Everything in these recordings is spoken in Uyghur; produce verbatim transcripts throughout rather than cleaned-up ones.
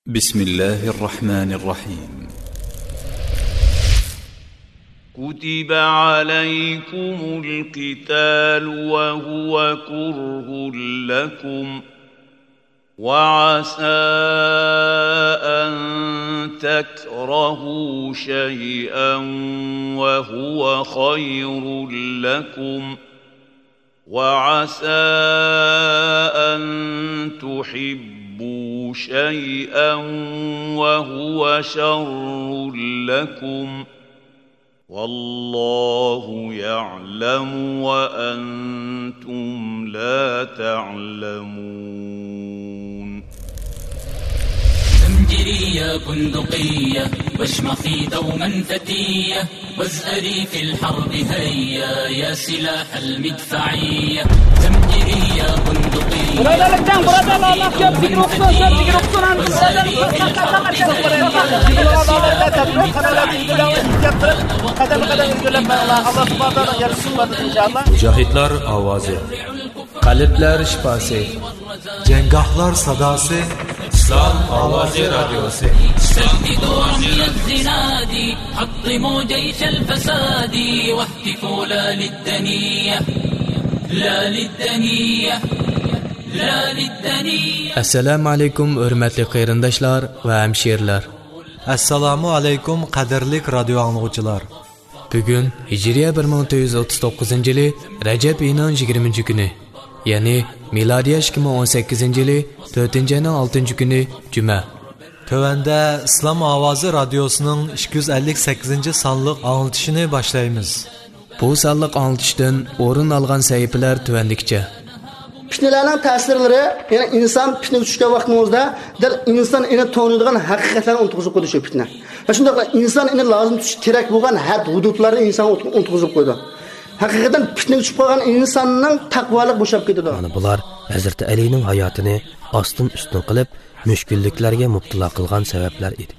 بسم الله الرحمن الرحيم. كتب عليكم القتال وهو كره لكم، وعسى أن تكرهوا شيئا وهو خير لكم، وعسى أن تحبوا شيئا وهو شر لكم، والله يعلم وأنتم لا تعلمون. زمجرية بندقية، واشمخي دوما فتية، وازأري في الحرب هيا، يا سلاح المدفعية. زمجرية بندقية، Biradar, biradar, Allah köpçülik olsun, köpçülik olsun, وازأري في الحرب هيا. قەدەممۇ قەدەم ئىلگىرىلەپ مېڭىڭلار. ئاللا سۇبھانەھۇ ۋە تائالا يار سۇپاتىدا، ئىنشائاللا. مۇجاھىدلار ئاۋازى. قەلبلەر شىپاسى. جەڭگاھلار ساداسى. ئىسلام ئاۋازى رادىيوسى. سددوا رمي الزناد، حطموا جيش الفساد، واهتفوا لا للدنية، لا للدنية، لا للدنية. ئەسسالامۇ ئەلەيكۇم، ھۆرمەتلىك قېرىنداشلار ۋە ھەمشىرىلەر. ئەسسالامۇ ئەلەيكۇم، قەدىرلىك رادىيو ئاڭلىغۇچىلار. بۈگۈن ھىجرىيە بىر مىڭ تۆت يۈز ئوتتۇز توققۇزىنچى يىلى رەجەب ئېيىنىڭ يىگىرمىنچى كۈنى، يەنى مىلادىيە ئىككى مىڭ ئون سەككىزىنچى يىلى تۆتىنچى ئاينىڭ ئالتىنچى كۈنى، جۈمە. تۆۋەندە ئىسلام ئاۋازى رادىيوسىنىڭ ئىككى يۈز ئەللىك سەككىزىنچى سانلىق ئاڭلىتىشىنى باشلايمىز. بۇ سانلىق ئاڭلىتىشتىن ئورۇن ئالغان سەھىپىلەر تۆۋەندىكىچە. پىتنىلەرنىڭ تەسىرلىرى، يەنى ئىنسان پىتنىگە چۈشكەن ۋاقتىمىزدا، دەل ئىنسان ئېنى تونۇيدىغان ھەقىقەتلەرنى ئۇنتۇغۇزۇپ قويىدۇ شۇ پىتنە. ۋە شۇنداقلا ئىنسان ئېنى لازىم تۇتۇشى كېرەك بولغان ھەد ھۇدۇدلارنى ئىنسان ئۇنتۇغۇزۇپ قويىدۇ. ھەقىقەتەن پىتنىگە چۈشۈپ قالغان ئىنساننىڭ تەقۋالىقى بوشاپ كېتىدۇ. مانا بۇلار ھەزرىتى ئەلىنىڭ ھاياتىنى ئاستىن ئۈستۈن قىلىپ، مۈشكۈللۈكلەرگە مۇپتىلا قىلغان سەۋەبلەر ئىدى.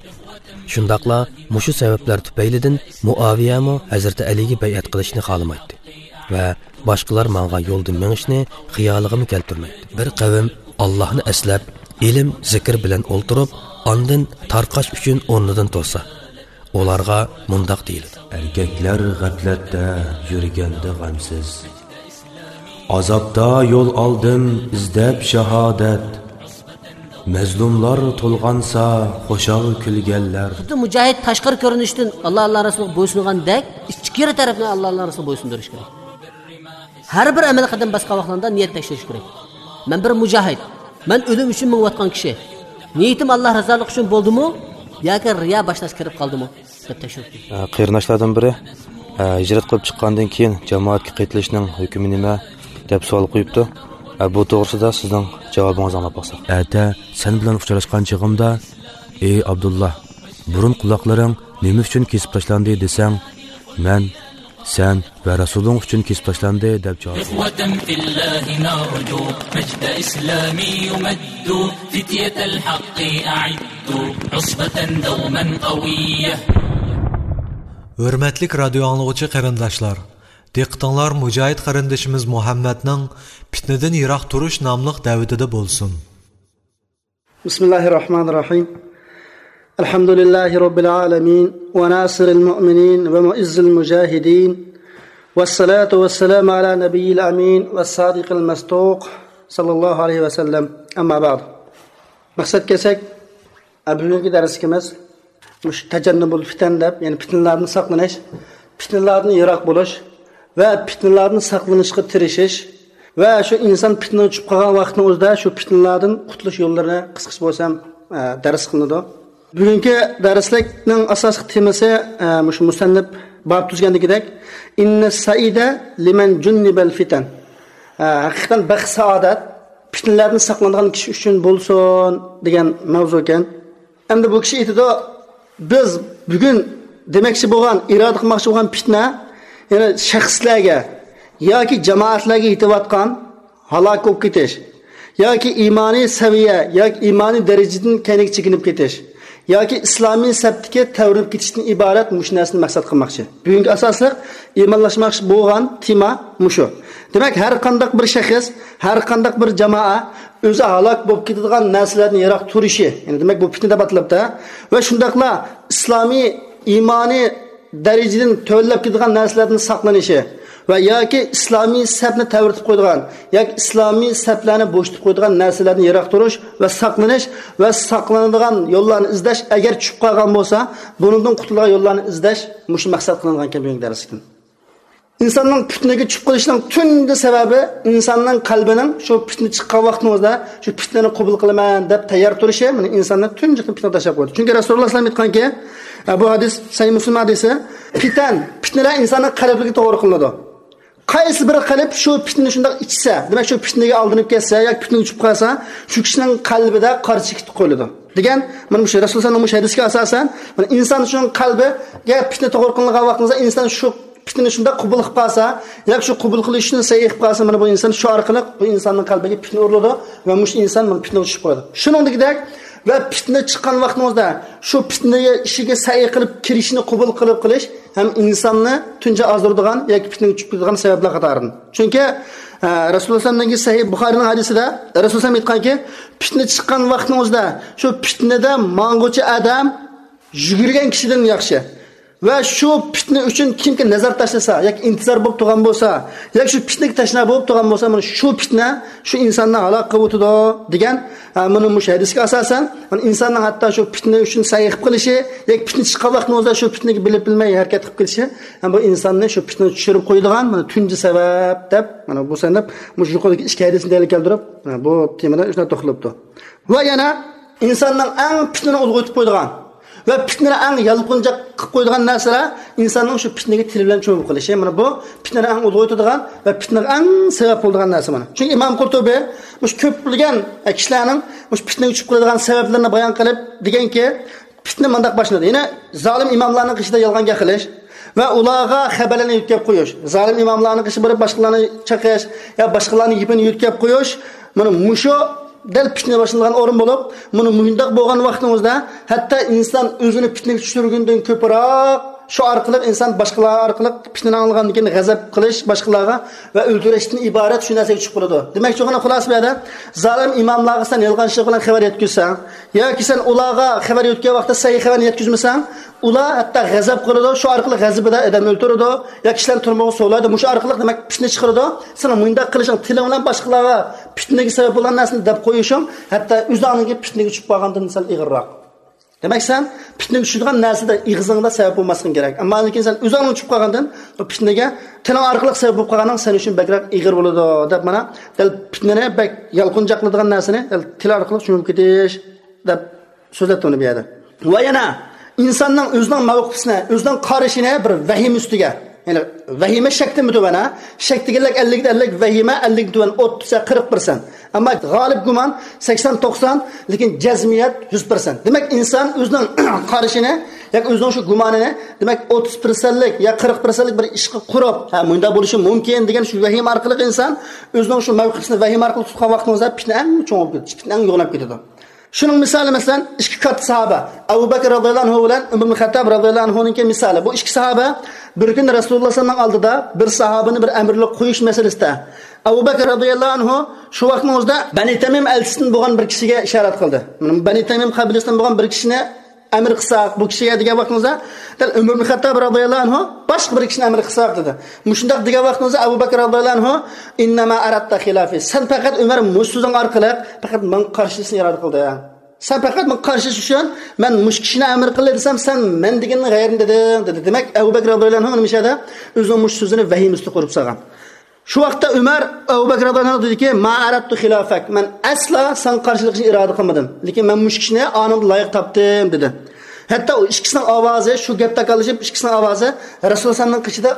شۇنداقلا مۇشۇ سەۋەبلەر تۈپەيلىدىن مۇئاۋىيەمۇ ھەزرىتى ئەلىگە بەيئەت قىلىشنى خالىمايتتى ۋە باشقىلار ماڭغان يولدىن مېڭىشنى خىيالىغىمۇ كەلتۈرمەيتتى. بىر قەۋم ئاللاھنى ئەسلەپ، ئىلىم، زىكىر بىلەن ئولتۇرۇپ، ئاندىن تارقاش ئۈچۈن ئورنىدىن تۇرسا، ئۇلارغا مۇنداق دېيىلىدۇ. ئەركەكلەر غەپلەتتە يۈرگەندە غەمسىز، ئازابتا يول ئالدىم ئىزدەپ شاھادەت. مەزلۇملار تولغانسا خۇشال كۈلگەنلەر. خۇددى مۇجاھىد تاشقىرى كۆرۈنۈشتىن ئاللا، ئاللا رەسۇلىغا بويسۇنغاندەك ئىچكىرى تەرەپنى ئاللا، ئاللا رەسۇلىغا بويسۇندۇرۇش كېرەك. ھەر بىر ئەمەل قەدەم باسقان ۋاقتىڭدا نىيەت تەكشۈرۈش كېرەك. مەن بىر مۇجاھىد. مەن ئۆلۈم ئۈچۈن مېڭىۋاتقان كىشى. نىيىتىم ئاللا رىزالىقى ئۈچۈن بولدىمۇ ياكى رىيا باشلاشقا كىرىپ قالدىمۇ دەپ تەكشۈرۈپ كۆرۈڭ. ئە، قېرىنداشلاردىن بىرى، ئە، ھىجرەت قىلىپ چىققاندىن كېيىن جامائەتكە قېتىلىشنىڭ ھۆكمى نېمە دەپ سوئال قويۇپتۇ. ئە، بۇ توغرىسىدا سىزنىڭ جاۋابىڭىزنى ئاڭلاپ باقساق. ئەتە سەن بىلەن ئۇچراشقان چېغىمدا، ئى ئابدۇللا، بۇرۇن قۇلاقلىرىڭ نېمە ئۈچۈن كېسىپ تاشلاندى دېسەڭ، مەن، سەن ۋە رەسۇلۇڭ ئۈچۈن كېسىپ تاشلاندى دەپ جاۋاب. إخوة في الله نرجو مجد إسلام يمد، فتية الحق أعدوا عصبة دوما قوية. ھۆرمەتلىك رادىيو ئاڭلىغۇچى قېرىنداشلار، دىققىتىڭلار مۇجاھىد قېرىندىشىمىز مۇھەممەدنىڭ پىتنىدىن يىراق تۇرۇش ناملىق دەۋىتىدە بولسۇن. بسم الله الرحمن الرحيم. الحمد لله رب العالمين، وناصر المؤمنين، ومعز المجاهدين، والصلاة والسلام على نبي الأمين، والصادق المصدوق، صلى الله عليه وسلم. أما بعد. مەقسەتكە كەلسەك، بۈگۈنكى دەرسلىكىمىز مۇشۇ تەجەننۇبۇل پىتەن دەپ، يەنى پىتنىلەردىن ساقلىنىش، پىتنىلەردىن يىراق بولۇش ۋە پىتنىلەردىن ساقلىنىشقا تىرىشىش ۋە شۇ ئىنسان پىتنىگە چۈشۈپ قالغان ۋاقىتنىڭ ئۆزىدە شۇ پىتنىلەردىن قۇتۇلۇش يوللىرىنى قىسقىچە بولسا ھەم، ئە، دەرس قىلىنىدۇ. بۈگۈنكى دەرسلىكنىڭ ئاساسلىق تېمىسى، ئە، مۇشۇ مۇسەننىپ باب تۈزگەندىكىدەك، «إن السعيد لمن جنب الفتن». ئە، ھەقىقەتەن بەخت سائادەت پىتنىلەردىن ساقلانغان كىشى ئۈچۈن بولسۇن دېگەن ماۋزۇ ئىكەن. ئەمدى بۇ كىشى ئېيتىدۇ، بىز بۈگۈن دېمەكچى بولغان، ئىرادە قىلماقچى بولغان پىتنە، يەنى شەخسلەرگە ياكى جامائەتلەرگە يېتىۋاتقان ھالاك بولۇپ كېتىش ياكى ئىمانىي سەۋىيە ياكى ئىمانىي دەرىجىدىن كەينىگە چېكىنىپ كېتىش ياكى ئىسلامىي سەپتىكى تەۋرىنىپ كېتىشتىن ئىبارەت مۇشۇ نەرسىنى مەقسەت قىلماقچى. بۈگۈنكى ئاساسلىق ئىمانلاشماقچى بولغان تېما مۇشۇ. دېمەك، ھەر قانداق بىر شەخس، ھەر قانداق بىر جامائە ئۆزى ھالاك بولۇپ كېتىدىغان نەرسىلەردىن يىراق تۇرۇشى، يەنى دېمەك، بۇ پىتنە دەپ ئاتىلىپتۇ. ۋە شۇنداقلا ئىسلامىي ئىمانىي دەرىجىدىن تۆۋەنلەپ كېتىدىغان نەرسىلەردىن ساقلىنىشى ۋە ياكى ئىسلامىي سەپنى تەۋرىتىپ قويىدىغان ياكى ئىسلامىي سەپلەرنى بوشىتىپ قويىدىغان نەرسىلەردىن يىراق تۇرۇش ۋە ساقلىنىش ۋە ساقلىنىدىغان يوللارنى ئىزدەش، ئەگەر چۈشۈپ قالغان بولسا، بۇنىڭدىن قۇتۇلىدىغان يوللارنى ئىزدەش مۇشۇ مەقسەت قىلىنغان ئىكەن بۈگۈنكى دەرستىن. ئىنساننىڭ پىتنىگە چۈشۈپ قېلىشىنىڭ تۇنجى سەۋەبى ئىنساننىڭ قەلبىنىڭ شۇ پىتنە چىققان ۋاقتىڭىزدا شۇ پىتنىنى قوبۇل قىلىمەن دەپ تەييار تۇرۇشى، مانا، ئىنساننى تۇنجى قېتىم پىتنىگە تاشلاپ قويىدۇ. چۈنكى رەسۇلۇللاھ ئەلەيھىسسالام ئېيتقانكى، بۇ ھەدىس سەھىھ مۇسلىم ھەدىسى، پىتەن، پىتنىلەر ئىنساننىڭ قەلبىگە توغرا قىلىنىدۇ. قايسى بىر قەلب شۇ پىتنىنى شۇنداق ئىچسە، دېمەك، شۇ پىتنىگە ئالدىنىپ كەتسە ياكى پىتنىگە چۈشۈپ قالسا، شۇ كىشىنىڭ قەلبىدە قارا چېكىت قويۇلىدۇ دېگەن، مانا مۇشۇ رەسۇلۇللاھنىڭ مۇشۇ ھەدىسىگە ئاساسەن، مانا ئىنسان شۇنىڭ قەلبىگە پىتنە توغرا قىلىنغان ۋاقتىڭىزدا، ئىنسان شۇ پىتنىنى شۇنداق قوبۇل قىلىپ قالسا، ياكى شۇ قوبۇل قىلىش ئۈچۈن سەي قىلىپ قالسا، مانا بۇ ئىنسان شۇ ئارقىلىق بۇ ئىنساننىڭ قەلبىگە پىتنە ئۇرۇلىدۇ ۋە مۇشۇ ئىنسان مانا پىتنىگە چۈشۈپ قالىدۇ. شۇنىڭدىكىدەك، ۋە پىتنە چىققان ۋاقتىڭىزدا شۇ پىتنە ئىشىگە سەي قىلىپ كىرىشنى قوبۇل قىلىپ قىلىش ھەم ئىنساننى تۇنجى ئازدۇرىدىغان ياكى پىتنىگە چۈشۈپ كېتىدىغان سەۋەبلەر قاتارىدىن. چۈنكى، ئە، رەسۇلۇللاھ ئەلەيھىسسالامنىڭ سەھىھ بۇخارىنىڭ ھەدىسىدە رەسۇلۇللاھ ئېيتقانكى، پىتنە چىققان ۋاقتىڭىزدا شۇ پىتنىدە ماڭغۇچى ئادەم يۈگۈرگەن كىشىدىن ياخشى. ۋە شۇ پىتنە ئۈچۈن كىمكى نەزەر تاشلىسا ياكى ئىنتىزار بولۇپ تۇرغان بولسا ياكى شۇ پىتنىگە تەشنا بولۇپ تۇرغان بولسا، مانا شۇ پىتنە شۇ ئىنساننى ھالاك قىلىۋېتىدۇ دېگەن، ھە، مانا مۇشۇ ھەدىسكە ئاساسەن، مانا ئىنساننىڭ ھەتتا شۇ پىتنە ئۈچۈن سەي قىلىپ قېلىشى ياكى پىتنە چىققان ۋاقتىنىڭ ئۆزىدە شۇ پىتنىگە بىلىپ بىلمەي ھەرىكەت قىلىپ قېلىشى، ھە، بۇ ئىنساننى شۇ پىتنىگە چۈشۈرۈپ قويىدىغان، مانا، تۇنجى سەۋەب دەپ، مانا بۇ سەندەپ مۇشۇ يۇقىرىدىكى ئىككى ھەدىسنى دەلىل كەلتۈرۈپ، ھە، بۇ تېمىدا شۇنداق توختىلىپتۇ. ۋە يەنە ئىنساننىڭ ئەڭ پىتنىنى ئۇلغىيىتىپ قويىدىغان ۋە پىتنىنى ئەڭ يالقۇنجاق قىلىپ قويىدىغان نەرسىلەر ئىنساننىڭ شۇ پىتنىگە تىلى بىلەن چۆمۈپ قېلىشى. مانا بۇ پىتنىنى ئەڭ ئۇلغىيىتىدىغان ۋە پىتنىگە ئەڭ سەۋەب بولىدىغان نەرسە مانا. چۈنكى ئىمام قۇرتۇبى مۇشۇ كۆپلىگەن كىشىلەرنىڭ مۇشۇ پىتنىگە چۈشۈپ قېلىدىغان سەۋەبلىرىنى بايان قىلىپ دېگەنكى، پىتنە مۇنداق باشلىنىدۇ. يەنە زالىم ئىماملارنىڭ قېشىدا يالغان گەپ قىلىش ۋە ئۇلارغا خەۋەرلەرنى يۆتكەپ قويۇش، زالىم ئىماملارنىڭ قېشىغا بېرىپ باشقىلارنى چېقىش يا باشقىلارنىڭ گېپىنى يۆتكەپ قويۇش، مانا مۇشۇ دەل پىتنە باشلىنىدىغان ئورۇن بولۇپ، مانا مۇنداق بولغان ۋاقتىڭىزدا ھەتتا ئىنسان ئۆزىنى پىتنىگە چۈشۈرگىنىدىن كۆپرەك شۇ ئارقىلىق ئىنسان باشقىلار ئارقىلىق پىتنىنى ئاڭلىغاندىن كېيىن غەزەپ قىلىش باشقىلارغا ۋە ئۆلتۈرۈشتىن ئىبارەت شۇ نەرسىگە چۈشۈپ قالىدۇ. دېمەكچى بولغىنى خۇلاسە بۇ يەردە زالىم ئىماملارغا سەن يالغانچىلىق بىلەن خەۋەر يەتكۈزسەڭ ياكى سەن ئۇلارغا خەۋەر يۆتكەپ ۋاقىتتا سەي خەۋەرنى يەتكۈزمىسەڭ، ئۇلار ھەتتا غەزەپ قىلىدۇ، شۇ ئارقىلىق غەزىپىدە ئادەم ئۆلتۈرىدۇ يا كىشىلەرنى تۈرمىگە سولايدۇ. مۇشۇ ئارقىلىق دېمەك پىتنە چىقىرىدۇ. سېنىڭ مۇنداق قىلىشىڭ، تىلىڭ بىلەن باشقىلارغا پىتنىگە سەۋەب بولغان نەرسىنى دەپ قويۇشۇڭ ھەتتا ئۆزۈڭنىڭكى پىتنىگە چۈشۈپ قالغاندىن سەل ئېغىرراق. دېمەك سەن پىتنىگە چۈشىدىغان نەرسىدە ئېغىزىڭدا سەۋەب بولماسلىقىڭ كېرەك. ئەمما لېكىن سەن ئۆزۈڭنىڭ چۈشۈپ قالغاندىن، بۇ پىتنىگە تىلىڭ ئارقىلىق سەۋەب بولۇپ قالغانىڭ سەن ئۈچۈن بەكرەك ئېغىر بولىدۇ دەپ، مانا دەل پىتنىنى بەك يالقۇنجاقلىدىغان نەرسىنى دەل تىل ئارقىلىق چۈمۈپ كېتىش دەپ سۆزلەپتۇ ئۇنى بۇ يەردە. ۋە يەنە ئىنساننىڭ ئۆزىنىڭ مەۋقىپىسىنى، ئۆزىنىڭ قارىشىنى بىر ۋەھىمە ئۈستىگە، يەنى ۋەھىمە شەكتىن تۆۋەن، ھە؟ شەك دېگەنلىك ئەللىك، ئەللىك، ۋەھىمە ئەللىكتىن تۆۋەن، ئوتتۇز يا قىرىق پىرسەنت. ئەمما غالىب گۇمان سەكسەن توقسان، لېكىن جەزمىيەت يۈز پىرسەنت. دېمەك ئىنسان ئۆزىنىڭ قارىشىنى ياكى ئۆزىنىڭ شۇ گۇمانىنى، دېمەك ئوتتۇز پىرسەنتلىك يا قىرىق پىرسەنتلىك بىر ئىشقا قۇرۇپ، ھە، مۇنداق بولۇشى مۇمكىن دېگەن شۇ ۋەھىمە ئارقىلىق ئىنسان ئۆزىنىڭ شۇ مەۋقىپىسىنى ۋەھىمە ئارقىلىق تۇتقان ۋاقتىڭىزدا پىتنە ئەڭ چوڭ بولۇپ كېتىدۇ، پىتنە ئەڭ يوغىناپ كېتىدۇ. شۇنىڭ مىسالى، مەسىلەن، ئىككى كاتتا ساھابە، ئەبۇ بەكرى رازىياللاھۇ ئەنھۇ بىلەن ئۆمەر ئىبن خەتتاب رازىياللاھۇ ئەنھۇنىڭكى مىسالى. بۇ ئىككى ساھابە بىر كۈنى رەسۇلۇللاھ سەللەللاھۇ ئەلەيھى ۋەسەللەمنىڭ ئالدىدا بىر ساھابىنى بىر ئەمىرلىك قويۇش مەسىلىسىدە، ئەبۇ بەكرى رازىياللاھۇ ئەنھۇ شۇ ۋاقىتنىڭ ئۆزىدە بەنى تەمىم ئەلچىسىدىن بولغان بىر كىشىگە ئىشارەت قىلدى. بەنى تەمىم قەبىلىسىدىن بولغان بىر كىشىنى ئەمىر قىلساق، بۇ كىشىگە دېگەن ۋاقتىڭىزدا، دەل ئۆمەر ئىبن خەتتاب رازىياللاھۇ ئەنھۇ باشقا بىر كىشىنى ئەمىر قىلساق دېدى. مۇشۇنداق دېگەن ۋاقتىڭىزدا ئەبۇ بەكرى رازىياللاھۇ ئەنھۇ، ئىننەما ئەرەدتە خىلافى، سەن پەقەت ئۆمەر مۇشۇ سۆزۈڭ ئارقىلىق پەقەت ماڭا قارشى ئىشنى ئىرادە قىلدىڭ. سەن پەقەت ماڭا قارشى ئىش ئۈچۈن مەن مۇشۇ كىشىنى ئەمىر قىلدى دېسەم، سەن مەن دېگەننىڭ غەيرىنى دېدىڭ دېدى. دېمەك ئەبۇ بەكرى رازىياللاھۇ ئەنھۇ نېمە ئىش ئەدە ئۆزىنىڭ مۇشۇ سۆزىنى ۋەھىمە ئۈستىگە قۇرۇپ سالغان. شۇ ۋاقىتتا ئۆمەر ئەبۇ بەكرى رازىياللاھۇ ئەنھۇ دېدىكى، ما ئەرەدتۇ خىلافەك، مەن ئەسلا ساڭا قارشىلىق ئىشنى ئىرادە قىلمىدىم، لېكىن مەن مۇشۇ كىشىنى ئانىڭدىن لايىق تاپتىم دېدى. ھەتتا ئۇ ئىككىسىنىڭ ئاۋازى، شۇ گەپ تاكاللىشىپ ئىككىسىنىڭ ئاۋازى رەسۇلۇللاھ ئەلەيھىسسالامنىڭ قېشىدا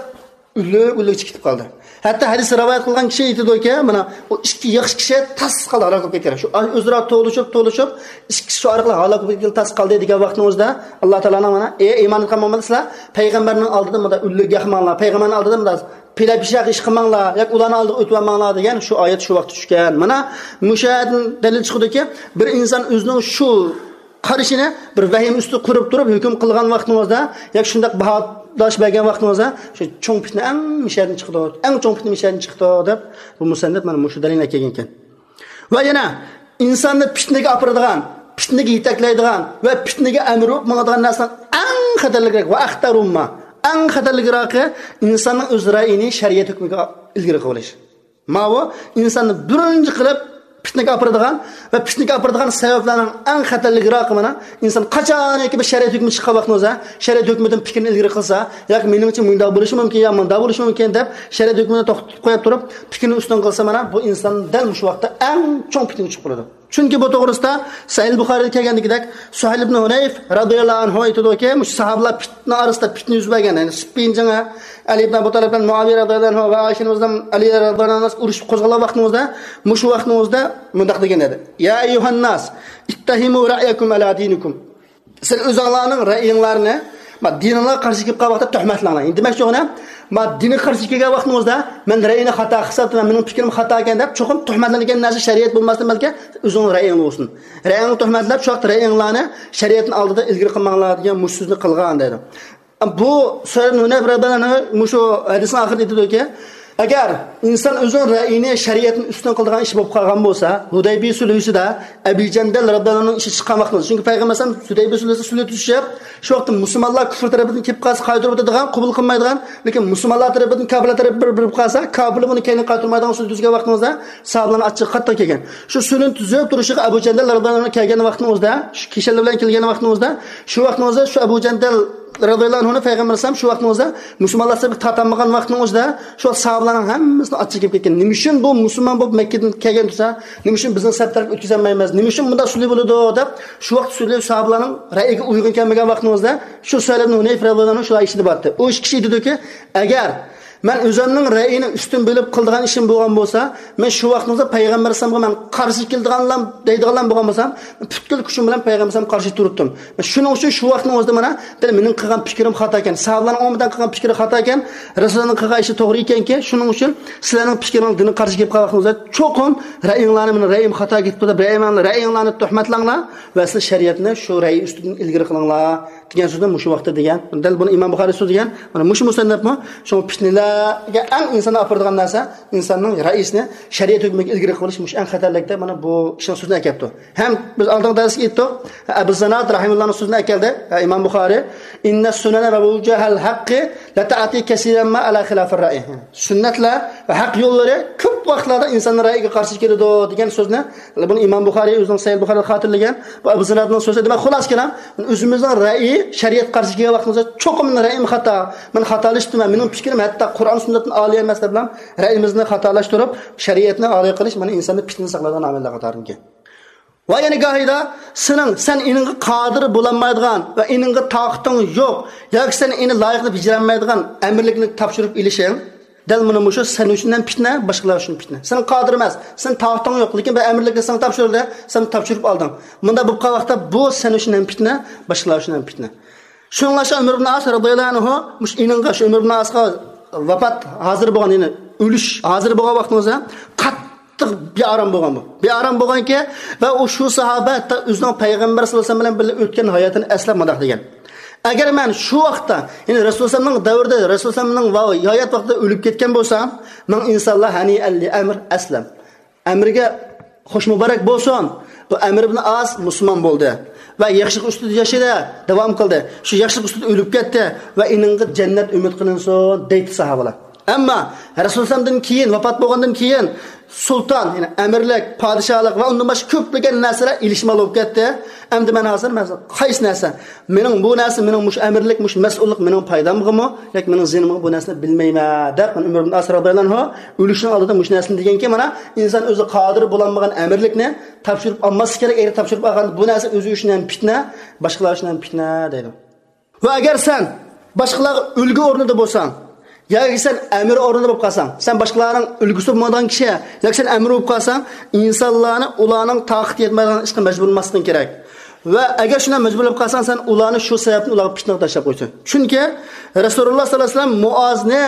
ئۈنلۈك ئۈنلۈك چىقىپ قالدى. ھەتتا ھەدىسنى رىۋايەت قىلغان كىشى ئېيتىدۇكى، مانا ئۇ ئىككى ياخشى كىشى تاس قالدى، ھالاك بولۇپ كەتكەن. شۇ ئۆزئارا توۋلىشىپ توۋلىشىپ ئىككىسى شۇ ئارقىلىق ھالاك بولۇپ كەتكىلى تاس قالدى دېگەن ۋاقتىنىڭ ئۆزىدە ئاللا تائالانىڭ مانا، ئەي ئىمان ئېيتقان مۆمىنلەر، سىلەر پەيغەمبەرنىڭ ئالدىدا مۇنداق ئۈنلۈك ياقماڭلار، پەيغەمبەرنىڭ ئالدىدا مۇنداق پىلە پىشاق ئىش قىلماڭلار ياكى ئۇلارنىڭ ئالدىغا ئۆتۈۋالماڭلار دېگەن شۇ ئايەت شۇ ۋاقىتتا چۈشكەن. مانا مۇشۇ ئايەتتىن دەلىل چىقىدۇكى، بىر ئىنسان ئۆزىنىڭ شۇ قارىشىنى بىر ۋەھىمە ئۈستىدە قۇرۇپ تۇرۇپ ھۆكۈم قىلغان ۋاقتىڭىزدا ياكى شۇنداق باھاداش بەرگەن ۋاقتىڭىزدا، شۇ چوڭ پىتنە ئەڭ مۇشۇ يەردىن چىقىدۇ، ئەڭ چوڭ پىتنە مۇشۇ يەردىن چىقىدۇ دەپ، بۇ مۇسەننىپ مانا مۇشۇ دەلىلنى ئەكەلگەنىكەن. ۋە يەنە ئىنساننى پىتنىگە ئاپىرىدىغان، پىتنىگە يېتەكلەيدىغان ۋە پىتنىگە ئەمىر بولۇپ ماڭىدىغان نەرسىنىڭ ئەڭ خەتەرلىكرەك، ۋە ئەختەرۇمما، ئەڭ خەتەرلىكراقى ئىنساننىڭ ئۆز رەئيىنى شەرىئەت ھۆكمىگە ئىلگىرى قىلىۋېلىش. ماۋۇ ئىنساننى بىرىنچى قىلىپ پىتنىگە ئاپىرىدىغان ۋە پىتنىگە ئاپىرىدىغان سەۋەبلەرنىڭ ئەڭ خەتەرلىكراقى مانا، ئىنسان قاچانكى بىر شەرىئەت ھۆكمى چىققان ۋاقتىڭىزدا، شەرىئەت ھۆكمىدىن پىكرىنى ئىلگىرى قىلسا، ياكى مېنىڭچە مۇنداق بولۇشى مۇمكىن، يا مۇنداق بولۇشى مۇمكىن دەپ، شەرىئەت ھۆكمىنى توختىتىپ قويۇپ تۇرۇپ، پىكرىنى ئۈستۈن قىلسا، مانا بۇ ئىنسان دەل مۇشۇ ۋاقىتتا ئەڭ چوڭ پىتنىگە چۈشۈپ قالىدۇ. چۈنكى بۇ توغرىسىدا سەھىھ بۇخارىدا كەلگەندىكىدەك، سۇھەيل ئىبن ھۇنەيف رازىياللاھۇ ئەنھۇ ئېيتىدۇكى، مۇشۇ ساھابىلار پىتنە ئارىسىدا پىتنە يۈز بەرگەن، يەنى سىپپىن جېڭى، ئەلى ئىبن ئەبۇ تالىپ بىلەن مۇئاۋىيە رازىياللاھۇ ئەنھۇ ۋە ئائىشە ئانىمىز بىلەن ئەلى رازىياللاھۇ ئەنھۇ ئۇرۇشۇپ قوزغالغان ۋاقتىڭىزدا، مۇشۇ ۋاقتىڭىزدا مۇنداق دېگەن ئىدى: يا ئەييۇھەنناس، ئىتتەھىمۇ رەئيەكۇم ئەلا دىنىكۇم. سىز ئۆزۈڭلارنىڭ رەئيىڭلارنى، ما، دىنىڭلارغا قارشى كېلىپ قالغان ۋاقىتتا تۆھمەتلەڭلار. ئەمدى دېمەكچى بولغىنى، ما، دىنغا قارشى كەلگەن ۋاقتىڭىزدا، مەن رەئيىنى خاتا ھېسابلايمەن، مېنىڭ پىكرىم خاتا ئىكەن دەپ، چوقۇم تۆھمەتلەنگەن نەرسە شەرىئەت بولماستىن بەلكى ئۆزۈڭنىڭ رەئيىڭ بولسۇن. رەئيىڭنى تۆھمەتلەپ، شۇ ۋاقىت رەئيىڭلارنى شەرىئەتنىڭ ئالدىدا ئىلگىرى قىلماڭلار دېگەن مۇشۇ سۆزنى قىلغان دەيدۇ. بۇ سۇھەيل ھۇنەيف رەزىياللاھۇ ئەنھۇ مۇشۇ ھەدىسنىڭ ئاخىرىدا ئېيتىدۇكى، ئەگەر ئىنسان ئۆزىنىڭ رەئيىنى شەرىئەتنى ئۈستۈن قىلىدىغان ئىش بولۇپ قالغان بولسا، ھۇدەيبىيە سۈلھىسىدە ئەبى جەندەل رەزىياللاھۇ ئەنھۇنىڭ ئىشى چىققان ۋاقتىدا، چۈنكى پەيغەمبەر ئەلەيھىسسالام ھۇدەيبىيە سۈلھىسىدە سۈلھە تۈزۈشۈپ، شۇ ۋاقىتتا مۇسۇلمانلار كۈفر تەرىپىدىن كېلىپ قالسا قايتۇرۇپ ئۆتىدىغان، قوبۇل قىلمايدىغان، لېكىن مۇسۇلمانلار تەرىپىدىن كاپىرلار تەرىپى بىر، بىر بولۇپ قالسا، كاپىرلار بۇنى كەينىگە قايتۇرمايدىغان سۈلھە تۈزگەن ۋاقتىڭىزدا ساھابىلارنىڭ ئاچچىقى قاتتىق كەلگەن. شۇ سۈلھىنى تۈزۈپ تۇرۇشىغا ئەبۇ جەندەل رەزىياللاھۇ ئەنھۇ كەلگەن ۋاقتىڭىزدا، شۇ كىشەنلەر بىلەن كەلگەن ۋاقتىڭىزدا، شۇ ۋاقتىڭىزدا شۇ ئەبۇ جەندەل رەزىياللاھۇ ئەنھۇنى پەيغەمبەر ئەلەيھىسسالام شۇ ۋاقتىڭىزدا مۇسۇلمانلار سەپكە تارتالمىغان ۋاقتىڭىزدا، شۇ ساھابىلارنىڭ ھەممىسىنىڭ ئاچچىقى كېلىپ كەتكەن. نېمە ئۈچۈن بۇ مۇسۇلمان بولۇپ مەككىدىن كەلگەن تۇرسا، نېمە ئۈچۈن بىزنىڭ سەپ تەرەپكە ئۆتكۈزەلمەيمىز؟ نېمە ئۈچۈن بۇنداق سۈلھە بولىدۇ؟ دەپ، شۇ ۋاقىت سۈلھە ساھابىلارنىڭ رەئيىگە ئۇيغۇن كەلمىگەن ۋاقتىڭىزدا، شۇ سۇھەيل ئىبن ھۇنەيف رەزىياللاھۇ ئەنھۇ شۇ ئىشىنى بارتى. ئۇ ئىككى كىشى ئېيتىدۇكى، ئەگەر مەن ئۆزۈمنىڭ رەئيىنى ئۈستۈن بىلىپ قىلىدىغان ئىشىم بولغان بولسا، مەن شۇ ۋاقتىڭىزدا پەيغەمبەر ئەلەيھىسسالامغا مەن قارشى كېلىدىغانلام دەيدىغانلام بولغان بولسام، پۈتكۈل كۈچۈم بىلەن پەيغەمبەر ئەلەيھىسسالامغا قارشى تۇرۇتتۇم. شۇنىڭ ئۈچۈن شۇ ۋاقتىڭىزدا مانا دەل مېنىڭ قىلغان پىكرىم خاتا ئىكەن، ساھابىلارنىڭ ئومۇمەن قىلغان پىكرى خاتا ئىكەن، رەسۇلۇللانىڭ قىلغان ئىشى توغرا ئىكەنكى، شۇنىڭ ئۈچۈن سىلەرنىڭ پىكرىڭىز دىنغا قارشى كېلىپ قالغان ۋاقتىڭىزدا چوقۇم رەئيىڭلارنى، مېنىڭ رەئيىم خاتا كېتىپتۇ دەپ، رەئيىڭلارنى، رەئيىڭلارنى تۆھمەتلەڭلار ۋە سىلەر شەرىئەتنى شۇ رەئيى ئۈستىدىن ئىلگىرى قىلىڭلار دېگەن سۆزنى مۇشۇ ۋاقىتتا دېگەن. دەل بۇنى ئىمام بۇخارىي سۆزلىگەن. مانا مۇشۇ مۇسەننەپمۇ شۇڭا پىتنىلەرگە ئەڭ ئىنساننى ئاپىرىدىغان نەرسە، ئىنساننىڭ رەئىسىنى شەرىئەت ھۆكمىگە ئىلگىرى قىلىش مۇشۇ ئەڭ خەتەرلىك دەپ، مانا بۇ ئىشنىڭ سۆزىنى ئەكەپتۇ. ھەم بىز ئالدىنقى دەرستە ئېيتتۇق، ئەبۇ زىناد رەھىمۇللانىڭ سۆزىنى ئەكەلدى، ئە، ئىمام بۇخارىي، «ئىننە سۇنەنە ۋە ۋۇجەھەل ھەققى لەتەئتى كەسىرەن ما ئەلا خىلاپىر رەئى.» سۈننەتلەر ۋە ھەق يوللىرى كۆپ ۋاقىتلاردا ئىنساننىڭ رەئىگە قارشى كېلىدۇ دېگەن سۆزنى بۇنى ئىمام بۇخارىي ئۆزىنىڭ سەھىھ بۇخارىدا خاتىرىلىگەن. بۇ ئەبۇ زىنادنىڭ سۆزى. دېمەك، خۇلاسە كېلام، ئۆزىمىزنىڭ رەئىي شەرىئەت قارشى كەلگەن ۋاقتىمىزدا چوقۇم مېنىڭ رەئىيىم خاتا، مەن خاتالىشىپتىمەن، مېنىڭ پىكرىم ھەتتا قۇرئان سۈننەتتىن ئالىي ئەمەس دەپلا رەئىيىمىزنى خاتالاشتۇرۇپ، شەرىئەتنى ئالىي قىلىش مانا ئىنساننى پىتنە ساقلايدىغان ئامىللار قاتارىدىكەن. ۋە يەنە گاھىدا سېنىڭ، سەن ئېنىڭغا قادىر بولالمايدىغان ۋە ئېنىڭغا تاقىتىڭ يوق ياكى سەن ئېنى لايىقىدا بېجىرەلمەيدىغان ئەمىرلىكنى تاپشۇرۇپ ئېلىشىڭ، دەل مانا مۇشۇ سەن ئۈچۈن ھەم پىتنە، باشقىلار ئۈچۈن پىتنە. سەن قادىر ئەمەس، سەن تاقىتىڭ يوق، لېكىن بىر ئەمىرلىكنى ساڭا تاپشۇردى، سەن تاپشۇرۇپ ئالدىڭ. مۇنداق بولۇپ قالغان ۋاقىتتا بۇ سەن ئۈچۈن ھەم پىتنە، باشقىلار ئۈچۈن ھەم پىتنە. شۇنىڭلاشقا ئۆمەر ئىبن ئاس رازىياللاھۇ ئەنھۇ مۇشۇ ئېنىڭغا، شۇ ئۆمەر ئىبن ئاسقا ۋاپات ھازىر بولغان، يەنى ئۆلۈش ھازىر بولغان ۋاقتىڭىزدا قاتتىق بىئارام بولغان بۇ. بىئارام بولغانكى، ۋە ئۇ شۇ ساھابە ھەتتا ئۆزىنىڭ پەيغەمبەر سەللەللاھۇ ئەلەيھى ۋەسەللەم بىلەن بىللە ئۆتكەن ھاياتىنى ئەسلەپ مۇنداق دېگەن: «ئەگەر مەن شۇ ۋاقىتتا، يەنى رەسۇلۇللانىڭ دەۋرىدە، رەسۇلۇللانىڭ ۋا-، ھايات ۋاقتىدا ئۆلۈپ كەتكەن بولسام، ماڭا ئىنسانلار ھەنىئەن لىئەمر ئەسلەم.» ئەمىرگە خوش مۇبارەك بولسۇن. بۇ ئەمر ئىبن ئاس مۇسۇلمان بولدى ۋە ياخشىلىق ئۈستىدە ياشىدى، داۋام قىلدى. شۇ ياخشىلىق ئۈستىدە ئۆلۈپ كەتتى ۋە ئېنىڭغا جەننەت ئۈمىد قىلىنسۇن، دەيتتى ساھابىلار. ئەمما رەسۇلۇللانىڭدىن كېيىن، ۋاپات بولغاندىن كېيىن، سۇلتان، يەنى ئەمىرلىك، پادىشاھلىق ۋە ئۇندىن باشقا كۆپلىگەن نەرسىلەر ئېلىشمال بولۇپ كەتتى. ئەمدى مەن ھازىر، مەن قايسى نەرسە؟ مېنىڭ بۇ نەرسە، مېنىڭ مۇشۇ ئەمىرلىك، مۇشۇ مەسئۇللۇق مېنىڭ پايدامغىمۇ ياكى مېنىڭ زىيىنىمغا، بۇ نەرسىنى بىلمەيمەن دەپ، مانا ئۆمەر ئىبن ئاس رازىياللاھۇ ئەنھۇ ئۆلۈشنىڭ ئالدىدا مۇشۇ نەرسىنى دېگەنكى، مانا ئىنسان ئۆزى قادىر بولالمىغان ئەمىرلىكنى تاپشۇرۇپ ئالماسلىق كېرەك. ئەگەر تاپشۇرۇپ ئالغان، بۇ نەرسە ئۆزى ئۈچۈن ھەم پىتنە، باشقىلار ئۈچۈن ھەم پىتنە دەيدۇ. ۋە ئەگەر سەن باشقىلارغا ئۈلگە ئورنىدا بولساڭ، ياكى سەن ئەمىر ئورنىدا بولۇپ قالساڭ، سەن باشقىلارنىڭ ئۈلگىسى بولمايدىغان كىشى، ياكى سەن ئەمىر بولۇپ قالساڭ، ئىنسانلارنى ئۇلارنىڭ تاقىتى يەتمەيدىغان ئىشقا مەجبۇرلىماسلىقىڭ كېرەك. ۋە ئەگەر شۇنداق مەجبۇرلاپ قالساڭ، سەن ئۇلارنى شۇ سەۋەبتىن ئۇلارغا پىتنىگە تاشلاپ قويىسەن. چۈنكى رەسۇلۇللا سەللەللاھۇ ئەلەيھى ۋەسەللەم مۇئازنى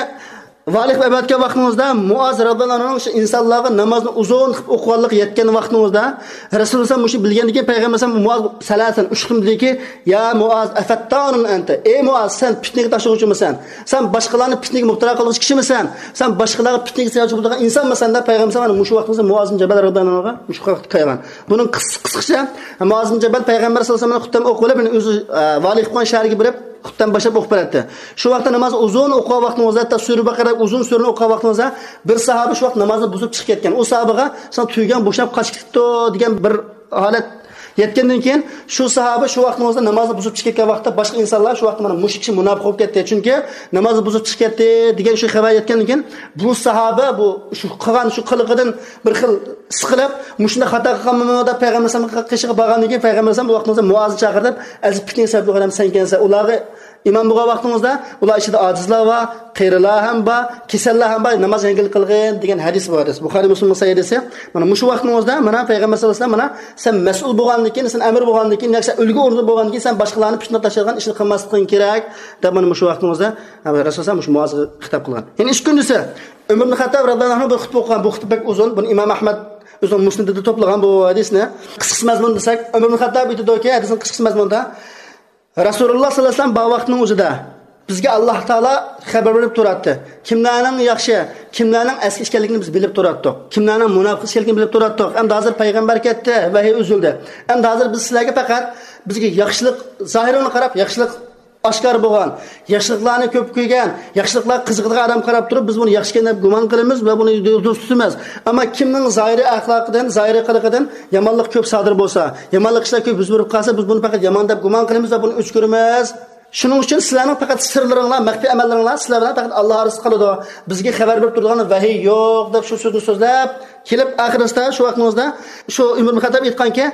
ۋالىي قىلىپ ئەۋەتكەن ۋاقتىڭىزدا مۇئاز رازىياللاھۇ ئەنھۇنىڭ شۇ ئىنسانلارغا نامازنى ئۇزۇن قىلىپ ئوقۇغانلىقى يەتكەن ۋاقتىڭىزدا، رەسۇلۇللاھ مۇشۇ بىلگەندىن كېيىن پەيغەمبەر ئەلەيھىسسالام مۇئاز سەلەسەن ئۈچ قېتىم دېدىكى، يا مۇئاز، ئەفەتتانۇن ئەنتە، ئەي مۇئاز، سەن پىتنىگە تاشلىغۇچىمىسەن؟ سەن باشقىلارنى پىتنىگە مۇپتىلا قىلغۇچى كىشىمىسەن؟ سەن باشقىلارغا پىتنىگە سەۋەبچى بولىدىغان ئىنسانمىسەن؟ دەپ پەيغەمبەر ئەلەيھىسسالام مۇشۇ ۋاقتىڭىزدا مۇئاز ئىبن جەبەل رازىياللاھۇ ئەنھۇغا مۇشۇ ۋاقىتتا كەلگەن. بۇنىڭ قىس-، قىسقىچە، مۇئاز ئىبن جەبەل پەيغەمبەر سەللەللاھۇ ئەلەيھى ۋەسەللەم خۇتبە ئوقۇپ بولۇپ، يەنە ئۆزى، ئە، ۋالىي قىلىپ قويغان شەھەرگە بېرىپ، خۇتبىنى باشلاپ ئوقۇپ بېرەتتى. شۇ ۋاقىتتا ناماز ئۇزۇن ئوقۇغان ۋاقتىڭىزدا، ھەتتا سۈرە بەقەرە ئۇزۇن سۈرىنى ئوقۇغان ۋاقتىڭىزدا، بىر ساھابە شۇ ۋاقىت نامازنى بۇزۇپ چىقىپ كەتكەن. ئۇ ساھابىغا، ساڭا تۈگەن بوشاپ قاچىپ كېتىپتۇ دېگەن بىر ھالەت يەتكەندىن كېيىن، شۇ ساھابە شۇ ۋاقتىڭىزدا نامازنى بۇزۇپ چىقىپ كەتكەن ۋاقىتتا، باشقا ئىنسانلار شۇ ۋاقىتتا مانا مۇشۇ كىشى مۇناپىق بولۇپ كەتتى، چۈنكى نامازنى بۇزۇپ چىقىپ كەتتى دېگەن شۇ خەۋەر يەتكەندىن كېيىن، بۇ ساھابە بۇ شۇ قىلغان شۇ قىلىقىدىن بىر خىل سىقىلىپ، مۇشۇنداق خاتا قىلغانمەنمۇ دەپ پەيغەمبەر ئەلەيھىسسالامغا قېشىغا بارغاندىن كېيىن، پەيغەمبەر ئەلەيھىسسالام بۇ ۋاقتىڭىزدا مۇئازنى چاقىرىپ، ئەزىپ پىتنىگە سەۋەب بولغان ئادەم سەنكەنسەن. ئۇلارغا ئىمام بولغان ۋاقتىڭىزدا، ئۇلار ئىچىدە ئاجىزلار بار، قېرىلار ھەم بار، كېسەللەر ھەم بار، ناماز يەڭگىل قىلغىن دېگەن ھەدىس بار. ھەدىس بۇخارىي مۇسلىمنىڭ سەھىھ ھەدىسى. مانا مۇشۇ ۋاقتىڭىزدا، مانا پەيغەمبەر سەللەللاھۇ ئەلەيھى ۋەسەللەم، مانا سەن مەسئۇل بولغاندىن كېيىن، سەن ئەمىر بولغاندىن كېيىن، ياكى سەن ئۈلگە ئورنىدا بولغاندىن كېيىن، سەن باشقىلارنى پىتنە تاشلايدىغان ئىشنى قىلماسلىقىڭ كېرەك، دەپ مانا مۇشۇ ۋاقتىڭىزدا رەسۇلۇللاھ مۇشۇ مۇئازغا خىتاب قىلغان. يەنە ئىككىنچىسى، ئۆمەر ئىبن خەتتاب رازىياللاھۇ ئەنھۇ بىر خۇتبە ئوقۇغان. بۇ خۇتبە بەك ئۇزۇن. بۇنى ئىمام ئەھمەد ئۆزىنىڭ مۇسنىدىدا توپلىغان بۇ ھەدىسنى. قىسقىسى مەزمۇن دېسەك، ئۆمەر ئىبن خەتتاب ئېيتىدۇكى، ھەدىسنىڭ قىسقىسى مەزمۇندا، رەسۇلۇللاھ سەللەللاھۇ ئەلەيھى ۋەسەللەم بار ۋاقتىنىڭ ئۆزىدە بىزگە ئاللاھ تائالا خەۋەر بېرىپ تۇراتتى. كىملەرنىڭ ياخشى، كىملەرنىڭ ئەسكى ئىكەنلىكىنى بىز بىلىپ تۇراتتۇق. كىملەرنىڭ مۇناپىق ئىكەنلىكىنى بىلىپ تۇراتتۇق. ئەمدى ھازىر پەيغەمبەر كەتتى، ۋەھىي ئۈزۈلدى. ئەمدى ھازىر بىز سىلەرگە پەقەت بىزگە ياخشىلىق، زاھىرىغا قاراپ ياخشىلىق ئاشكارا بولغان، ياخشىلىقلارنى كۆپ كۆرگەن، ياخشىلىقلارغا قىزىقىدىغان ئادەمگە قاراپ تۇرۇپ، بىز بۇنى ياخشى ئىكەن دەپ گۇمان قىلىمىز ۋە بۇنى دوست تۇتىمىز. ئەمما كىمنىڭ زاھىرىي ئەخلاقىدىن، زاھىرىي قىلىقىدىن يامانلىق كۆپ سادىر بولسا، يامانلىق ئىشلار كۆپ يۈز بېرىپ قالسا، بىز بۇنى پەقەت يامان دەپ گۇمان قىلىمىز ۋە بۇنى ئۆچ كۆرىمىز. شۇنىڭ ئۈچۈن سىلەرنىڭ پەقەت سىرلىرىڭلار، مەخپىي ئەمەللىرىڭلار سىلەر بىلەن پەقەت ئاللاھ ئارىسىدا قالىدۇ. بىزگە خەۋەر بېرىپ تۇرىدىغان ۋەھىي يوق، دەپ شۇ سۆزنى سۆزلەپ كېلىپ، ئاخىرىسىدا شۇ ۋاقتىڭىزدا شۇ ئۆمەر ئىبن خەتتاب ئېيتقانكى،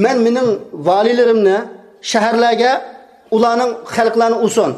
مەن مېنىڭ ۋالىيلىرىمنى شەھەرلەرگە ئۇلارنىڭ خەلقلەرنى ئۇرسۇن،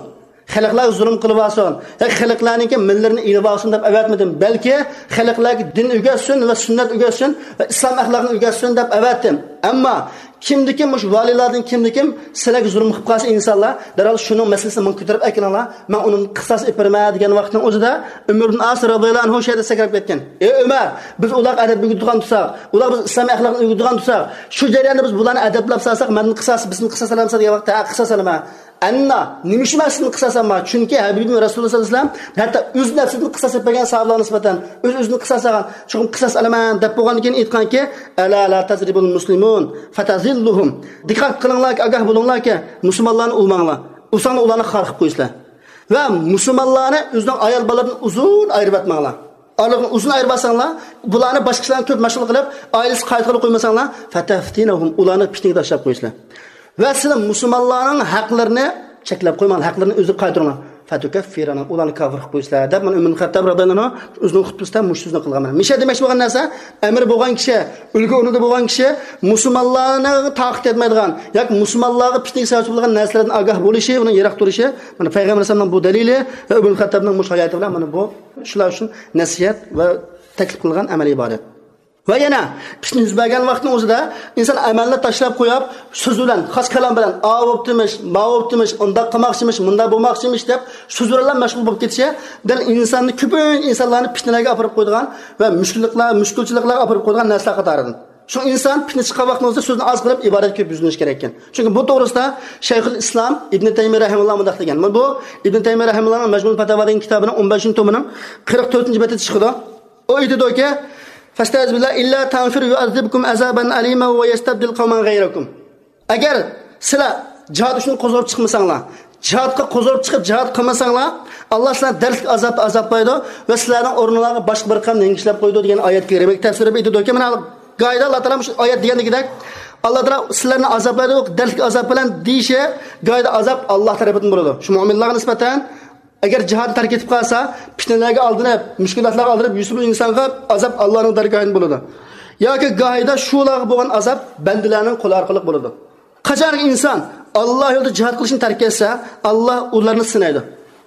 خەلقلەرگە زۇلۇم قىلىۋالسۇن ياكى خەلقلەرنىڭكى ماللىرىنى ئېلىۋالسۇن دەپ ئەۋەتمىدىم، بەلكى خەلقلەرگە دىن ئۆگەتسۇن ۋە سۈننەت ئۆگەتسۇن ۋە ئىسلام ئەخلاقىنى ئۆگەتسۇن دەپ ئەۋەتتىم. ئەمما كىمدىكىم مۇشۇ ۋالىيلاردىن كىمدىكىم سىلەرگە زۇلۇم قىلىپ قالسا ئىنسانلار، دەرھال شۇنىڭ مەسىلىسىنى ماڭا كۆتۈرۈپ ئەكېلىڭلار، مەن ئۇنىڭ قىساس ئېلىپ بېرىمەن دېگەن ۋاقىتنىڭ ئۆزىدە ئۆمەر ئىبن ئاس رازىياللاھۇ ئەنھۇ شۇ يەردە سەكرەپ كەتكەن. ئى ئۆمەر، بىز ئۇلارغا ئەدەپ ئۆگىتىدىغان تۇرساق، ئۇلارغا بىز ئىسلام ئەخلاقىنى ئۆگىتىدىغان تۇرساق، شۇ جەرياندا بىز بۇلارنى ئەدەپلەپ سالساق، مەندىن قىساس، بىزدىن قىساس ئالامسەن دېگەن ۋاقىتتا، ھە، قىساس ئالىمەن. ئەننا، نېمە ئۈچۈن مەن سىزدىن قىساس ئالىمەن؟ چۈنكى ھەبىبىم رەسۇلۇللاھ سەللەللاھۇ ئەلەيھى ۋەسەللەم ھەتتا ئۆز نەپسىدىن قىساس ئېلىپ بەرگەن ساھابىلارغا نىسبەتەن، ئۆز ئۆزىدىن قىساس ئالغان، چوقۇم قىساس ئالىمەن دەپ بولغاندىن كېيىن ئېيتقانكى، ئەلا لا تەزرىبۇل مۇسلىمۇن فەتەزىللۇھۇم. دىققەت قىلىڭلاركى، ئاگاھ بولۇڭلاركى، مۇسۇلمانلارنى ئۇرماڭلار. ئۇرساڭلار ئۇلارنى خار قىلىپ قويىسىلەر. ۋە مۇسۇلمانلارنى ئۆزىنىڭ ئايال بالىلىرىدىن ئۇزۇن ئايرىۋەتمەڭلار. ئارىلىقنى ئۇزۇن ئايرىۋالساڭلار، بۇلارنى باشقا كىشىلەرنى كۆپ مەشغۇل قىلىپ، ئائىلىسىگە قايتقىلى قويمىساڭلار، فەتەفتىنەھۇم، ئۇلارنى پىتنىگە تاشلاپ قويىسىلەر. ۋە سىلەر مۇسۇلمانلارنىڭ ھەقلىرىنى چەكلەپ قويماڭلار، ھەقلىرىنى ئۆزىگە قايتۇرۇڭلار. فەتۇكەففىرەنە، ئۇلارنى كاپىر قىلىپ قويىسىلەر، دەپ مانا ئۆمەر خەتتاب رازىياللاھۇ ئەنھۇ ئۆزىنىڭ خۇتبىسىدە مۇشۇ سۆزنى قىلغان. مانا مىشە دېمەكچى بولغان نەرسە، ئەمىر بولغان كىشى، ئۈلگە ئورنىدا بولغان كىشى مۇسۇلمانلارنىڭ تاقىتى يەتمەيدىغان ياكى مۇسۇلمانلارغا پىتنىگە سەۋەبچى بولغان نەرسىلەردىن ئاگاھ بولۇشى، ئۇنىڭ يىراق تۇرۇشى، مانا پەيغەمبەر ئەلەيھىسسالامنىڭ بۇ دەلىلى ۋە ئۆمەر خەتتابنىڭ مۇشۇ ھاياتى بىلەن مانا بۇ شۇلار ئۈچۈن نەسىھەت ۋە تەكلىپ قىلغان ئەمەلىي ئىبادەت. ۋە يەنە پىتنە يۈز بەرگەن ۋاقىتنىڭ ئۆزىدە ئىنسان ئەمەلنى تاشلاپ قويۇپ، سۆز بىلەن، خاس كالام بىلەن، ئاۋۇ بوپتىمىش، ماۋۇ بوپتىمىش، ئۇنداق قىلماقچىمىش، مۇنداق بولماقچىمىش دەپ سۆز بىلەن مەشغۇل بولۇپ كېتىشى دەل ئىنساننى كۆپىنچە ئىنسانلارنى پىتنىلەرگە ئاپىرىپ قويىدىغان ۋە مۈشكۈللۈكلەر، مۈشكۈلچىلىكلەرگە ئاپىرىپ قويىدىغان نەرسىلەر قاتارىدىن. شۇ ئىنسان پىتنە چىققان ۋاقتىڭىزدا سۆزنى ئاز قىلىپ، ئىبادەتكە كۆپ يۈزلىنىش كېرەككەن. چۈنكى بۇ توغرىسىدا شەيخۇل ئىسلام ئىبنى تەيمىيە رەھىمەھۇللاھ مۇنداق دېگەن. بۇ ئىبنى تەيمىيە رەھىمەھۇللاھنىڭ مەجمۇئۇل پەتاۋا دېگەن كىتابىنىڭ ئون بەشىنچى تومىنىڭ قىرىق تۆتىنچى بېتىدە چىقىدۇ. ئۇ ئېيتىدۇكى، فەستەئىز بىللا ئىللا تەنفىرۇ يۇئەززىبكۇم ئەزابەن ئەلىما ۋە يەستەبدىل قەۋمەن غەيرەكۇم. ئەگەر سىلەر جىھاد ئۈچۈن قوزغىلىپ چىقمىساڭلار، جىھادقا قوزغىلىپ چىقىپ جىھاد قىلمىساڭلار، ئاللا سىلەرنى دەردلىك ئازابتا ئازابلايدۇ ۋە سىلەرنىڭ ئورنىڭلارغا باشقا بىر قەۋمنى يېڭىشلەپ قويىدۇ دېگەن ئايەتكە رېمەك تەپسىر دەپ ئېيتىدۇكى، مانا گاھىدا ئاللا تائالا مۇشۇ ئايەت دېگەندىكىدەك، ئاللا تائالا سىلەرنى ئازابلايدۇ، دەردلىك ئازاب بىلەن دېيىشى، گاھىدا ئازاب ئاللا تەرىپىدىن بولىدۇ. شۇ مۆمىنلارغا نىسبەتەن ئەگەر جىھادنى تەرك ئېتىپ قالسا، پىتنىلەرگە ئالدىنىپ، مۈشكۈلاتلارغا ئالدىنىپ يۈرسىمۇ ئىنسانغا ئازاب ئاللانىڭ دەرگاھىدىن بولىدۇ. ياكى گاھىدا شۇلارغا بولغان ئازاب بەندىلەرنىڭ قولى ئارقىلىق بولىدۇ. قاچانكى ئىنسان ئاللا يولىدا جىھاد قىلىشنى تەرك ئەتسە، ئاللا ئۇلارنى سىنايدۇ.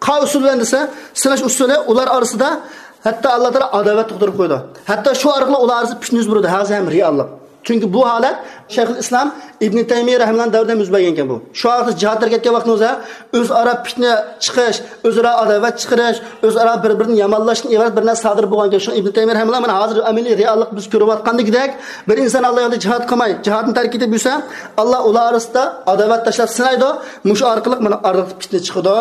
قاي ئۇسۇل بىلەن دېسە، سىناش ئۇسۇلى ئۇلار ئارىسىدا ھەتتا ئاللا تائالا ئاداۋەت تۇغدۇرۇپ قويىدۇ. ھەتتا شۇ ئارقىلىق ئۇلار ئارىسىدا پىتنە يۈز بېرىدۇ، ھازىر ھەم رېئاللىق. چۈنكى بۇ ھالەت شەيخۇل ئىسلام ئىبنى تەيمىيە رەھىمەللانىڭ دەۋرىدە يۈز بەرگەنكەن بۇ. شۇ ۋاقىتتا جىھادلارغا كەتكەن ۋاقتىڭىزدا ئۆزئارا پىتنە چىقىش، ئۆزئارا ئاداۋەت چىقىرىش، ئۆزئارا بىر-بىرىنى يامانلاشتىن ئىبارەت بىر نەرسە سادىر بولغانكەن. شۇڭا ئىبنى تەيمىيە رەھىمەللا مانا ھازىر ئەمەلىي رېئاللىق بىز كۆرۈۋاتقاندىكىدەك بىر ئىنسان ئاللا يولىدا جىھاد قىلماي، جىھادنى تەرك ئېتىپ يۈرسە، ئاللا ئۇلار ئارىسىدا ئاداۋەت تاشلاپ سىنايدۇ. مۇشۇ ئارقىلىق مانا ئارىلىقتا پىتنە چىقىدۇ.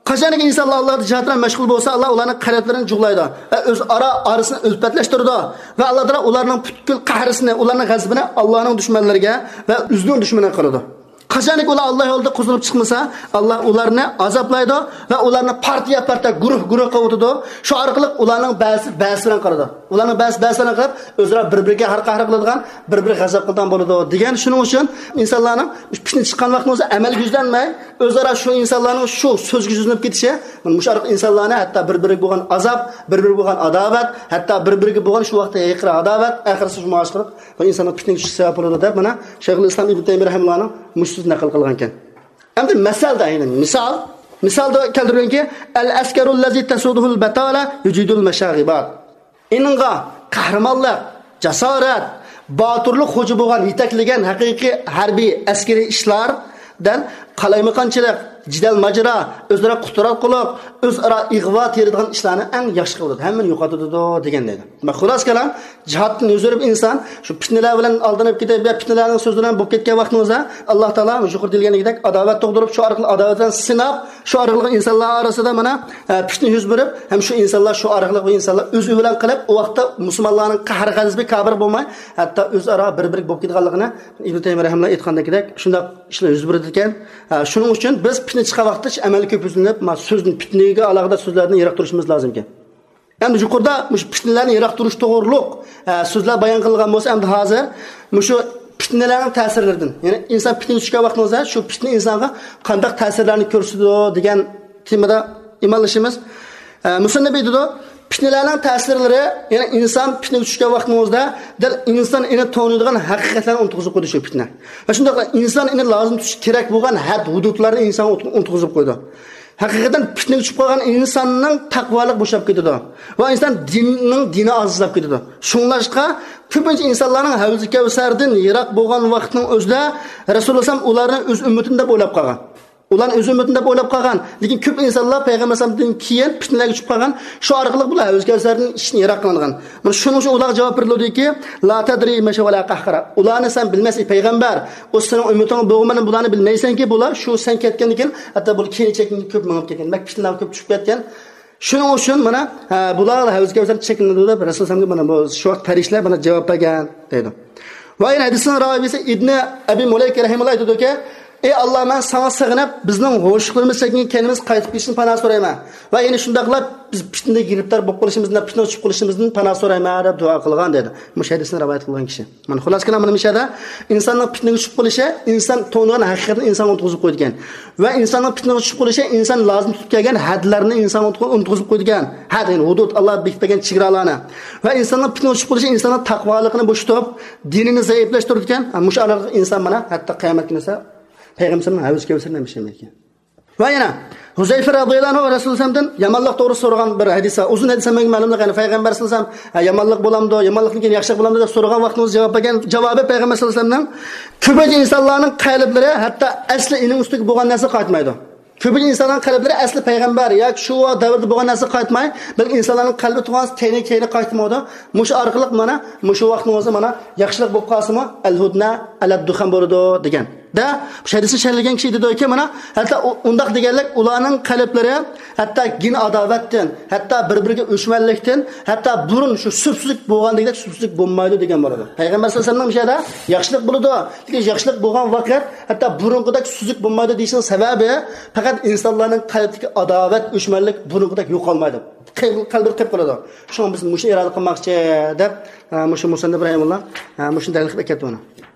قاچانكى ئىنسانلار ئاللا يولىدا جىھاد بىلەن مەشغۇل بولسا، ئاللا ئۇلارنىڭ قەلبلىرىنى جۇغلايدۇ ۋە ئۆزئارا ئارىسىنى ئۈلپەتلەشتۈرىدۇ ۋە ئاللا تائالا ئۇلارنىڭ پۈتكۈل قەھرىسىنى، ئۇلارنىڭ غەزىپىنى ئاللانىڭ دۈشمەنلىرىگە ۋە ئۆزىنىڭ دۈشمىنىگە قىلىدۇ. قاچانكى ئۇلار ئاللا يولىدا قوزغىلىپ چىقمىسا، ئاللا ئۇلارنى ئازابلايدۇ ۋە ئۇلارنى پارتىيە پارتىيە، گۇرۇھ گۇرۇھ قىلىۋېتىدۇ. شۇ ئارقىلىق ئۇلارنىڭ بەزىسى بەزىسى بىلەن قىلىدۇ. ئۇلارنىڭ بەزىسى بەزىسى بىلەن قىلىپ، ئۆزئارا بىر-بىرىگە ھەر قەھر قىلىدىغان، بىر-بىرىگە غەزەپ قىلىدىغان بولىدۇ دېگەن. شۇنىڭ ئۈچۈن ئىنسانلارنىڭ پىتنە چىققان ۋاقتىدا ئۆزى ئەمەلگە يۈزلەنمەي، ئۆزئارا شۇ ئىنسانلارنىڭ شۇ سۆزگە يۈزلىنىپ كېتىشى، مانا مۇشۇ ئارقىلىق ئىنسانلارنى ھەتتا بىر-بىرىگە بولغان ئازاب، بىر-بىرىگە بولغان ئاداۋەت، ھەتتا بىر-بىرىگە بولغان شۇ ۋاقىتتا ھېقىر ئاداۋەت، ئاخىرسى شۇ ئاشقىلىق بۇ ئىنساننىڭ پىتنىگە چۈشۈشى سەۋەب بولىدۇ دەپ، مانا شەيخۇل ئىسلام ئىبن تەيمىيە رەھىمۇللانىڭ مۇشۇ سۆزىنى نەقىل قىلغانكەن. ئەمدى مىسالدا، يەنى مىسال، مىسالدا كەلتۈرگەنكى، «ئەل ئەسكەرۇ لەزى تەسۇدۇھۇل بەتالە يۇجىدۇل مەشاغىبات.» ئېنىڭغا قەھرىمانلىق، جاسارەت، باتۇرلۇق خوجا بولغان، يېتەكلىگەن ھەقىقىي ھەربىي، ئەسكىرىي ئىشلاردىن قالايمىقانچىلىق، جېدەل ماجىرا، ئۆزئارا قۇتراتقۇلۇق، ئۆزئارا ئىغۋا تېرىيدىغان ئىشلارنى ئەڭ ياخشى قىلىدۇ، ھەممىنى يوقىتىدۇ دېگەن دەيدۇ. خۇلاسە كالام، جىھادتىن يۈز ئۆرۈپ ئىنسان شۇ پىتنىلەر بىلەن ئالدىنىپ كېتىپ، يا پىتنىلەرنىڭ سۆزى بىلەن بولۇپ كەتكەن ۋاقتىڭىزدا، ئاللا تائالا يۇقىرىدا دېيىلگەندەك ئاداۋەت تۇغدۇرۇپ، شۇ ئارقىلىق ئاداۋەتلەرنى سىناپ، شۇ ئارقىلىق ئىنسانلار ئارىسىدا مانا، ئە، پىتنە يۈز بېرىپ، ھەم شۇ ئىنسانلار شۇ ئارقىلىق بۇ ئىنسانلار ئۆزى بىلەن قىلىپ، ئۇ ۋاقىتتا مۇسۇلمانلارنىڭ قەھر غەزىپى كابىر بولماي، ھەتتا ئۆزئارا بىر-بىرىگە بولۇپ كېتىدىغانلىقىنى ئىبن تەيمىيە رەھىمۇللا ئېيتقاندىكىدەك شۇنداق ئىشلار يۈز بېرىدىكەن. ئە، شۇنىڭ ئۈچۈن بىز پىتنە چىققان ۋاقىتتا ئەمەلگە كۆپ يۈزلىنىپ، ما، سۆزدىن، پىتنىگە ئالاقىدار سۆزلەردىن يىراق تۇرۇشىمىز لازىمكەن. ئەمدى يۇقىرىدا مۇشۇ پىتنىلەرنى يىراق تۇرۇش توغرۇلۇق، ئە، سۆزلەر بايان قىلغان بولسا، ئەمدى ھازىر مۇشۇ پىتنىلەرنىڭ تەسىرلىرىدىن، يەنى ئىنسان پىتنىگە چۈشكەن ۋاقتىڭىزدا شۇ پىتنە ئىنسانغا قانداق تەسىرلەرنى كۆرسىتىدۇ دېگەن تېمىدا ئىمانلىشىمىز. ئە، مۇسەننىپ ئېيتىدۇ، پىتنىلەرنىڭ تەسىرلىرى، يەنى ئىنسان پىتنىگە چۈشكەن ۋاقتىڭىزدا دەل ئىنسان ئېنى تونۇيدىغان ھەقىقەتلەرنى ئۇنتۇغۇزۇپ قويىدۇ شۇ پىتنە. ۋە شۇنداقلا ئىنسان ئېنى لازىم تۇتۇشى كېرەك بولغان ھەد ھۇدۇدلارنى ئىنسانغا ئۇنتۇغۇزۇپ قويىدۇ. ھەقىقەتەن پىتنىگە چۈشۈپ قالغان ئىنساننىڭ تەقۋالىقى بوشاپ كېتىدۇ. ۋە ئىنسان دىننىڭ دىنى ئازلاپ كېتىدۇ. شۇڭلاشقا كۆپىنچە ئىنسانلارنىڭ ھەۋزى كەۋسەردىن يىراق بولغان ۋاقىتنىڭ ئۆزىدە رەسۇلۇللا ئەلەيھىسسالام ئۇلارنى ئۆز ئۈممىتىم دەپ ئويلاپ قالغان. ئۇلارنى ئۆز ئۈممىتىم دەپ ئويلاپ قالغان. لېكىن كۆپ ئىنسانلار پەيغەمبەر ئەلەيھىسسالامدىن كېيىن پىتنىلەرگە چۈشۈپ قالغان. شۇ ئارقىلىق بۇلار ھەۋزى كەۋسەردىن ئىچىدىن يىراق قىلىنغان. مانا شۇنىڭ ئۈچۈن ئۇلارغا جاۋاب بېرىلىدۇكى، لا تەدرى مەشە ۋەلا قەھقەرە. ئۇلارنى سەن بىلمەيسەن، ئەي پەيغەمبەر. ئۇ سېنىڭ ئۈممىتىڭ بولغان بىلەن بۇلارنى بىلمەيسەنكى، بۇلار شۇ سەن كەتكەندىن كېيىن، ھەتتا بۇلار كېيىن چېكىنىپ كۆپ مېڭىپ كەتكەن. مەككە پىتنىلەرگە كۆپ چۈشۈپ كەتكەن. شۇنىڭ ئۈچۈن مانا، ھە، بۇلار ھەۋزى كەۋسەردىن چېكىنىدۇ دەپ رەسۇلۇللا ئەلەيھىسسالامغا مانا بۇ شۇ ۋاقىت پەرىشتىلەر مانا جاۋاب بەرگەن دەيدۇ. ۋە يەنە ھەدىسنىڭ راۋىسى ئىبنى ئەبى مۇلەيكە رەھىمۇللا ئېيتىدۇكى، ئەي ئاللا، مەن ساڭا سىغىنىپ، بىزنىڭ ھوشلۇقلىرىمىز چەككەن كەينىمىز قايتىپ كېلىشىنى پانا سورايمەن. ۋە يەنە شۇنداقلا بىز پىتنىگە گىرىپتار بولۇپ قېلىشىمىزدىن، پىتنىگە چۈشۈپ قېلىشىمىزدىن پانا سورايمەن دەپ دۇئا قىلغان دەيدۇ. مۇشۇ ھەدىسنى رىۋايەت قىلغان كىشى. مانا خۇلاسە كالام مانا مۇشۇ يەردە ئىنساننىڭ پىتنىگە چۈشۈپ قېلىشى، ئىنسان تونۇغان ھەقىقەتنى ئىنسانغا ئۇنتۇغۇزۇپ قويىدىكەن. ۋە ئىنساننىڭ پىتنىگە چۈشۈپ قېلىشى، ئىنسان لازىم تۇتۇپ كەلگەن ھەدلەرنى ئىنسانغا ئۇنتۇغۇزۇپ قويىدىكەن. ھەد، يەنى ھۇدۇد، ئاللا بېكىتىپ بەرگەن چېگرالارنى. ۋە ئىنساننىڭ پىتنىگە چۈشۈپ قېلىشى ئىنساننىڭ تەقۋالىقىنى بوشىتىپ، دىنىنى زەئىپلەشتۈرىدىكەن. ھە، مۇشۇ ئارقىلىق ئىنسان مانا ھەتتا قىيامەت كۈنى بولسا پەيغەمبەرنىڭ ھەۋزى كەۋسەردىن ئىچەلمەيدىكەن. ۋە يەنە ھۇزەيفە رەزىيەللاھۇ ئەنھۇ رەسۇلۇللا ئەلەيھىسسالامدىن يامانلىق توغرىسىدا سورىغان بىر ھەدىس بار. ئۇزۇن ھەدىس ئەمەسمۇ مەلۇملۇق، يەنى پەيغەمبەر سەللەللاھۇ ئەلەيھى ۋەسەللەم، ھە، يامانلىق بولامدۇ، يامانلىقتىن كېيىن ياخشىلىق بولامدۇ دەپ سورىغان ۋاقتىمىزدا جاۋاب بەرگەن جاۋابى پەيغەمبەر سەللەللاھۇ ئەلەيھى ۋەسەللەمنىڭ، كۆپىنچە ئىنسانلارنىڭ قەلبلىرى ھەتتا ئەسلى ئېنىڭ ئۈستىگە بولغان نەرسىگە قايتمايدۇ. كۆپىنچە ئىنسانلارنىڭ قەلبلىرى ئەسلى پەيغەمبەر ياكى شۇ دەۋردە بولغان نەرسىگە قايتماي، بەلكى ئىنسانلارنىڭ قەلبى تۇغان تەينى كەينى قايتمايدۇ. مۇشۇ ئارقىلىق مانا مۇشۇ ۋاقتىڭىزدا مانا ياخشىلىق بولۇپ قالسىمۇ، ئەل ھۇدنە ئەلەد دۇخان بولىدۇ دېگەن. دە، شۇ ھەدىسنى شەرھلىگەن كىشى دېدىكى، مانا، ھەتتا ئۇ-، ئۇنداق دېگەنلىك، ئۇلارنىڭ قەلبلىرى ھەتتا گىن ئاداۋەتتىن، ھەتتا بىر-بىرىگە ئۆچمەنلىكتىن، ھەتتا بۇرۇن شۇ سۈپسۈزۈك بولغاندەكدەك سۈپسۈزۈك بولمايدۇ دېگەن بولىدۇ. پەيغەمبەر سەللەللاھۇ ئەلەيھى ۋەسەللەمنىڭ مۇشۇ يەردە ياخشىلىق بولىدۇ، لېكىن ياخشىلىق بولغان ۋاقىت ھەتتا بۇرۇنقىدەك سۈپسۈزۈك بولمايدۇ دېيىشنىڭ سەۋەبى، پەقەت ئىنسانلارنىڭ قەلبىدىكى ئاداۋەت، ئۆچمەنلىك بۇرۇنقىدەك يوقالمايدۇ. قەلبى، قەلبى قېلىپ قالىدۇ. شۇڭا بىز مۇشۇنى ئىرادە قىلماقچى دەپ، ئە، مۇشۇ مۇسەننىپ رەھىمۇللا، ئە، مۇشۇنى تەلىق قىلىپ ئەكەپتۇ بۇنى.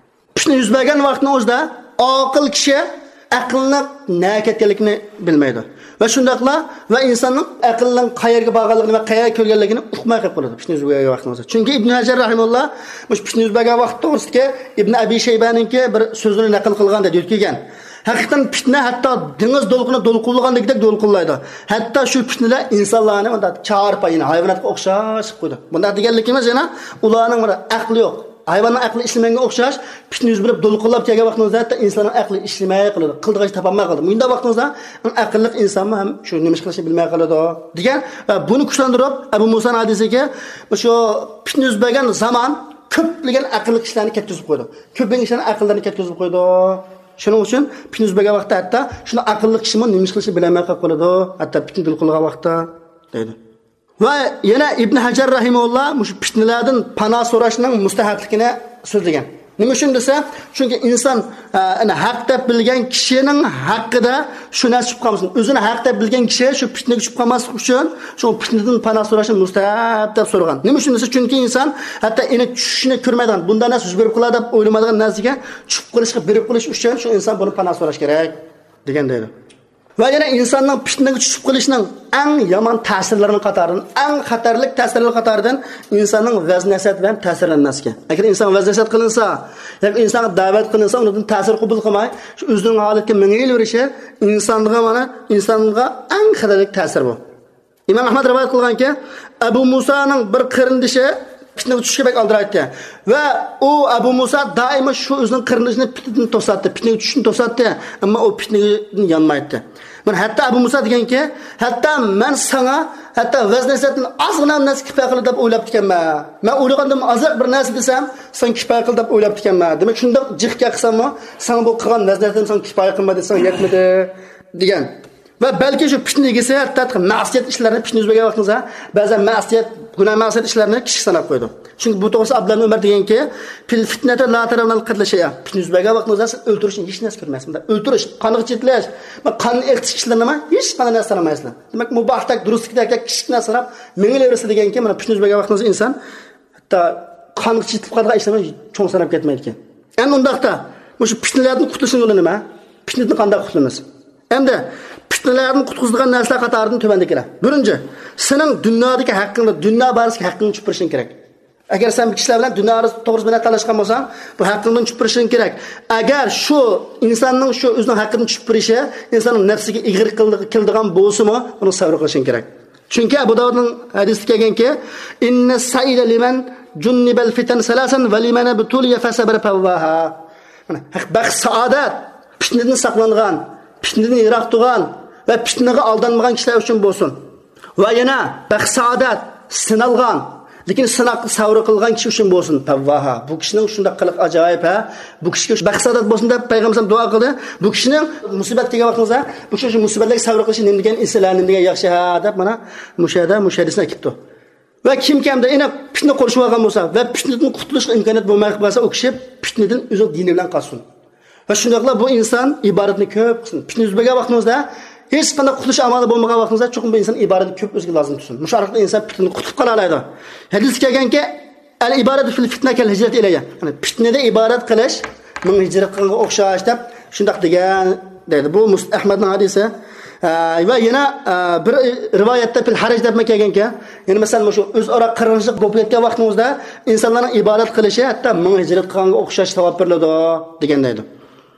پىتنە يۈز بەرگەن ۋاقىتنىڭ ئۆزىدە ئاقىل كىشى ئەقلىنىڭ نەگە كەتكەنلىكىنى بىلمەيدۇ. ۋە شۇنداقلا ۋە ئىنساننىڭ ئەقلىنىڭ قەيەرگە بارغانلىقىنى ۋە قەيەرگە كىرگەنلىكىنى ئۇقماي قېلىپ قالىدۇ پىتنە يۈز بەرگەن ۋاقتىڭىزدا. چۈنكى ئىبن ھەجەر رەھىمۇللا مۇشۇ پىتنە يۈز بەرگەن ۋاقىت توغرىسىدىكى ئىبن ئەبى شەيبانىڭكى بىر سۆزىنى نەقىل قىلغان دەيدۇ، يۆتكىگەن. ھەقىقەتەن پىتنە ھەتتا دېڭىز دولقۇنى دولقۇنلىغاندەك دولقۇنلايدۇ. ھەتتا شۇ پىتنىلەر ئىنسانلارنى مۇنداق چارپاي، يەنى ھايۋاناتقا ئوخشاش قىلىپ قويىدۇ. بۇنداق دېگەنلىكىمىز يەنە ئۇلارنىڭ بىر ئەقلى يوق. ھايۋاننىڭ ئەقلى ئىشلىمىگەنگە ئوخشاش، پىتنە يۈز بېرىپ، دولقۇنلاپ كەلگەن ۋاقتىڭىزدا ھەتتا ئىنساننىڭ ئەقلى ئىشلىمەي قالىدۇ. قىلىدىغان ئىش تاپالماي قالىدۇ. مۇنداق ۋاقتىڭىزدا ئەڭ ئەقىللىق ئىنسانمۇ ھەم شۇ نېمە ئىش قىلىشنى بىلمەي قالىدۇ دېگەن. ۋە بۇنى كۈچلەندۈرۈپ، ئەبۇ مۇسانىڭ ھەدىسىگە شۇ پىتنە يۈز بەرگەن زامان كۆپلىگەن ئەقىللىق كىشىلەرنى كەتكۈزۈپ قويىدۇ. كۆپلىگەن كىشىلەرنىڭ ئەقىللىرىنى كەتكۈزۈپ قويىدۇ. شۇنىڭ ئۈچۈن پىتنە يۈز بەرگەن ۋاقىتتا ھەتتا شۇنداق ئەقىللىق كىشىمۇ نېمە ئىش قىلىشنى بىلەلمەي قالىدۇ. ھەتتا پىتنە دولقۇنلىغان ۋاقىتتا دەيدۇ. ۋە يەنە ئىبن ھەجەر رەھىمەھۇللا مۇشۇ پىتنىلەردىن پانا سوراشنىڭ مۇستەھەپلىكىنى سۆزلىگەن. نېمە ئۈچۈن دېسە، چۈنكى ئىنسان، ئە، ئەنە ھەق دەپ بىلگەن كىشىنىڭ ھەققىدە شۇ نەرسە چۈشۈپ قالمىسۇن. ئۆزىنى ھەق دەپ بىلگەن كىشى شۇ پىتنىگە چۈشۈپ قالماسلىق ئۈچۈن، شۇ پىتنىدىن پانا سوراشنى مۇستەھەپ دەپ سورىغان. نېمە ئۈچۈن دېسە، چۈنكى ئىنسان ھەتتا ئېنى چۈشىنى كۆرمەيدىغان، بۇنداق نەرسە يۈز بېرىپ قالار دەپ ئويلىمايدىغان نەرسىگە چۈشۈپ قېلىشقا بېرىپ قېلىش ئۈچۈن شۇ ئىنسان بۇنى پانا سوراش كېرەك دېگەن دەيدۇ. ۋە يەنە ئىنساننىڭ پىتنىگە چۈشۈپ قېلىشنىڭ ئەڭ يامان تەسىرلىرىنىڭ قاتارىدىن، ئەڭ خەتەرلىك تەسىرلەر قاتارىدىن ئىنساننىڭ ۋەز نەسىھەت بىلەن تەسىرلەنمەسلىكى. ئەگەر ئىنسان ۋەز نەسىھەت قىلىنسا ياكى ئىنسانغا دەۋەت قىلىنسا، ئۇنىڭدىن تەسىر قوبۇل قىلماي، شۇ ئۆزىنىڭ ھالىتىگە مېڭىۋېرىشى ئىنسانغا، مانا، ئىنسانغا ئەڭ خەتەرلىك تەسىر بۇ. ئىمام ئەھمەد رىۋايەت قىلغانكى، ئەبۇ مۇسانىڭ بىر قېرىندىشى پىتنىگە چۈشۈشكە بەك ئالدىرايتتى. ۋە ئۇ ئەبۇ مۇسا دائىما شۇ ئۆزىنىڭ قېرىندىشىنى پىتنىدىن توساتتى، پىتنىگە چۈشۈشنى توساتتى. ئەمما ئۇ پىتنىدىن يانمايتتى. مانا ھەتتا ئەبۇ مۇسا دېگەنكى، ھەتتا مەن ساڭا ھەتتا ۋەز نەسىھەتتىن ئازغىنا نەرسە كىپايە قىلدى دەپ ئويلاپتىكەنمەن. مەن ئويلىغاندىن ئازراق بىر نەرسە دېسەم، ساڭا كىپايە قىلدى دەپ ئويلاپتىكەنمەن. دېمەك، شۇنداق جىق گەپ قىلساممۇ، ساڭا بۇ قىلغان ۋەز نەسىھەتىم ساڭا كىپايە قىلمىدى، ساڭا يەتمىدى، دېگەن. ۋە بەلكى شۇ پىتنە ئىگىسى ھەتتا مەسىيەت ئىشلارنى، پىتنە يۈز بەرگەن ۋاقتىڭىزدا بەزەن مەسىيەت، گۇناھ مەسىيەت ئىشلارنى كىچىك ساناپ قويىدۇ. چۈنكى بۇ توغرىسىدا ئابدۇللا ئىبن ئۆمەر دېگەنكى، «فىل فىتنەتى لا تەرەۋنەل قەتلە شەيئا.» پىتنە يۈز بەرگەن ۋاقتىڭىزدا سىز ئۆلتۈرۈشنى ھېچ نەرسە كۆرمەيسىز. مۇنداق ئۆلتۈرۈش، قانغا چېتىلىش، قان ئېقىتىش ئىشلىرىنىمۇ ھېچ قانداق نەرسە سانىمايسىلەر. دېمەك، مۇباھتەك، دۇرۇستەك كىچىك نەرسە ساناپ مېڭىۋېرىسىلەر دېگەنكى، مانا پىتنە يۈز بەرگەن ۋاقتىڭىزدا ئىنسان ھەتتا قانغا چېتىلىپ قالىدىغان ئىشلارنى چوڭ ساناپ كەتمەيدىكەن. ئەمدى ئۇنداقتا، مۇشۇ پىتنىلەردىن قۇتۇلۇشنىڭ يولى نېمە؟ پىتنىدىن قانداق قۇتۇلىمىز؟ ئەمدى پىتنىلەردىن قۇتقۇزىدىغان نەرسىلەر قاتارىدىن تۆۋەندىكىلەر. بىرىنچى، سېنىڭ دۇنيادىكى ھەققىڭنى، دۇنيا بارىسىدىكى ھەققىڭنى چۈشۈپ بېرىشىڭ كېرەك. ئەگەر سەن بىر كىشىلەر بىلەن دۇنيا توغرىسىدا بىر نەرسە تالاشقان بولساڭ، بۇ ھەققىڭدىن چۈشۈپ بېرىشىڭ كېرەك. ئەگەر شۇ ئىنساننىڭ شۇ ئۆزىنىڭ ھەققىدىن چۈشۈپ بېرىشى ئىنساننىڭ نەپسىگە ئېغىر كېلىدىغان بولسىمۇ، ئۇنىڭ سەۋر قىلىشىڭ كېرەك. چۈنكى ئەبۇ داۋۇدنىڭ ھەدىسىدە كەلگەنكى، «ئىننە سەئىدە لىمەن جۇننىبەل فىتەن سەلەسەن ۋە لىمەن ئىبتۇلىيە فەسەبەرە پەۋۋاھا.» مانا، بەخت، سائادەت، پىتنىدىن ساقلانغان، پىتنىدىن يىراق تۇرغان ۋە پىتنىگە ئالدانمىغان كىشىلەر ئۈچۈن بولسۇن. ۋە يەنە بەخت، سائادەت، سىنالغان، لېكىن سىناققا سەۋر قىلغان كىشى ئۈچۈن بولسۇن. پەۋۋاھا. بۇ كىشىنىڭ شۇنداق قىلىق ئاجايىپ، ھە؟ بۇ كىشىگە بەخت، سائادەت بولسۇن دەپ پەيغەمبەر دۇئا قىلدى. بۇ كىشىنىڭ مۇسىبەت كەلگەن ۋاقتىڭىزدا بۇ كىشى شۇ مۇسىبەتلەرگە سەۋر قىلىشى نېمە دېگەن ئېسىل، ھە، نېمە دېگەن ياخشى، ھە، دەپ مانا مۇشۇ يەردە، مۇشۇ ھەدىسنى ئەكىپتۇ. ۋە كىمكى ئەمدى ئېنىق پىتنە قورشىۋالغان بولسا ۋە پىتنىدىن قۇتۇلۇشقا ئىمكانىيەت بولماي قالسا، ئۇ كىشى پىتنىدىن ئۆزىنىڭ دىنى بىلەن قالسۇن. ۋە شۇنداقلا بۇ ئىنسان ئىبادەتنى كۆپ قىلسۇن. پىتنە يۈز بەرگەن ۋاقتىڭىزدا ھېچقانداق قۇتۇلۇش ئامالى بولمىغان ۋاقتىڭىزدا چوقۇم بۇ ئىنسان ئىبادەتنى كۆپ ئۆزىگە لازىم تۇتسۇن. مۇشۇ ئارقىلىق ئىنسان پىتنىدىن قۇتۇلۇپ قالالايدۇ. ھەدىستە كەلگەنكى، «ئەل ئىبادەتۇ فىل فىتنە كەل ھىجرەتى ئىلەييە.» يەنى پىتنىدە ئىبادەت قىلىش ماڭا ھىجرەت قىلغانغا ئوخشاش دەپ شۇنداق دېگەن دەيدۇ. بۇ مۇس-، ئەھمەدنىڭ ھەدىسى. ئە، ۋە يەنە، ئە، بىر رىۋايەتتە پىل ھەرەج دەپمۇ كەلگەنكەن. يەنى مەسىلەن، مۇشۇ ئۆزئارا قىرغىنچىلىق بولۇپ كەتكەن ۋاقتىڭىزدا ئىنسانلارنىڭ ئىبادەت قىلىشى ھەتتا مىڭ ھىجرەت قىلغانغا ئوخشاش ساۋاب بېرىلىدۇ دېگەن دەيدۇ.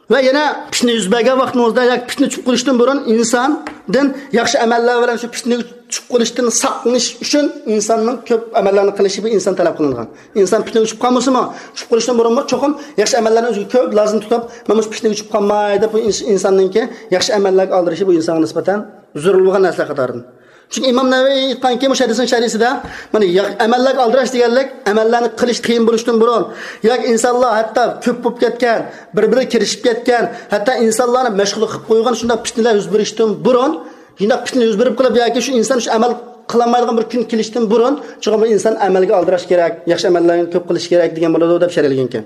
ۋە يەنە پىتنە يۈز بەرگەن ۋاقتىڭىزدا ياكى پىتنە چۈشۈپ قېلىشتىن بۇرۇن ئىنساندىن ياخشى ئەمەللەر بىلەن شۇ پىتنىگە چۈشۈپ قېلىشتىن ساقلىنىش ئۈچۈن ئىنساننىڭ كۆپ ئەمەللەرنى قىلىشى بۇ ئىنسان تەلەپ قىلىنغان. ئىنسان پىتنىگە چۈشۈپ قالمىسىمۇ، چۈشۈپ قېلىشتىن بۇرۇنمۇ چوقۇم ياخشى ئەمەللەرنى ئۆزىگە كۆپ لازىم تۇتۇپ، مەن مۇشۇ پىتنىگە چۈشۈپ قالماي دەپ، بۇ ئىنس-، ئىنساننىڭكى ياخشى ئەمەللەرگە ئالدىرىشى بۇ ئىنسانغا نىسبەتەن زۆرۈر بولغان نەرسىلەر قاتارىدىن. چۈنكى ئىمام نەۋەۋى ئېيتقانكى، مۇشۇ ھەدىسنىڭ شەرھىسىدە، مانا، يا-، ئەمەللەرگە ئالدىراش دېگەنلىك، ئەمەللەرنى قىلىش قىيىن بولۇشتىن بۇرۇن، ياكى ئىنسانلار ھەتتا كۆپ بولۇپ كەتكەن، بىر-بىرىگە كىرىشىپ كەتكەن، ھەتتا ئىنسانلارنى مەشغۇل قىلىپ قويغان شۇنداق پىتنىلەر يۈز بېرىشتىن بۇرۇن، شۇنداق پىتنە يۈز بېرىپ قېلىپ ياكى شۇ ئىنسان شۇ ئەمەل قىلالمايدىغان بىر كۈن كېلىشتىن بۇرۇن، چوقۇم بۇ ئىنسان ئەمەلگە ئالدىراش كېرەك، ياخشى ئەمەللەرنى كۆپ قىلىش كېرەك دېگەن بولىدۇ، دەپ شەرھلىگەنكەن.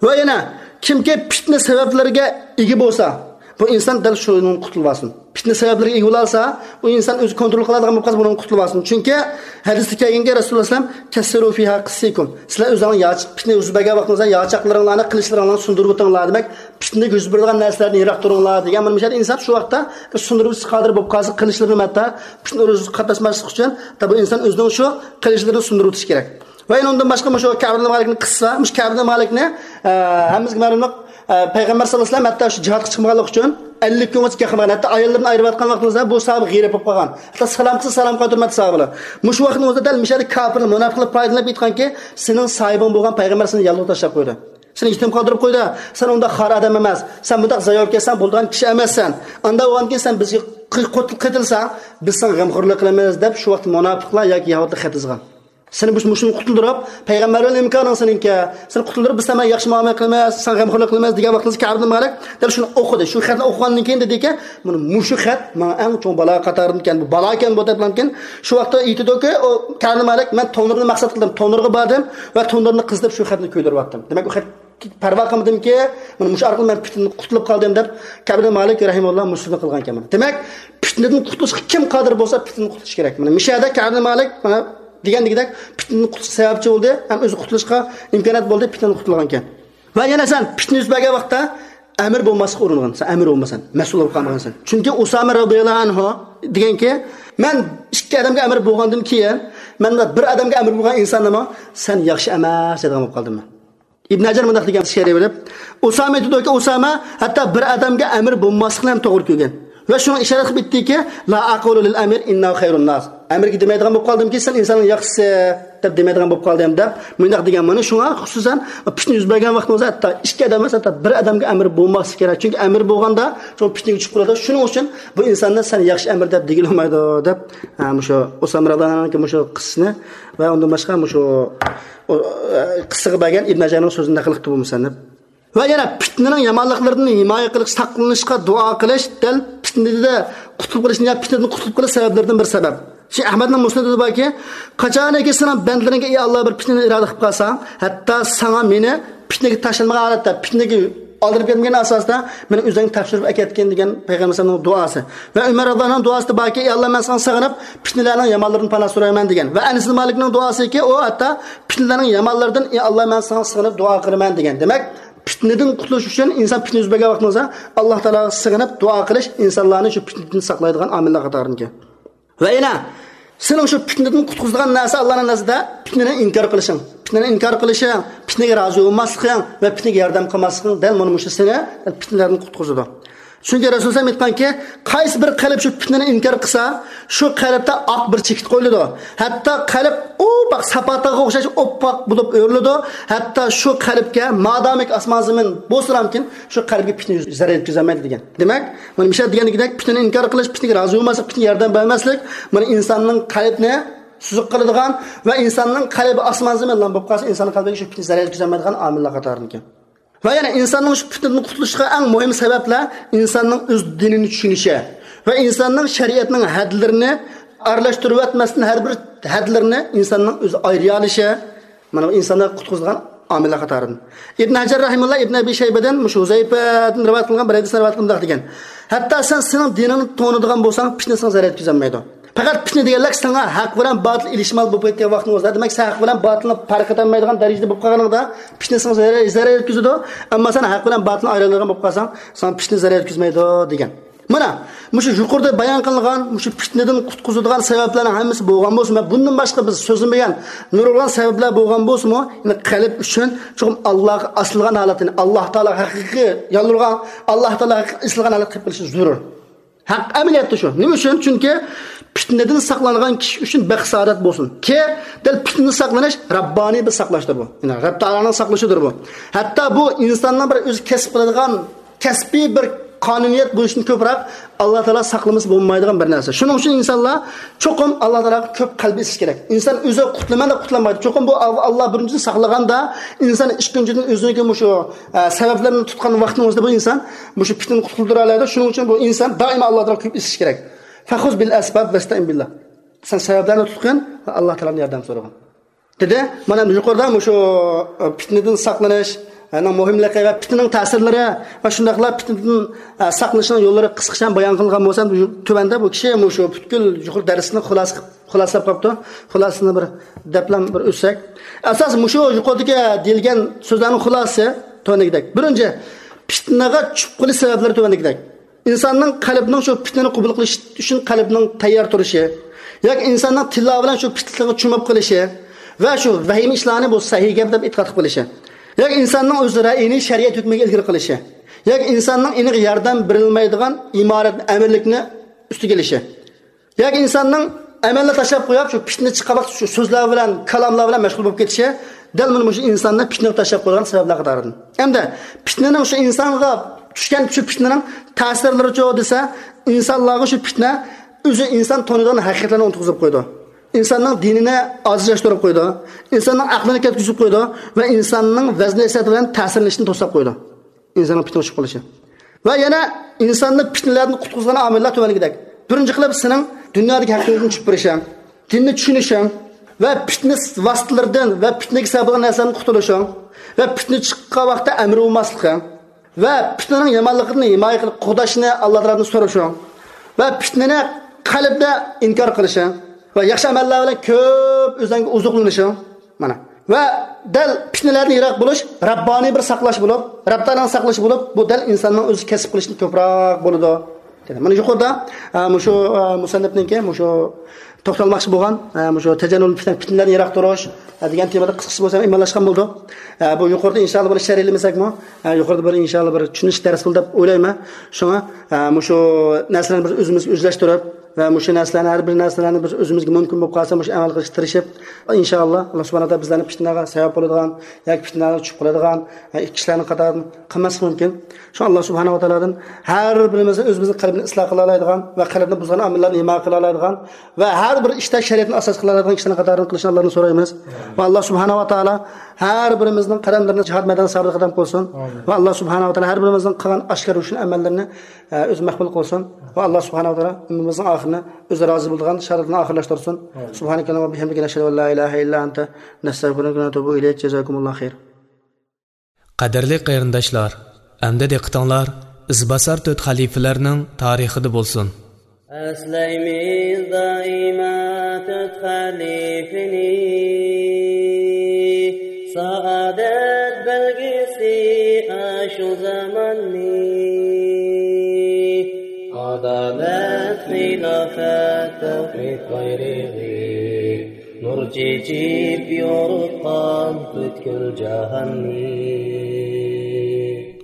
ۋە يەنە، كىمكى پىتنە سەۋەبلىرىگە ئىگە بولسا، بۇ ئىنسان دەل شۇنىڭدىن قۇتۇلۇۋالسۇن. پىتنە سەۋەبلىرىگە ئىگە بولالسا، ئۇ ئىنسان ئۆزى كونترول قىلالىغان بولۇپ قالسا، بۇنىڭدىن قۇتۇلۇۋالسۇن. چۈنكى ھەدىستە كەلگەنكى، رەسۇلۇللا ئەلەيھىسسالام، «كەسسىرۇ فىھا قىسسىكۇم.» سىلەر ئۆزۈڭلار ياچىق، پىتنە يۈز بەرگەن ۋاقتىڭىزدا ياچاقلىرىڭلارنى، قىلىچلىرىڭلارنى سۇندۇرۇپ ئۆتۈڭلار. دېمەك، پىتنىگە يۈز بېرىدىغان نەرسىلەردىن يىراق تۇرۇڭلار دېگەن. مانا مۇشۇ يەردە ئىنسان شۇ ۋاقىتتا بىر سۇندۇرغۇچ قادىر بولۇپ قالسا، قىلىچلىرىنى ھەتتا پىتنە ئۇرۇشىغا قاتناشماسلىق ئۈچۈن، بۇ ئىنسان ئۆزىنىڭ شۇ قىلىچلىرىنى سۇندۇرۇۋېتىشى كېرەك. ۋە يەنە ئۇندىن باشقا مۇشۇ كەئب ئىبن مالىكنىڭ قىسسىسى بار. مۇشۇ كەئب ئىبن مالىكنى، ئە، ھەممىمىزگە مەلۇملۇق، ئە، پەيغەمبەر ساللاللاھۇ ئەلەيھى ۋەسەللەم ھەتتا شۇ جىھادقا چىقمىغانلىقى ئۈچۈن ئەللىك كۈنگىچە گەپ قىلمىغان. ھەتتا ئاياللىرىدىن ئايرىلىۋاتقان ۋاقتىڭىزدا بۇ ساھابە غېرىب بولۇپ قالغان. ھەتتا سالام قىلسا سالام قايتۇرمايتتى ساھابىلار. مۇشۇ ۋاقىتنىڭ ئۆزىدە دەل مۇشۇ يەردە كاپىرلار، مۇناپىقلار پايدىلىنىپ ئېيتقانكى، سېنىڭ ساھىبىڭ بولغان پەيغەمبەر سېنى يالغۇز تاشلاپ قويدى. سېنى يېتىم قالدۇرۇپ قويدى. سەن ئۇنداق خار ئادەم ئەمەس. سەن بۇنداق زاياۋۇل كەتسەڭ بولىدىغان كىشى ئەمەسسەن. ئانداق بولغاندىكىن سەن بىزگە قى-، قوتۇل قېتىلساڭ، بىز ساڭا غەمخورلۇق قىلىمىز دەپ شۇ ۋاقىتتا مۇناپىقلار ياكى يەھۇدىيلار خەت يازغان. سېنى مۇش-، مۇشۇنى قۇتۇلدۇرۇپ، پەيغەمبەر بىلەن ئىمكانىڭ سېنىڭكى. سېنى قۇتۇلدۇرۇپ، بىز سەن بىلەن ياخشى مۇئامىلە قىلىمىز، ساڭا غەمخورلۇق قىلىمىز دېگەن ۋاقتىڭىزدا كەئب ئىبن مالىك دەل شۇنى ئوقۇدى. شۇ خەتنى ئوقۇغاندىن كېيىن دېدىكى، مانا مۇشۇ خەت ماڭا ئەڭ چوڭ بالا قاتارىدىكەن، بۇ بالاكەن بۇ دەپلەمكىن. شۇ ۋاقىتتا ئېيتىدۇكى، ئۇ كەئب ئىبن مالىك، مەن تونۇرنى مەقسەت قىلدىم، تونۇرغا باردىم ۋە تونۇرنى قىزىتىپ شۇ خەتنى كۆيدۈرۈۋەتتىم. دېمەك، ئۇ خەت پەرۋا قىلمىدىمكى، مانا مۇشۇ ئارقىلىق مەن پىتنىدىن قۇتۇلۇپ قالدىم دەپ، كەئب ئىبن مالىك رەھىمەھۇللا مۇشۇنى قىلغان ئىكەن. دېمەك، پىتنىدىن قۇتۇلۇشقا كىم قادىر بولسا، پىتنىدىن قۇتۇلۇش كېرەك. مانا مۇشۇ يەردە كەئب ئىبن مالىك، مانا دېگەندىكىدەك، پىتنىدىن قۇتۇلۇشقا سەۋەبچى بولدى، ھەم ئۆزى قۇتۇلۇشقا ئىمكانىيەت بولدى، پىتنىدىن قۇتۇلغان ئىكەن. ۋە يەنە سەن پىتنە يۈز بەرگەن ۋاقىتتا ئەمىر بولماسلىققا ئۇرۇنغىن. سەن ئەمىر بولمىسەن، مەسئۇل بولۇپ قالمىغانسەن. چۈنكى ئۇسامە رەزىياللاھۇ ئەنھۇ دېگەنكى، مەن ئىككى ئادەمگە ئەمىر بولغاندىن كېيىن، مەن بىر ئادەمگە ئەمىر بولغان ئىنساننىمۇ سەن ياخشى ئەمەس دەيدىغان بولۇپ قالدىم مەن. ئىبن ھەجەر مۇنداق دېگەن شېئىر بېرىپ، ئۇسامە ئېيتىدۇكى، ئۇسامە ھەتتا بىر ئادەمگە ئەمىر بولماسلىقنى ھەم توغرا كۆرگەن. ۋە شۇڭا ئىشارە قىلىپ ئېيتتىكى، لا ئەقۇلۇ لىل ئەمىر ئىننەھۇ خەيرۇن ناس. ئەمىرگە دېمەيدىغان بولۇپ قالدىمكى، سەن ئىنساننىڭ ياخشىسى دەپ دېمەيدىغان بولۇپ قالدىم دەپ مۇنداق دېگەن. مانا شۇڭا خۇسۇسەن پىتنە يۈز بەرگەن ۋاقتىڭىزدا ھەتتا ئىككى ئادەم ئەمەس، ھەتتا بىر ئادەمگە ئەمىر بولماسلىق كېرەك. چۈنكى ئەمىر بولغاندا شۇ پىتنىگە چۈشۈپ قالىدۇ. شۇنىڭ ئۈچۈن بۇ ئىنساننى سەن ياخشى ئەمىر دەپ دېگىلى بولمايدۇ دەپ، ھە، مۇشۇ ئۇسامە رەزىياللاھۇنىڭكى مۇشۇ قىسسىسىنى ۋە ئۇندىن باشقا مۇشۇ ئۇ، ئە، قىسسىغا بەرگەن ئىبن ھەجەرنىڭ سۆزىنى نەقىل قىلىپ بولمىسەن دەپ. ۋە يەنە پىتنىنىڭ يامانلىقلىرىدىن ھىمايە قىلىش، ساقلىنىشقا دۇئا قىلىش، دەل پىتنىدە قۇتۇلۇپ قېلىشنى يا پىتنىدىن قۇتۇلۇپ قېلىش سەۋەبلىرىدىن بىر سەۋەب. شۇ ئەھمەدنىڭ مۇسنىدىدا باركى، قاچانكى سېنىڭ بەندىلىرىڭگە، ئى ئاللا، بىر پىتنىنى ئىرادە قىلىپ قالساڭ، ھەتتا ساڭا مېنى پىتنىگە تاشلانمىغان ھالەتتە، پىتنىگە ئالدىرىپ كەتمىگەن ئاساستا مېنى ئۆزۈڭگە تاپشۇرۇپ ئەكەتكىن دېگەن پەيغەمبەر ئەلەيھىسسالامنىڭ دۇئاسى. ۋە ئۆمەر رەزىياللاھۇنىڭ دۇئاسىدا باركى، ئى ئاللا، مەن ساڭا سېغىنىپ پىتنىلەرنىڭ يامانلىرىدىن پاناھ سورايمەن دېگەن. ۋە ئەنەس ئىبن مالىكنىڭ دۇئاسىكى، ئۇ ھەتتا پىتنىلەرنىڭ يامانلىرىدىن، ئى ئاللا، مەن ساڭا سېغىنىپ دۇئا قىلىمەن دېگەن. دېمەك، پىتنىدىن قۇتۇلۇش ئۈچۈن ئىنسان پىتنە يۈز بەرگەن ۋاقتىڭىزدا ئاللا تائالاغا سېغىنىپ دۇئا قىلىش ئىنسانلارنى شۇ پىتنىدىن ساقلايدىغان ئامىللار قاتارىدىكەن. ۋە يەنە سېنىڭ شۇ پىتنىدىن قۇتقۇزىدىغان نەرسە ئاللانىڭ نەزىرىدە پىتنىنى ئىنكار قىلىشىڭ. پىتنىنى ئىنكار قىلىشىڭ، پىتنىگە رازى بولماسلىقىڭ ۋە پىتنىگە ياردەم قىلماسلىقىڭ دەل مانا مۇشۇ سېنى پىتنىلەردىن قۇتقۇزىدۇ. چۈنكى رەسۇل ئەلەيھىسسالام ئېيتقانكى، قايسى بىر قەلب شۇ پىتنىنى ئىنكار قىلسا، شۇ قەلبتە ئاق بىر چېكىت قويۇلىدۇ. ھەتتا قەلب ئۇپاق ساپا تاغقا ئوخشاش ئوپپاق بولۇپ ئۆرۈلىدۇ. ھەتتا شۇ قەلبكە مادامىكى ئاسمان زېمىن بولسىلامكىن، شۇ قەلبكە پىتنە زەرەر يەتكۈزەلمەيدۇ دېگەن. دېمەك، مانا مۇشۇ دېگەندىكىدەك پىتنىنى ئىنكار قىلىش، پىتنىگە رازى بولماسلىق، پىتنىگە ياردەم بەرمەسلىك، مانا ئىنساننىڭ قەلبىنى سۈزۈك قىلىدىغان ۋە ئىنساننىڭ قەلبى ئاسمان زېمىن بىلەن بولۇپ قالسا، ئىنساننىڭ قەلبىگە شۇ پىتنە زەرەر يەتكۈزەلمەيدىغان ئامىللار قاتارىدىكەن. ۋە يەنە ئىنساننىڭ شۇ پىتنىدىن قۇتۇلۇشىغا ئەڭ مۇھىم سەۋەبلەر ئىنساننىڭ ئۆز دىنىنى چۈشىنىشى ۋە ئىنساننىڭ شەرىئەتنىڭ ھەدلىرىنى ئارىلاشتۇرۇۋەتمەستىن، ھەر بىر ھەدلىرىنى ئىنساننىڭ ئۆزى ئايرىيالىشى، مانا بۇ ئىنساننى قۇتقۇزىدىغان ئامىللار قاتارىدىن. ئىبن ھەجەر رەھىمۇللا ئىبن ئەبى شەيبىدىن، مۇشۇ ھۇزەيپەدىن رىۋايەت قىلغان بىر ھەدىسنى رىۋايەت قىلىپ مۇنداق دېگەن، ھەتتا سەن سېنىڭ دىنىڭنى تونۇيدىغان بولساڭ، پىتنە ساڭا زەرەر يەتكۈزەلمەيدۇ. پەقەت پىتنە دېگەنلىك ساڭا ھەق بىلەن باتىل ئېلىشمال بولۇپ كەتكەن ۋاقتىڭىزدا، دېمەك، سەن ھەق بىلەن باتىلنى پەرق ئېتەلمەيدىغان دەرىجىدە بولۇپ قالغىنىڭدا، پىتنە ساڭا زەرەر، زەرەر يەتكۈزىدۇ. ئەمما سەن ھەق بىلەن باتىلنى ئايرىيالىغان بولۇپ قالساڭ، ساڭا پىتنە زەرەر يەتكۈزمەيدۇ دېگەن. مانا مۇشۇ يۇقىرىدا بايان قىلىنغان مۇشۇ پىتنىدىن قۇتقۇزىدىغان سەۋەبلەرنىڭ ھەممىسى بولغان بولسىمۇ، بۇندىن باشقا بىز سۆزلىمىگەن نۇرغۇن سەۋەبلەر بولغان بولسىمۇ، يەنى قەلب ئۈچۈن چوقۇم ئاللاغا ئاسىلغان ھالەتتە، ئاللا تائالاغا ھەقىقىي يالۋۇرغان، ئاللا تائالاغا ھەقىقىي ئېسىلغان ھالەتتە قېلىپ قېلىشى زۆرۈر. ھەق ئەمەلىيەتتە شۇ. نېمە ئۈچۈن؟ چۈنكى پىتنىدىن ساقلانغان كىشى ئۈچۈن بەخت سائادەت بولسۇن. كى، دەل پىتنىدىن ساقلىنىش رەببانىي بىر ساقلاشتۇر بۇ. يەنى رەب تائالانىڭ ساقلىشىدۇر بۇ. ھەتتا بۇ ئىنساننىڭ بىر ئۆزى كەسىپ قىلىدىغان كەسپىي بىر قانۇنىيەت بولۇشتىن كۆپرەك ئاللا تائالا ساقلىمىسا بولمايدىغان بىر نەرسە. شۇنىڭ ئۈچۈن ئىنسانلار چوقۇم ئاللا تائالاغا كۆپ قەلبى ئېسىش كېرەك. ئىنسان ئۆزى قۇتۇلىمەن دەپ قۇتۇلالمايدۇ. چوقۇم بۇ ئال-، ئاللا بىرىنچىدىن ساقلىغاندا، ئىنسان ئىككىنچىدىن ئۆزىنىڭكى مۇشۇ، ئە، سەۋەبلەرنى تۇتقان ۋاقتىنىڭ ئۆزىدە بۇ ئىنسان مۇشۇ پىتنىدىن قۇتۇلدۇرالايدۇ. شۇنىڭ ئۈچۈن بۇ ئىنسان دائىم ئاللا تائالاغا كۆپ ئېسىش كېرەك. فخذ بالأسباب واستعن بالله. سەن سەۋەبلەرنى تۇتقىن ۋە ئاللا تائالادىن ياردەم سورىغىن. دېدى. مانا يۇقىرىدا مۇشۇ، ئە، پىتنىدىن ساقلىنىش، ئە، نىڭ مۇھىملىقى ۋە پىتنىنىڭ تەسىرلىرى ۋە شۇنداقلا پىتنىدىن، ئە، ساقلىنىشنىڭ يوللىرى قىسقىچە بايان قىلغان بولسام، يۇ-، تۆۋەندە بۇ كىشى مۇشۇ پۈتكۈل يۇقىرى دەرسنى خۇلاسە قىلىپ، خۇلاسىلاپ قاپتۇ. خۇلاسىنى بىر دەپلا بىر ئۆتسەك. ئاساس مۇشۇ يۇقىرىدىكى دېيىلگەن سۆزلەرنىڭ خۇلاسىسى تۆۋەندىكىدەك. بىرىنچى، پىتنىگە چۈشۈپ قېلىش سەۋەبلىرى تۆۋەندىكىدەك. ئىنساننىڭ قەلبىنىڭ شۇ پىتنىنى قوبۇل قىلىش ئۈچۈن قەلبىنىڭ تەييار تۇرۇشى ياكى ئىنساننىڭ تىللاۋى بىلەن شۇ پىتنىگە چۆمۈپ قېلىشى ۋە شۇ ۋەھىمە ئىشلارنى بۇ سەھىھ گەپ دەپ ئېتىقاد قىلىپ قېلىشى ياكى ئىنساننىڭ ئۆز رەئىيىنى شەرىئەت ھۆكمىگە ئىلگىرى قىلىشى ياكى ئىنساننىڭ ئېنىق ياردەم بېرىلمەيدىغان ئىمارەت، ئەمىرلىكنى ئۈستىگە ئېلىشى. ياكى ئىنساننىڭ ئەمەلنى تاشلاپ قويۇپ، شۇ پىتنە چىققان ۋاقىت شۇ سۆزلەر بىلەن، كالاملار بىلەن مەشغۇل بولۇپ كېتىشى دەل مانا مۇشۇ ئىنساننى پىتنىگە تاشلاپ قويىدىغان سەۋەبلەر قاتارىدىن. ھەمدە پىتنىنىڭ شۇ ئىنسانغا چۈشكەن شۇ پىتنىنىڭ تەسىرلىرىچۇ دېسە، ئىنسانلارغا شۇ پىتنە ئۆزى ئىنسان تونۇيدىغان ھەقىقەتلەرنى ئۇنتۇغۇزۇپ قويىدۇ. ئىنساننىڭ دىنىنى ئاجىزلاشتۇرۇپ قويىدۇ. ئىنساننىڭ ئەقلىنى كەتكۈزۈپ قويىدۇ ۋە ئىنساننىڭ ۋەزنى نەسىھەت بىلەن تەسىرلىنىشىنى توسلاپ قويىدۇ. ئىنساننىڭ پىتنىگە چۈشۈپ قېلىشى. ۋە يەنە ئىنساننى پىتنىلەردىن قۇتقۇزغان ئامىللار تۆۋەندىكىدەك. بىرىنچى قىلىپ، سېنىڭ دۇنيادىكى ھەققىڭدىن چۈشۈپ بېرىشىڭ، دىننى چۈشىنىشىڭ ۋە پىتنە ۋاسىتىلىرىدىن ۋە پىتنىگە سەۋەب بولغان نەرسىلەردىن قۇتۇلۇشۇڭ ۋە پىتنە چىققان ۋاقىتتا ئەمرى بولماسلىقىڭ ۋە پىتنىنىڭ يامانلىقىدىن ھىمايە قىلىپ قوغداشنى ئاللا تائالادىن سورىشىڭ ۋە پىتنىنى قەلبدە ئىنكار قىلىشىڭ ۋە ياخشى ئەمەللەر بىلەن كۆپ ئۆزۈڭگە ئوزۇقلىنىشىڭ. مانا. ۋە دەل پىتنىلەردىن يىراق بولۇش رەببانىي بىر ساقلاش بولۇپ، رەب تائالانىڭ ساقلىشى بولۇپ، بۇ دەل ئىنساننىڭ ئۆزى كەسىپ قىلىشتىن كۆپرەك بولىدۇ. دېدى. مانا يۇقىرىدا، ئە، مۇشۇ، ئە، مۇسەننىپنىڭكى مۇشۇ توختالماقچى بولغان، ئە، مۇشۇ تەجەننۇبۇل پىتنە، پىتنىلەردىن يىراق تۇرۇش، ئە، دېگەن تېمىدا قىسقىچە بولسا ئىمانلاشقان بولدۇق. ئە، بۇ يۇقىرىدا ئىنشاللا بۇنى شەرھلىمىسەكمۇ، ئە، يۇقىرىدا بىر ئىنشاللا بىر چۈشىنىش دەرسى بولدى دەپ ئويلايمەن. شۇڭا، ئە، مۇشۇ نەرسىلەرنى بىز ئۆزىمىزگە ئۆزلەشتۈرۈپ، ۋە مۇشۇ نەرسىلەرنى، ھەر بىر نەرسىلەرنى بىز ئۆزىمىزگە مۇمكىن بولۇپ قالسا، مۇشۇ ئەمەل قىلىشقا تىرىشىپ، ئىنشائاللا، ئاللا سۇبھانەھۇ ۋە تائالا بىزلەرنى پىتنىگە سەۋەب بولىدىغان ياكى پىتنىگە چۈشۈپ قالىدىغان، ھە، كىشىلەرنىڭ قاتارىدىن قىلماسلىقى مۇمكىن. شۇڭا ئاللا سۇبھانەھۇ ۋە تائالادىن ھەر بىرىمىزنى ئۆزىمىزنىڭ قەلبىنى ئىسلاھ قىلالايدىغان ۋە قەلبىنى بۇزغان ئامىللارنى ھىمايە قىلالايدىغان ۋە ھەر بىر ئىشتا شەرىئەتنى ئاساس قىلالايدىغان كىشىلەرنىڭ قاتارىدىن قىلىشنى ئاللادىن سورايمىز. ۋە ئاللا سۇبھانەھۇ ۋە تائالا ھەر بىرىمىزنىڭ قەدەملىرىنى جىھاد مەيدانىدا سابىت قەدەم قىلسۇن. ئامىن. ۋە ئاللا سۇبھانەھۇ ۋە تائالا ھەر بىرىمىزنىڭ قىلغان ئاشكارا روشەن ئەمەللىرىنى، ئە، ئۆزى مەقبۇل قىلسۇن. ۋە ئاللا سۇبھانەھۇ ۋە تائالا ئۆمرىمىزنىڭ ئاخىرىنى ئۆزى رازى بولىدىغان شادلىقتا ئاخىرلاشتۇرسۇن. ئامىن. سۇبھانەكەللاھۇممە ۋە بىھەمدىكە، نەشھەدۇ ئەن لا ئىلاھە ئىللا ئەنتە، نەستەغفىرۇكە ۋە نەتۇبۇ ئىلەيك. جازاكۇمۇللاھۇ خەير. قەدىرلىك قېرىنداشلار، ئەمدى دىققىتىڭلار ئىزباسار تۆت خەلىپىلەرنىڭ تارىخىدا بولسۇن. ئەسلەيمىز دائىما تۆت خەلىپىنى، سائادەت بەلگىسى ئاشۇ زاماننى. ئادالەت، خىلاپەت، تەۋھىد بايرىقى، نۇر چېچىپ يورۇتقان پۈتكۈل جاھاننى.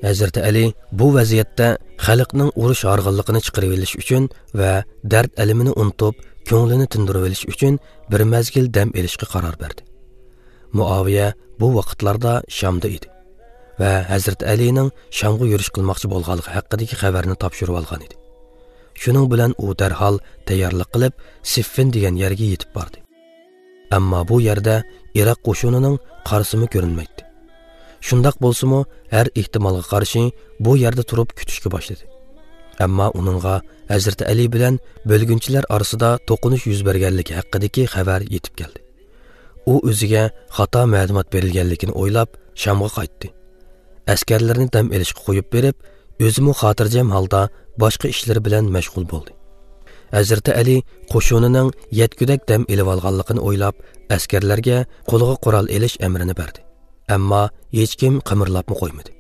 ھەزرىتى ئەلى بۇ ۋەزىيەتتە خەلقنىڭ ئۇرۇش ھارغىنلىقىنى چىقىرىۋېلىش ئۈچۈن ۋە دەرد ئەلىمىنى ئۇنتۇپ، كۆڭلىنى تىندۇرۇۋېلىش ئۈچۈن بىر مەزگىل دەم ئېلىشقا قارار بەردى. مۇئاۋىيە بۇ ۋاقىتلاردا شامدا ئىدى ۋە ھەزرىتى ئەلىنىڭ شامغا يۈرۈش قىلماقچى بولغانلىقى ھەققىدىكى خەۋەرنى تاپشۇرۇۋالغان ئىدى. شۇنىڭ بىلەن ئۇ دەرھال تەييارلىق قىلىپ، سىففىن دېگەن يەرگە يېتىپ باردى. ئەمما بۇ يەردە ئىراق قوشۇنىنىڭ قارىسىمۇ كۆرۈنمەيتتى. شۇنداق بولسىمۇ، ھەر ئېھتىمالغا قارشى بۇ يەردە تۇرۇپ كۈتۈشكە باشلىدى. ئەمما ئۇنىڭغا ھەزرىتى ئەلى بىلەن بۆلگۈنچىلەر ئارىسىدا توقۇنۇش يۈز بەرگەنلىكى ھەققىدىكى خەۋەر يېتىپ كەلدى. ئۇ ئۆزىگە خاتا مەلۇمات بېرىلگەنلىكىنى ئويلاپ، شامغا قايتتى. ئەسكەرلىرىنى دەم ئېلىشقا قويۇپ بېرىپ، ئۆزىمۇ خاتىرجەم ھالدا باشقا ئىشلىرى بىلەن مەشغۇل بولدى. ھەزرىتى ئەلى قوشۇنىنىڭ يەتكۈدەك دەم ئېلىۋالغانلىقىنى ئويلاپ، ئەسكەرلەرگە قولىغا قورال ئېلىش ئەمرىنى بەردى. ئەمما ھېچكىم قىمىرلاپمۇ قويمىدى.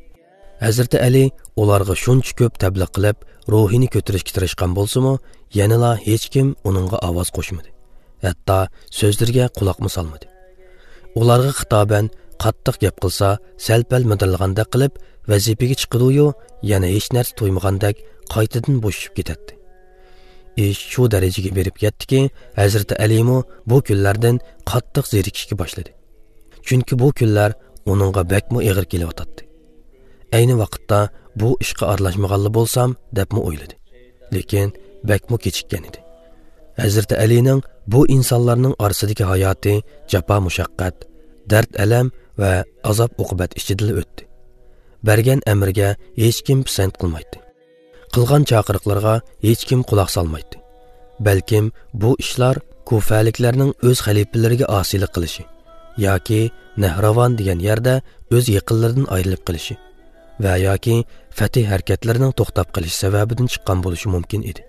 ھەزرىتى ئەلى ئۇلارغا شۇنچە كۆپ تەبلىغ قىلىپ، روھىنى كۆتۈرۈشكە تىرىشقان بولسىمۇ، يەنىلا ھېچكىم ئۇنىڭغا ئاۋاز قوشمىدى. ھەتتا سۆزلىرىگە قۇلاقمۇ سالمىدى. ئۇلارغا خىتابەن قاتتىق گەپ قىلسا، سەل-پەل مىدىرلىغاندەك قىلىپ، ۋەزىپىگە چىقىدۇ-يۇ، يەنە ھېچ نەرسە تۇيمىغاندەك قايتىدىن بوشىشىپ كېتەتتى. ئىش شۇ دەرىجىگە بېرىپ يەتتىكى، ھەزرىتى ئەلىمۇ بۇ كۈنلەردىن قاتتىق زېرىكىشكە باشلىدى. چۈنكى بۇ كۈنلەر ئۇنىڭغا بەكمۇ ئېغىر كېلىۋاتاتتى. ئەينى ۋاقىتتا بۇ ئىشقا ئارىلاشمىغانلا بولسام، دەپمۇ ئويلىدى. لېكىن بەكمۇ كېچىككەن ئىدى. ھەزرىتى ئەلىنىڭ بۇ ئىنسانلارنىڭ ئارىسىدىكى ھاياتى جاپا-مۇشەققەت، دەرد-ئەلەم ۋە ئازاب-ئوقۇبەت ئىچىدىلا ئۆتتى. بەرگەن ئەمرىگە ھېچكىم پىسەنت قىلمايتتى. قىلغان چاقىرىقلىرىغا ھېچكىم قۇلاق سالمايتتى. بەلكىم بۇ ئىشلار كۇفەلىكلەرنىڭ ئۆز خەلىپىلىرىگە ئاسىيلىق قىلىشى ياكى نەھراۋان دېگەن يەردە ئۆز يېقىنلىرىدىن ئايرىلىپ قېلىشى ۋە ياكى فەتھى ھەرىكەتلىرىنىڭ توختاپ قېلىشى سەۋەبىدىن چىققان بولۇشى مۇمكىن ئىدى.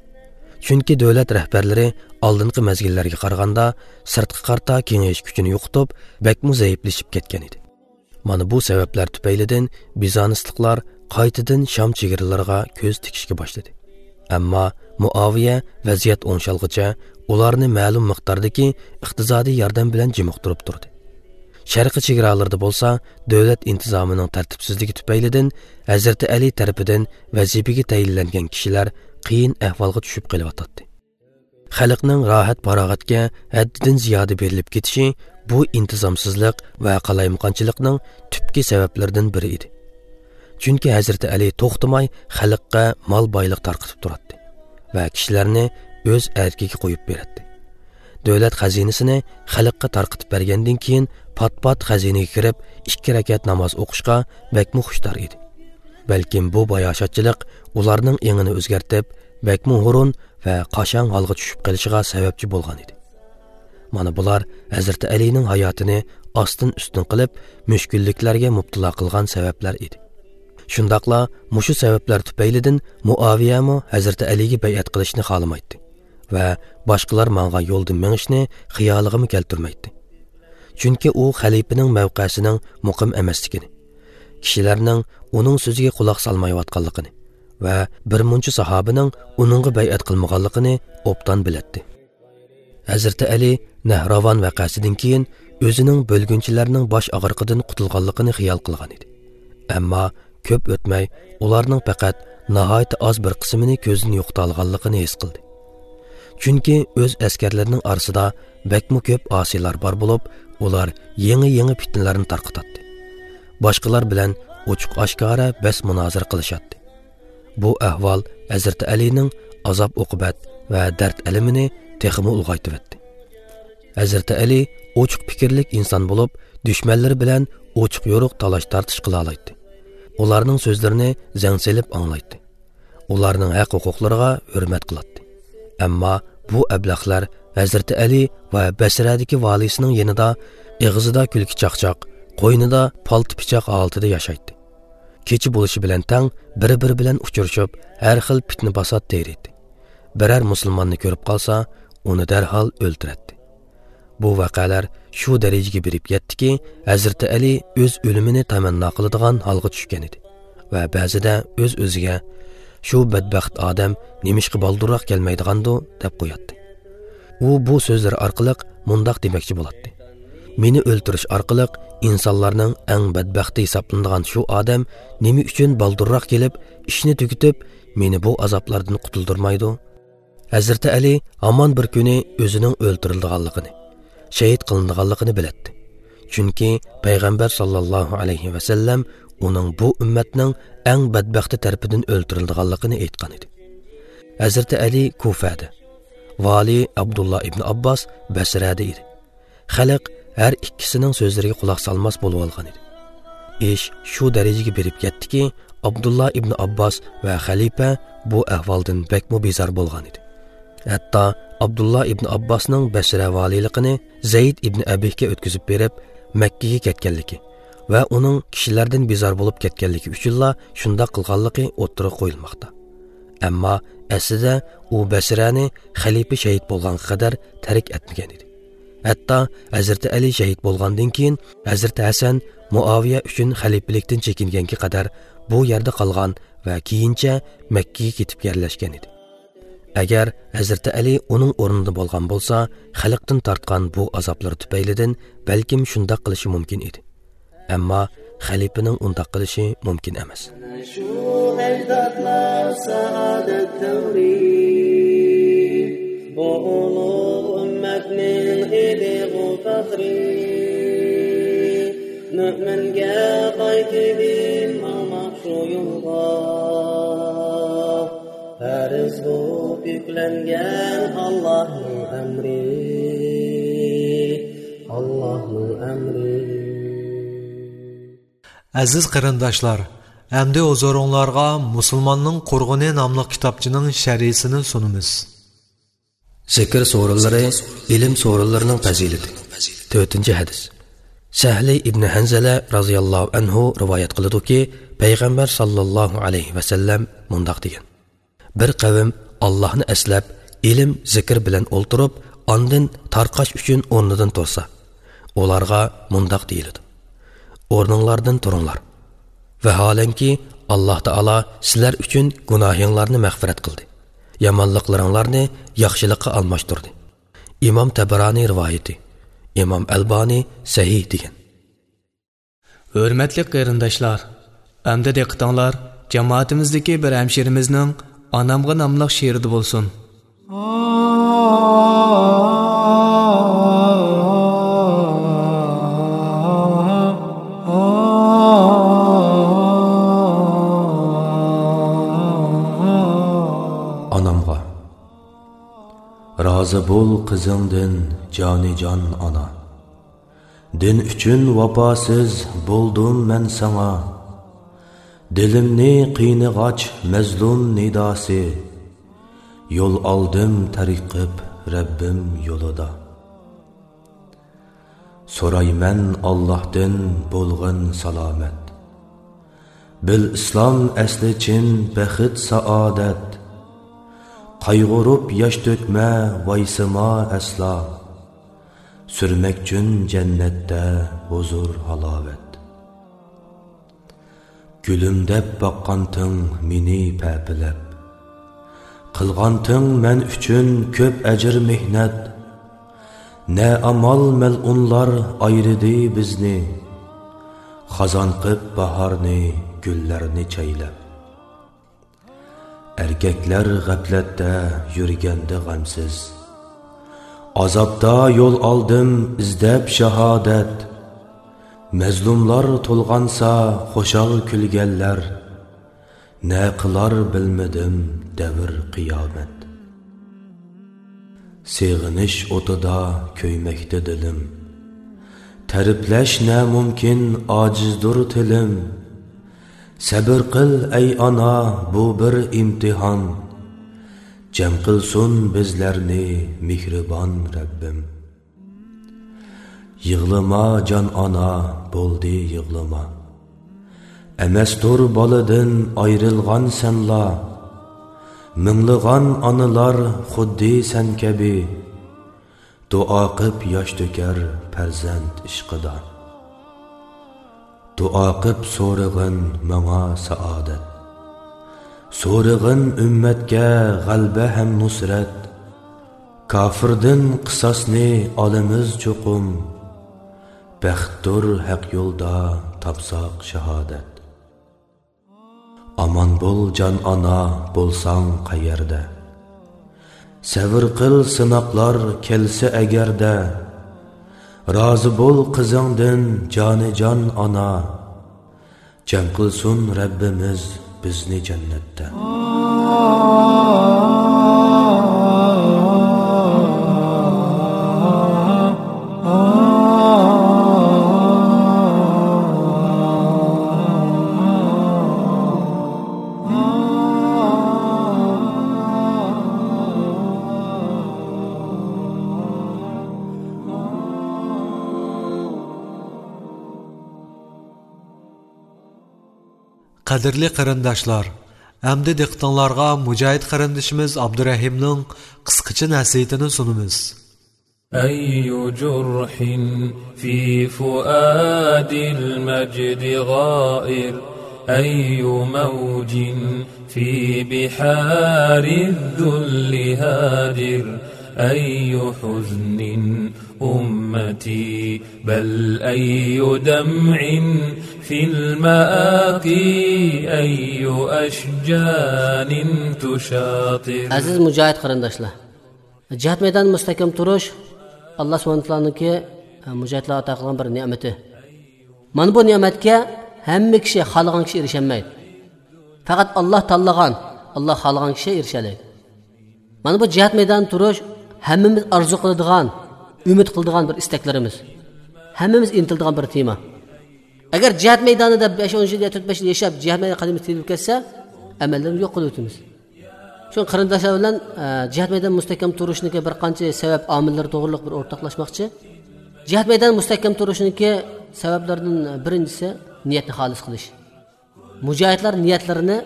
چۈنكى دۆلەت رەھبەرلىرى ئالدىنقى مەزگىللەرگە قارىغاندا سىرتقا قارىتا كېڭىيىش كۈچىنى يوقىتىپ، بەكمۇ زەئىپلىشىپ كەتكەن ئىدى. مانا بۇ سەۋەبلەر تۈپەيلىدىن بىزانسلىقلار قايتىدىن شام چېگرىلىرىغا كۆز تىكىشكە باشلىدى. ئەمما مۇئاۋىيە ۋەزىيەت ئوڭشالغۇچە ئۇلارنى مەلۇم مىقداردىكى ئىقتىسادىي ياردەم بىلەن جىمىقتۇرۇپ تۇردى. شەرقىي چېگرالىرىدا بولسا دۆلەت ئىنتىزامىنىڭ تەرتىپسىزلىكى تۈپەيلىدىن ھەزرىتى ئەلى تەرىپىدىن ۋەزىپىگە تەيىنلەنگەن كىشىلەر قىيىن ئەھۋالغا چۈشۈپ قېلىۋاتاتتى. خەلقنىڭ راھەت-پاراغەتكە ھەددىدىن زىيادە بېرىلىپ كېتىشى بۇ ئىنتىزامسىزلىق ۋە قالايمىقانچىلىقنىڭ تۈپكى سەۋەبلىرىدىن بىرى ئىدى. چۈنكى ھەزرىتى ئەلى توختىماي خەلققە مال-بايلىق تارقىتىپ تۇراتتى ۋە كىشىلەرنى ئۆز ئەركىگە قويۇپ بېرەتتى. دۆلەت خەزىنىسىنى خەلققە تارقىتىپ بەرگەندىن كېيىن، پات-پات خەزىنىگە كىرىپ، ئىككى رەكەت ناماز ئوقۇشقا بەكمۇ خۇشتار ئىدى. بەلكىم بۇ باياشاتچىلىق ئۇلارنىڭ ئېڭىنى ئۆزگەرتىپ، بەكمۇ ھۇرۇن ۋە قاشاڭ ھالغا چۈشۈپ قېلىشىغا سەۋەبچى بولغان ئىدى. مانا بۇلار ھەزرىتى ئەلىنىڭ ھاياتىنى ئاستىن-ئۈستۈن قىلىپ، مۈشكۈللۈكلەرگە مۇپتىلا قىلغان سەۋەبلەر ئىدى. شۇنداقلا مۇشۇ سەۋەبلەر تۈپەيلىدىن مۇئاۋىيەمۇ ھەزرىتى ئەلىگە بەيئەت قىلىشنى خالىمايتتى ۋە باشقىلار ماڭغان يولدىن مېڭىشنى خىيالىغىمۇ كەلتۈرمەيتتى. چۈنكى ئۇ خەلىپىنىڭ مەۋقەسىنىڭ مۇقىم ئەمەسلىكىنى، كىشىلەرنىڭ ئۇنىڭ سۆزىگە قۇلاق سالمايۋاتقانلىقىنى ۋە بىر مۇنچە ساھابىنىڭ ئۇنىڭغا بەيئەت قىلمىغانلىقىنى ئوبدان بىلەتتى. ھەزرىتى ئەلى نەھراۋان ۋەقەسىدىن كېيىن ئۆزىنىڭ بۆلگۈنچىلەرنىڭ باش ئاغرىقىدىن قۇتۇلغانلىقىنى خىيال قىلغان ئىدى. ئەمما كۆپ ئۆتمەي ئۇلارنىڭ پەقەت ناھايىتى ئاز بىر قىسمىنى كۆزدىن يوقىتالىغانلىقىنى ھېس قىلدى. چۈنكى ئۆز ئەسكەرلىرىنىڭ ئارىسىدا بەكمۇ كۆپ ئاسىيلار بار بولۇپ، ئۇلار يېڭى-يېڭى پىتنىلەرنى تارقىتاتتى. باشقىلار بىلەن ئوچۇق-ئاشكارا بەس-مۇنازىرە قىلىشاتتى. بۇ ئەھۋال ھەزرىتى ئەلىنىڭ ئازاب-ئوقۇبەت ۋە دەرد-ئەلىمىنى تېخىمۇ ئۇلغايتىۋەتتى. ھەزرىتى ئەلى ئوچۇق پىكىرلىك ئىنسان بولۇپ، دۈشمەنلىرى بىلەن ئوچۇق-يورۇق تالاش-تارتىش قىلالايتتى. ئۇلارنىڭ سۆزلىرىنى زەڭ سېلىپ ئاڭلايتتى. ئۇلارنىڭ ھەق-ھوقۇقلىرىغا ھۆرمەت قىلاتتى. ئەمما بۇ ئەبلەخلەر ھەزرىتى ئەلى ۋە بەسرەدىكى ۋالىيسىنىڭ يېنىدا ئېغىزىدا كۈلكە-چاقچاق، قوينىدا پالتا-پىچاق ھالىتىدە ياشايتتى. كېچە بولۇشى بىلەن تەڭ بىر-بىرى بىلەن ئۇچرىشىپ، ھەر خىل پىتنە-پاسات تېرىيتتى. بىرەر مۇسۇلماننى كۆرۈپ قالسا، ئۇنى دەرھال ئۆلتۈرەتتى. بۇ ۋەقەلەر شۇ دەرىجىگە بېرىپ يەتتىكى، ھەزرىتى ئەلى ئۆز ئۆلۈمىنى تەمەننا قىلىدىغان ھالغا چۈشكەن ئىدى ۋە بەزىدە ئۆز-ئۆزىگە، «شۇ بەتبەخت ئادەم نېمىشقا بالدۇرراق كەلمەيدىغاندۇ؟» دەپ قوياتتى. ئۇ بۇ سۆزلىرى ئارقىلىق مۇنداق دېمەكچى بولاتتى: «مېنى ئۆلتۈرۈش ئارقىلىق ئىنسانلارنىڭ ئەڭ بەتبەختى ھېسابلىنىدىغان شۇ ئادەم نېمە ئۈچۈن بالدۇرراق كېلىپ، ئىشنى تۈگىتىپ، مېنى بۇ ئازابلاردىن قۇتۇلدۇرمايدۇ؟» ھەزرىتى ئەلى ھامان بىر كۈنى ئۆزىنىڭ ئۆلتۈرۈلىدىغانلىقىنى، شېھىت قىلىنىدىغانلىقىنى بىلەتتى. چۈنكى پەيغەمبەر ساللاللاھۇ ئەلەيھى ۋەسەللەم ئۇنىڭ بۇ ئۈممەتنىڭ ئەڭ بەتبەختى تەرىپىدىن ئۆلتۈرۈلىدىغانلىقىنى ئېيتقان ئىدى. ھەزرىتى ئەلى كۇفەدە، ۋالىي ئابدۇللا ئىبن ئابباس بەسرەدە ئىدى. خەلق ھەر ئىككىسىنىڭ سۆزلىرىگە قۇلاق سالماس بولۇۋالغان ئىدى. ئىش شۇ دەرىجىگە بېرىپ يەتتىكى، ئابدۇللا ئىبن ئابباس ۋە خەلىپە بۇ ئەھۋالدىن بەكمۇ بىزار بولغان ئىدى. ھەتتا ئابدۇللا ئىبن ئابباسنىڭ بەسرە ۋالىيلىقىنى زەيد ئىبن ئەبىھكە ئۆتكۈزۈپ بېرىپ، مەككىگە كەتكەنلىكى ۋە ئۇنىڭ كىشىلەردىن بىزار بولۇپ كەتكەنلىكى ئۈچۈنلا شۇنداق قىلغانلىقى ئوتتۇرىغا قويۇلماقتا. ئەمما ئەسلىدە ئۇ بەسرەنى خەلىپە شېھىت بولغانغا قەدەر تەرك ئەتمىگەن ئىدى. ھەتتا ھەزرىتى ئەلى شېھىت بولغاندىن كېيىن، ھەزرىتى ھەسەن مۇئاۋىيە ئۈچۈن خەلىپىلىكتىن چېكىنگەنگە قەدەر بۇ يەردە قالغان ۋە كېيىنچە مەككىگە كېتىپ يەرلەشكەن ئىدى. ئەگەر ھەزرىتى ئەلى ئۇنىڭ ئورنىدا بولغان بولسا، خەلقتىن تارتقان بۇ ئازابلىرى تۈپەيلىدىن بەلكىم شۇنداق قىلىشى مۇمكىن ئىدى. ئەمما خەلىپىنىڭ ئۇنداق قىلىشى مۇمكىن ئەمەس. شۇ ئەجدادلار سائادەت دەۋرى، بۇ ئۇلۇغ ئۈممەتنىڭ ئىدىغۇ پەخرى. مۆمىنگە قايتىدىن ماڭماق شۇ يولغا، پەرز بولۇپ يۈكلەنگەن ئاللاھنىڭ ئەمرى، ئاللاھنىڭ ئەمرى. ئەزىز قېرىنداشلار، ئەمدى ھۇزۇرۇڭلارغا مۇسۇلماننىڭ قۇرغىنى ناملىق كىتابچىنىڭ شەرھىسىنى سۇنىمىز. زىكىر سورۇنلىرى، ئىلىم سورۇنلىرىنىڭ پەزىلىتى. تۆتىنچى ھەدىس. سەھلى ئىبنى ھەنزەلە رازىياللاھۇ ئەنھۇ رىۋايەت قىلىدۇكى، پەيغەمبەر ساللاللاھۇ ئەلەيھى ۋەسەللەم مۇنداق دېگەن: بىر قەۋم ئاللاھنى ئەسلەپ، ئىلىم، زىكىر بىلەن ئولتۇرۇپ، ئاندىن تارقاش ئۈچۈن ئورنىدىن تۇرسا، ئۇلارغا مۇنداق دېيىلىدۇ: ئورنۇڭلاردىن تۇرۇڭلار. ۋەھالەنكى، ئاللاھ تائالا سىلەر ئۈچۈن گۇناھىڭلارنى مەغپىرەت قىلدى، يامانلىقلىرىڭلارنى ياخشىلىققا ئالماشتۇردى. ئىمام تەبەرانى رىۋايىتى، ئىمام ئەلبانى سەھىھ دېگەن. ھۆرمەتلىك قېرىنداشلار، ئەمدى دىققىتىڭلار جامائىتىمىزدىكى بىر ھەمشىرىمىزنىڭ ئانامغا ناملىق شېئىرىدا بولسۇن. ئانامغا. رازى بول قىزىڭدىن، جانىجان ئانا. دىن ئۈچۈن ۋاپاسىز بولدۇم مەن ساڭا. دىلىمنى قىينىغاچ مەزلۇم نىداسى، يول ئالدىم تەرك قىپ رەببىم يولىدا. سورايمەن ئاللاھتىن بولغىن سالامەت. بىل ئىسلام ئەسلى چىن بەخت سائادەت. قايغۇرۇپ ياش تۆكمە ۋايسىما ئەسلا. سۈرمەكچۇن جەننەتتە ھۇزۇر ھالاۋەت. گۈلۈم دەپ باققانتىڭ مېنى پەپىلەپ. قىلغانتىڭ مەن ئۈچۈن كۆپ ئەجىر مېھنەت. نە ئامال مەلئۇنلار ئايرىدى بىزنى. خازان قىپ باھارنى، گۈللەرنى چەيلەپ. ئەركەكلەر غەپلەتتە يۈرگەندە غەمسىز. ئازابتا يول ئالدىم ئىزدەپ شاھادەت. مەزلۇملار تولغانسا خۇشال كۈلگەنلەر. نە قىلار بىلمىدىم دەۋر قىيامەت. سېغىنىش ئوتىدا كۆيمەكتە دىلىم. تەرىپلەش نامۇمكىن، ئاجىزدۇر تىلىم. سەبىر قىل ئەي ئانا، بۇ بىر ئىمتىھان. جەم قىلسۇن بىزلەرنى مېھرىبان رەببىم. يىغلىما جان ئانا، بولدى يىغلىما. ئەمەستۇر بالىدىن ئايرىلغان سەنلا. مىڭلىغان ئانىلار خۇددى سەن كەبى. دۇئا قىپ ياش تۆكەر پەرزەنت ئىشقىدا. دۇئا قىپ سورىغىن ماڭا سائادەت. سورىغىن ئۈممەتكە غەلبە ھەم نۇسرەت. كاپىردىن قىساسنى ئالىمىز چوقۇم. بەختتۇر ھەق يولدا تاپساق شاھادەت. ئامان بول جان ئانا، بولساڭ قەيەردە. سەۋر قىل سىناقلار كەلسە ئەگەردە. رازى بول قىزىڭدىن جانىجان ئانا. جەم قىلسۇن رەببىمىز بىزنى جەننەتتە. قەدىرلىك قېرىنداشلار، ئەمدى دىققىتىڭلارغا مۇجاھىد قېرىندىشىمىز ئابدۇرەھىمنىڭ قىسقىچە نەسىھىتىنى سۇنىمىز. أي جرح في فؤاد المجد غائر، أي موج في بحار الذل هادر، أي حزن أمتي، بل أي دمع في المآقي، أي أشجان تشاطر. ئەزىز مۇجاھىد قېرىنداشلار، جىھاد مەيدانىدا مۇستەھكەم تۇرۇش، ئاللا سۇبھانەھۇ ۋە تائالانىڭكى، ئە، مۇجاھىدلارغا ئاتا قىلغان بىر نېمىتى. مانا بۇ نېمەتكە ھەممە كىشى، خالىغان كىشى ئېرىشەلمەيدۇ. پەقەت ئاللا تاللىغان، ئاللا خالىغان كىشى ئېرىشەلەيدۇ. مانا بۇ جىھاد مەيدانىدا تۇرۇش ھەممىمىز ئارزۇ قىلىدىغان، ئۈمىد قىلىدىغان بىر ئىستەكلىرىمىز. ھەممىمىز ئىنتىلىدىغان بىر تېما. ئەگەر جىھاد مەيدانىدا بەش ئون يىل يا تۆت بەش يىل ياشاپ، جىھاد مەيدانىدا قەدىمىمىز تېيىلىپ كەتسە، ئەمەللىرىمىزنى يوق قىلىۋېتىمىز. شۇڭا قېرىنداشلار بىلەن، ئە، جىھاد مەيدانىدا مۇستەھكەم تۇرۇشنىڭكى بىر قانچە سەۋەب، ئامىللىرى توغرىلىق بىر ئورتاقلاشماقچى. جىھاد مەيدانىدا مۇستەھكەم تۇرۇشنىڭكى سەۋەبلىرىدىن بىرىنچىسى نىيەتنى خالىس قىلىش. مۇجاھىدلار نىيەتلىرىنى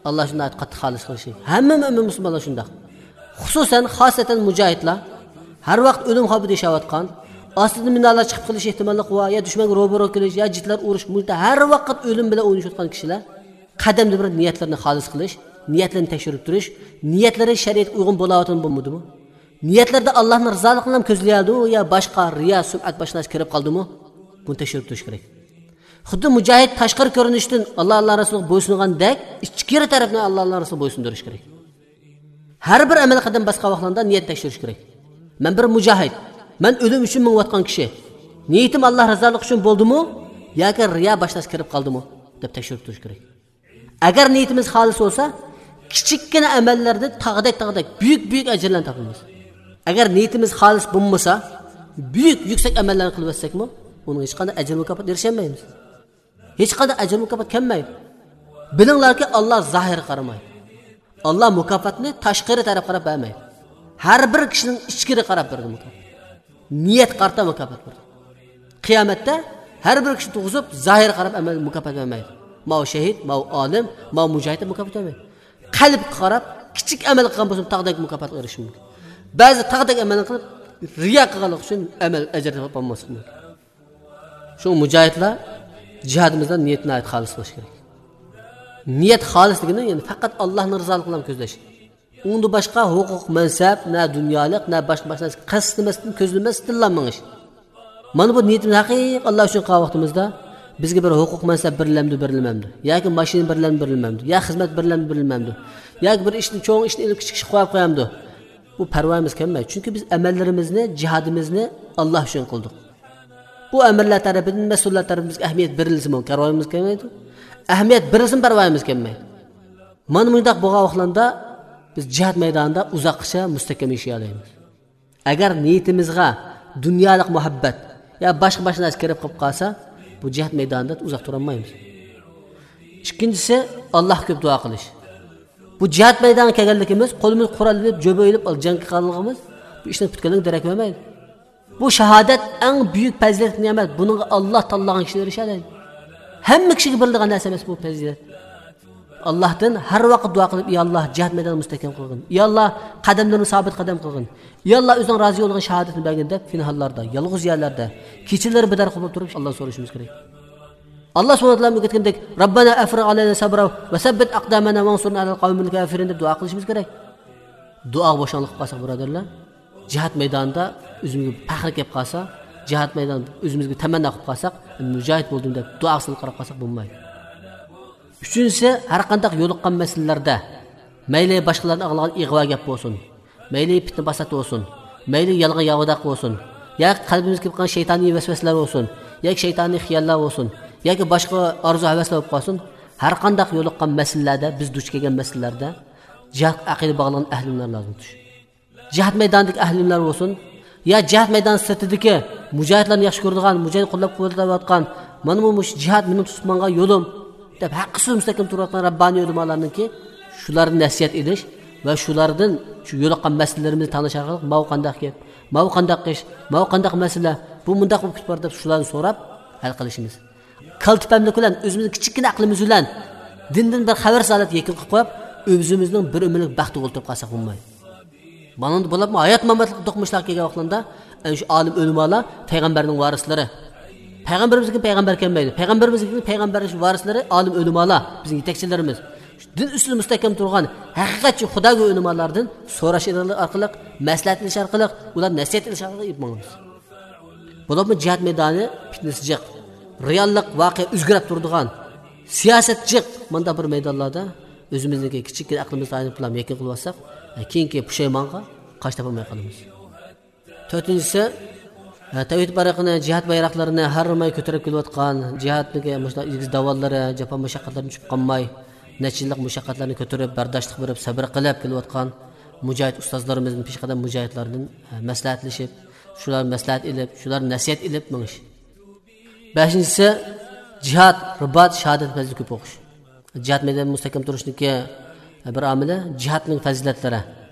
ئاللا ئۈچۈن قاتتىق خالىس قىلىشى. ھەممە مۆمىن مۇسۇلمانلار شۇنداق. خۇسۇسەن، خاسەتەن مۇجاھىدلار ھەر ۋاقىت ئۆلۈم خەۋپىدە ياشاۋاتقان، ئاستىدىن مىنالار چىقىپ قېلىش ئېھتىماللىقى بار يا دۈشمەنگە روبىرو كېلىش يا جىتلار ئۇرۇش، مۇشۇنداق ھەر ۋاقىت ئۆلۈم بىلەن ئوينىشىۋاتقان كىشىلەر قەدەمدە بىر نىيەتلىرىنى خالىس قىلىش، نىيەتلىرىنى تەكشۈرۈپ تۇرۇش، نىيەتلىرى شەرىئەتكە ئۇيغۇن بولاۋاتىدۇ بولمىدىمۇ؟ نىيەتلەردە ئاللانىڭ رىزالىقىنىلا كۆزلىيەلدىمۇ يا باشقا رىيا، سۈمئەت باشقا نەرسە كىرىپ قالدىمۇ؟ بۇنى تەكشۈرۈپ تۇرۇش كېرەك. خۇددى مۇجاھىد تاشقىرى كۆرۈنۈشتىن ئاللا، ئاللا رەسۇلىغا بويسۇنغاندەك، ئىچكىرى تەرەپنى ئاللا، ئاللا رەسۇلىغا بويسۇندۇرۇش كېرەك. ھەر بىر ئەمەل قەدەم باسقان ۋاقتىڭدا نىيەت تەكشۈرۈش كېرەك. مەن بىر مۇجاھىد، مەن ئۆلۈم ئۈچۈن مېڭىۋاتقان كىشى. نىيىتىم ئاللا رىزالىقى ئۈچۈن بولدىمۇ ياكى رىيا باش نەرسە كىرىپ قالدىمۇ دەپ تەكشۈرۈپ تۇرۇش كېرەك. ئەگەر نىيىتىمىز خالىس بولسا، كىچىككىنە ئەمەللەردىن تاغدەك، تاغدەك بۈيۈك، بۈيۈك ئەجىرلەرنى تاپىمىز. ئەگەر نىيىتىمىز خالىس بولمىسا، بۈيۈك، يۈكسەك ئەمەللەرنى قىلىۋەتسەكمۇ، ئۇنىڭ ھېچقانداق ئەجىر مۇكاپات ئېرىشەلمەيمىز. ھېچقانداق ئەجىر مۇكاپات كەلمەيدۇ. بىلىڭلاركى، ئاللا زاھىرغا قارىمايدۇ. ئاللا مۇكاپاتنى تاشقىرى تەرەپ قاراپ بەرمەيدۇ. ھەر بىر كىشىنىڭ ئىچكىرى قاراپ بېرىدۇ مۇكاپات. نىيەتكە قارىتا مۇكاپات بېرىدۇ. قىيامەتتە ھەر بىر كىشىنى تۇرغۇزۇپ، زاھىرغا قاراپ ئەمەل مۇكاپات بەرمەيدۇ. ماۋۇ شېھىت، ماۋۇ ئالىم، ماۋۇ مۇجاھىد دەپ مۇكاپات بەرمەيدۇ. قەلبكە قاراپ، كىچىك ئەمەل قىلغان بولسىمۇ، تاغدەك مۇكاپاتقا ئېرىشىشى مۇمكىن. بەزى تاغدەك ئەمەلنى قىلىپ، رىيا قىلغانلىقى ئۈچۈن ئەمەل ئەجىر تاپالماسلىقى مۇمكىن. شۇڭا مۇجاھىدلار جىھادىمىزدا نىيەت ناھايىتى خالىس بولۇشى كېرەك. نىيەت خالىس دېگىنى، يەنى پەقەت ئاللانىڭ رىزالىقىنى كۆزلەش. ئۇنىڭدىن باشقا ھوقۇق، مەنسەپ، نە دۇنيالىق، نە باشقا، باشقا نەرسىگە قەستلىمەستىن، كۆزلىمەستىنلا مېڭىش. مانا بۇ نىيىتىمىز ھەقىقىي ئاللا ئۈچۈن قىلغان ۋاقتىمىزدا، بىزگە بىر ھوقۇق، مەنسەپ بېرىلەمدۇ، بېرىلمەمدۇ؟ ياكى ماشىنا بېرىلەمدۇ، بېرىلمەمدۇ؟ يا خىزمەت بېرىلەمدۇ، بېرىلمەمدۇ؟ ياكى بىر ئىشنى، چوڭ ئىشنى ئېلىپ، كىچىك ئىشقا قويۇپ قويامدۇ؟ بۇ پەرۋايىمىز كەلمەيدۇ. چۈنكى بىز ئەمەللىرىمىزنى، جىھادىمىزنى ئاللا ئۈچۈن قىلدۇق. بۇ ئەمىرلەر تەرىپىدىن، مەسئۇللار تەرىپىدىن بىزگە ئەھمىيەت بېرىلسىمۇ پەرۋايىمىز كەلمەيدۇ. ئەھمىيەت بېرىلسىمۇ پەرۋايىمىز كەلمەيدۇ. مانا مۇنداق بولغان ۋاقىتلاردا بىز جىھاد مەيدانىدا ئۇزاققىچە مۇستەھكەم ياشىيالايمىز. ئەگەر نىيىتىمىزغا دۇنيالىق مۇھەببەت يا باشقا، باشقا نەرسە كىرىپ قېلىپ قالسا، بۇ جىھاد مەيدانىدا ئۇزاق تۇرالمايمىز. ئىككىنچىسى، ئاللاھقا كۆپ دۇئا قىلىش. بۇ جىھاد مەيدانىغا كەلگەنلىكىمىز، قولىمىز قورال ئېلىپ، جۆبە ئېلىپ، جەڭگە قالغىنىمىز بۇ ئىشنىڭ پۈتكەنلىكىنى دېرەك بەرمەيدۇ. بۇ شاھادەت ئەڭ بۈيۈك پەزىلەتلىك نېمەت. بۇنىڭغا ئاللا تاللىغان كىشىلەر ئېرىشەلەيدۇ. ھەممە كىشىگە بېرىلىدىغان نەرسە ئەمەس بۇ پەزىلەت. ئاللاھتىن ھەر ۋاقىت دۇئا قىلىپ، يا ئاللا، جىھاد مەيدانىنى مۇستەھكەم قىلغىن. يا ئاللا، قەدەملىرىنى سابىت قەدەم قىلغىن. يا ئاللا، ئۆزۈڭ رازى بولغان شاھادەتنى بەرگىن دەپ، پىنھانلاردا، يالغۇز يەرلەردە، كېچىلىرى بىدار قىلىپ تۇرۇپ، ئاللا سورىشىمىز كېرەك. ئاللا سۇبھانەھۇ ۋە تائالا ئۆگەتكەندەك، رەببەنا ئەفرىغ ئەلەينا سەبرا ۋە سەببىت ئەقدامەنا ۋەنسۇرنا ئەلەل قەۋمىل كافىرىن دەپ دۇئا قىلىشىمىز كېرەك. دۇئاغا بوشاڭلىق قىلىپ قالساق، بۇرادەرلەر، جىھاد مەيدانىدا ئۆزىمىزگە پەخىر كېلىپ قالسا، جىھاد مەيدانىدا ئۆزىمىزگە تەمەننا قىلىپ قالساق، مۇجاھىد بولدۇم دەپ دۇئا سىلى قاراپ قالساق بولمايدۇ. ئۈچىنچىسى، ھەر قانداق يولۇققان مەسىلىلەردە، مەيلى باشقىلاردىن ئاڭلىغان ئىغۋا گەپ بولسۇن، مەيلى پىتنە پاسات بولسۇن، مەيلى يالغان ياۋىداق بولسۇن، ياكى قەلبىمىزگە كىرىپ قالغان شەيتانىي ۋەسۋەسىلەر بولسۇن، ياكى شەيتانىي خىياللار بولسۇن، ياكى باشقا ئارزۇ ھەۋەسلەر بولۇپ قالسۇن، ھەر قانداق يولۇققان مەسىلىلەردە، بىز دۇچ كەلگەن مەسىلىلەردە جىھادقا ئەقىدە باغلىغان ئەھلى ئىلىملەر لازىم تۇتۇش. جىھاد مەيدانىدىكى ئەھلى ئىلىملەر بولسۇن، يا جىھاد مەيدانى سىرتىدىكى مۇجاھىدلارنى ياخشى كۆرىدىغان، مۇجاھىد قوللاپ قۇۋۋەتلەۋاتقان، مانا بۇ مۇشۇ جىھاد مېنىڭ تۇتۇپ ماڭغان يولۇم دەپ ھەققىسىز مۇستەھكەم تۇرۇۋاتقان رەببانىي ئۆلىمالارنىڭكى شۇلاردىن نەسىھەت ئېلىش ۋە شۇلاردىن شۇ يولۇققان مەسىلىلىرىمىزنى تەڭلەش ئارقىلىق، ماۋۇ قانداق گەپ، ماۋۇ قانداق ئىش، ماۋۇ قانداق مەسىلە، بۇ مۇنداق بولۇپ كېتىپ بار دەپ شۇلارنى سوراپ ھەل قىلىشىمىز. كالتە پەملىك بىلەن ئۆزىمىزنىڭ كىچىككىنە ئەقلىمىز بىلەن دىندىن بىر خەۋەرسىز ھالەتتە يېكىن قىلىپ قويۇپ، ئۆزىمىزنىڭ بىر ئۆمۈرلۈك بەختىگە ئولتۇرۇپ قالساق بولمايدۇ. مانىڭدا بولۇپمۇ ھايات ماماتلىق دوقمۇشلارغا كەلگەن ۋاقتىلاردا، ئەنە شۇ ئالىم ئۆلىمالار پەيغەمبەرنىڭ ۋارىسلىرى. پەيغەمبىرىمىزدىن كېيىن پەيغەمبەر كەلمەيدۇ. پەيغەمبىرىمىزدىن كېيىن پەيغەمبەرنىڭ ۋارىسلىرى ئالىم ئۆلىمالار، بىزنىڭ يېتەكچىلىرىمىز. شۇ دىن ئۈستىدە مۇستەھكەم تۇرغان ھەقىقەتچى خۇداگۆر ئۆلىمالاردىن سوراش ئارقىلىق، مەسلىھەت ئېلىش ئارقىلىق، ئۇلار نەسىھەت ئېلىش ئارقىلىق ئېلىپ ماڭىمىز. بولۇپمۇ جىھاد مەيدانى پىتنىسى جىق، رېئاللىق، ۋەقە ئۆزگىرىپ تۇرىدىغان، سىياسەت جىق، مانداق بىر مەيدانلاردا ئۆزىمىزنىڭكى كىچىككىنە ئەقلىمىزنى تايىنىپلا يېكىن قىلىۋالساق، كېيىنكى پۇشايمانغا قاش تاپالماي قالىمىز. تۆتىنچىسى، تەۋھىد بايرىقىنى، جىھاد بايراقلىرىنى ھەر ماي كۆتۈرۈپ كېلىۋاتقان، جىھادنىڭكى مۇشۇنداق ئېگىز داۋانلىرى، جاپا مۇشەققەتلىرىدىن چۈشۈپ قالماي، نەچچە يىللىق مۇشەققەتلەرنى كۆتۈرۈپ، بەرداشلىق بېرىپ، سەبرى قىلىپ كېلىۋاتقان مۇجاھىد ئۇستازلىرىمىزدىن، پېشقەدەم مۇجاھىدلاردىن مەسلىھەتلىشىپ، شۇلار مەسلىھەت ئېلىپ، شۇلار نەسىھەت ئېلىپ مېڭىش. بەشىنچىسى، جىھاد، رىبات، شاھادەت پەزىلىتى كۆپ ئوقۇش. جىھاد مەيدانىدا مۇستەھكەم تۇرۇشنىڭكى بىر ئامىلى جىھادنىڭ پەزىلەتلىرى.